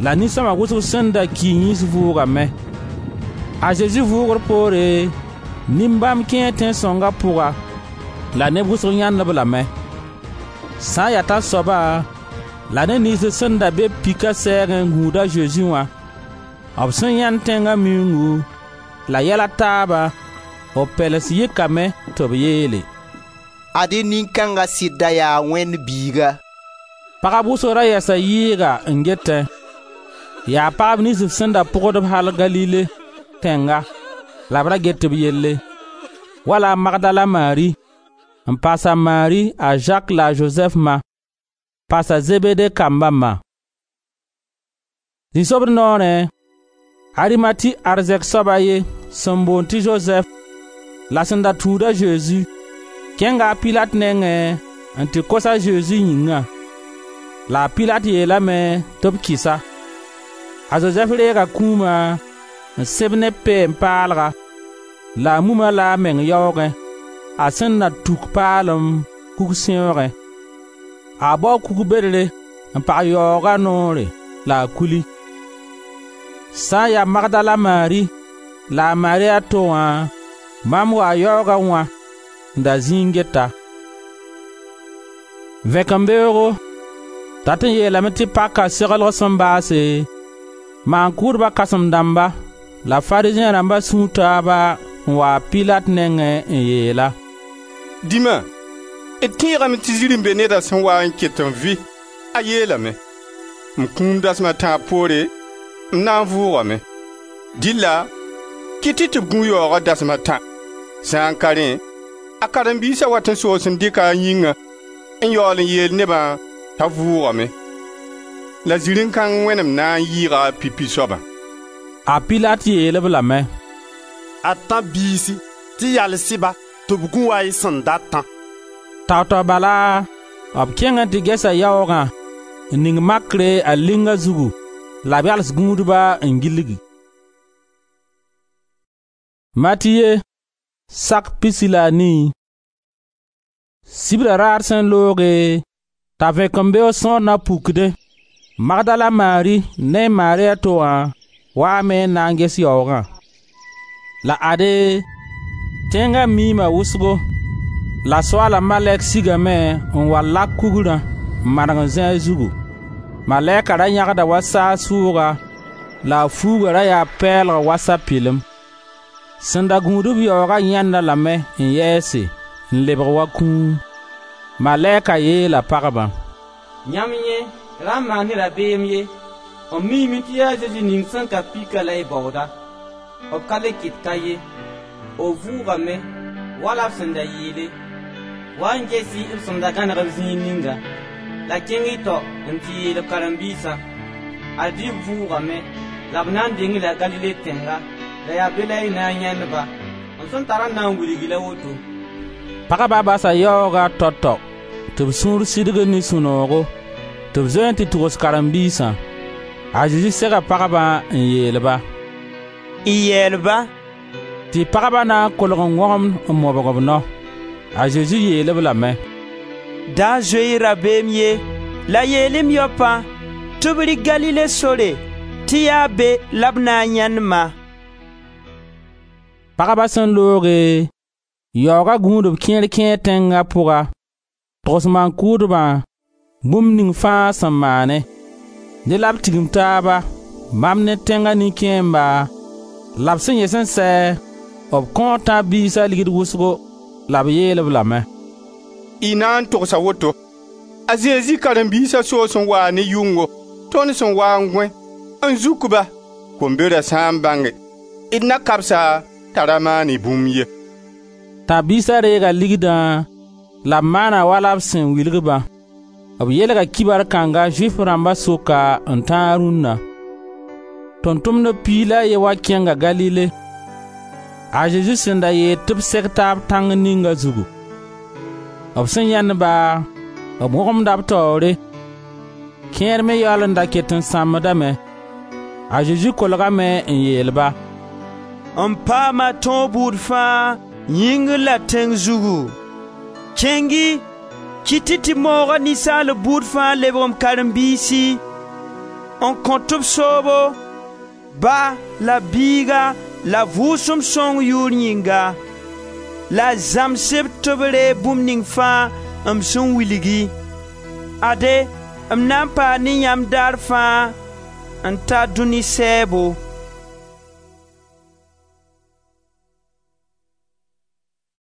la nin-sõma wʋsg sẽn da ki yĩns vʋʋgame. A Zezi vʋʋgr poore, nin-bãmb kẽe tẽn-sõnga pʋga la neb wʋsg yãend-b lame. Sã n ya tãnsoabã la neb niyns sẽn da be pika sɛɛgẽ n gũud a Zezi wã, b sẽn yãend tẽnga miuungu la yɛl a taabã, b pɛlens yɩkame tɩ b yeele: «Ad-y nin-kãnga sɩd da yaa Wẽnd Biiga.» Pagb wʋsg ra yɛsa yɩɩga n getẽ. Yaa pagb niyns b sẽn da pʋgd-b al Galile tẽnga la b ra get b yelle, wala a Magdala Mari, n paas a Mari, a Zak la a Zozɛf ma, paas a Zebede kamba ma. Zĩ-sobd noorẽ, Arimati arzɛk soab a ye sẽn boond tɩ Zozɛf la sẽn da tũud a Zezi, kẽnga a Pilat nengẽ n tɩ kos a Zezi yĩngã. La a Pilat yeelame tɩ b kɩs-a. A Zozɛf reega kũuma n sẽb ne peen-paalga la a mum-a la a meng yaoogẽ, a sẽn na tuk paalem kug-sẽoogẽ. A bao kug-bedre n pag yaooga noore la a kuli. Sã n ya Magdala Mari la a Mari a to wã, bãmb waa yaoogã wã n da zĩ n geta. Vẽkembeoogo, dat n yeelame tɩ paka seglg sẽn baase, maan-kʋʋdba kãsem-dãmba la Farizẽ rãmba sũur taaba n wa a Pilat nengẽ n yeel-a: «Dĩma, d tẽegame tɩ zirẽ-be neda sẽn waa n ket n vɩ, a yeelame: ‹M kũum dasem a tãab poore, m na n vʋʋgame.› Dɩlla kɩt-y tɩ b gũ yaooga dasem a tã. Sã n ka rẽ, a karen-biisa wat n soos n dɩka a yĩngã n yaool n yeel nebã t'a vʋʋgame. La zirẽ-kãng wẽnem na n yɩɩga a pipi soabã.» A Pilat yeel-b lame: «Ad tãb-biisi, tɩ yals-y-ba tɩ b gũ wa y sẽn datã.» Tao-tao bala, b kẽng n tɩ gesa yaoogã n ning makre a linga zugu la b yals gũudba n gilgi. Matiye, sak pisi la a nii. Sibra raar sẽn looge, t'a vẽkembeoog sõor na pukdẽ, Magdala Mari ne Mari a to wã waame n na n ges yaoogã. La ade, tẽnga miima wʋsgo, la Soaala malɛk sigame n wa lak kugrã n maneg n zĩ a zugu. Malɛka ra yãgda wa saag sʋʋga la a fuuga ra yaa pɛɛlg wa sapɩlem. Sẽn da gũud-b yaoogã yãend-a lame n yɛɛse, n lebg wa kũum. Malɛka yeela pagbã: «Yãmb yẽ ra maan-y rabeem ye. M miime tɩ yaa Zezi ning sẽn ka pika la y baooda. B ka le ket ka ye. B vʋʋgame, wala b sẽn da yeele. Wa n ges-y b sẽn da gãneg b zĩig ninga. La kẽng-y tao n tɩ yeel b karen-biisã: Ad-y b vʋʋgame la b na n deng-y-la Galile tẽnga, la yaa be la y na n yãend-ba. M sẽn tar n na n wilg-y la woto.» Pagba basa yaooga tao-tao tɩ b sũur sidg ne sũ-noogo, tɩ b zoe n tɩ tugs karen-biisã. A Zezi sega pagbã n yeel-ba: «Y yɛɛl-ba.» Tɩ pagba na n kolg n wõgemd n mobg b nao. A Zezi yeel-b lame: «Da zoe-y rabeem ye, la yeel-y m yaopã tɩ b rɩ Galile sore, tɩ yaa be la b na n yãend-ma.» Pagba sẽn looge, yaooga gũudb kẽer kẽe tẽnga pʋga, togs maan-kʋʋdbã bũmb ning fãa sẽn maane. Dẽ la b tigim taaba, bãmb ne tẽnga nin-kẽemba la b sẽn yẽs n sɛ, b kõo tãb-biisa ligd wʋsgo la b yeel-b lame: «Y na n togsa woto: ‹A Zezi karen-biisa soos n waa ne yʋngo, tõnd sẽn waa n gõe, n zuk-ba, kombera sã n bãnge, d na kabs-a t'a ra maan-y bũmb ye.›» Tãb-biisa reega ligdã la b maana wala b sẽn wilg-bã. B yelga kibar kãnga Zʋɩf rãmba sʋka n tãag rũnna. Tʋʋm-tʋmdb piig la a ye wã kẽnga Galile, a Zezi sẽn da yeel tɩ b seg taab tãng ninga zugu. B sẽn yãend-ba, b wõgemda b taoore. Kẽer me yaool n da ket n sãmbdame. A Zezi kolgame n yeel-ba: «M paama tõog buud fãa, yĩngr la tẽng zugu. Kẽng-y, kɩt-y tɩ mooga ninsaalb buud fãa lebg m karen-biisi, n kõt-b soobo, Ba la Biiga la Vʋʋsem Sõng yʋʋr yĩnga, la zãms-b tɩ b reeg bũmb ning fãa m sẽn wilg-y. Ade, m na n paa ne yãmb daar fãa n ta dũni sɛɛbo.»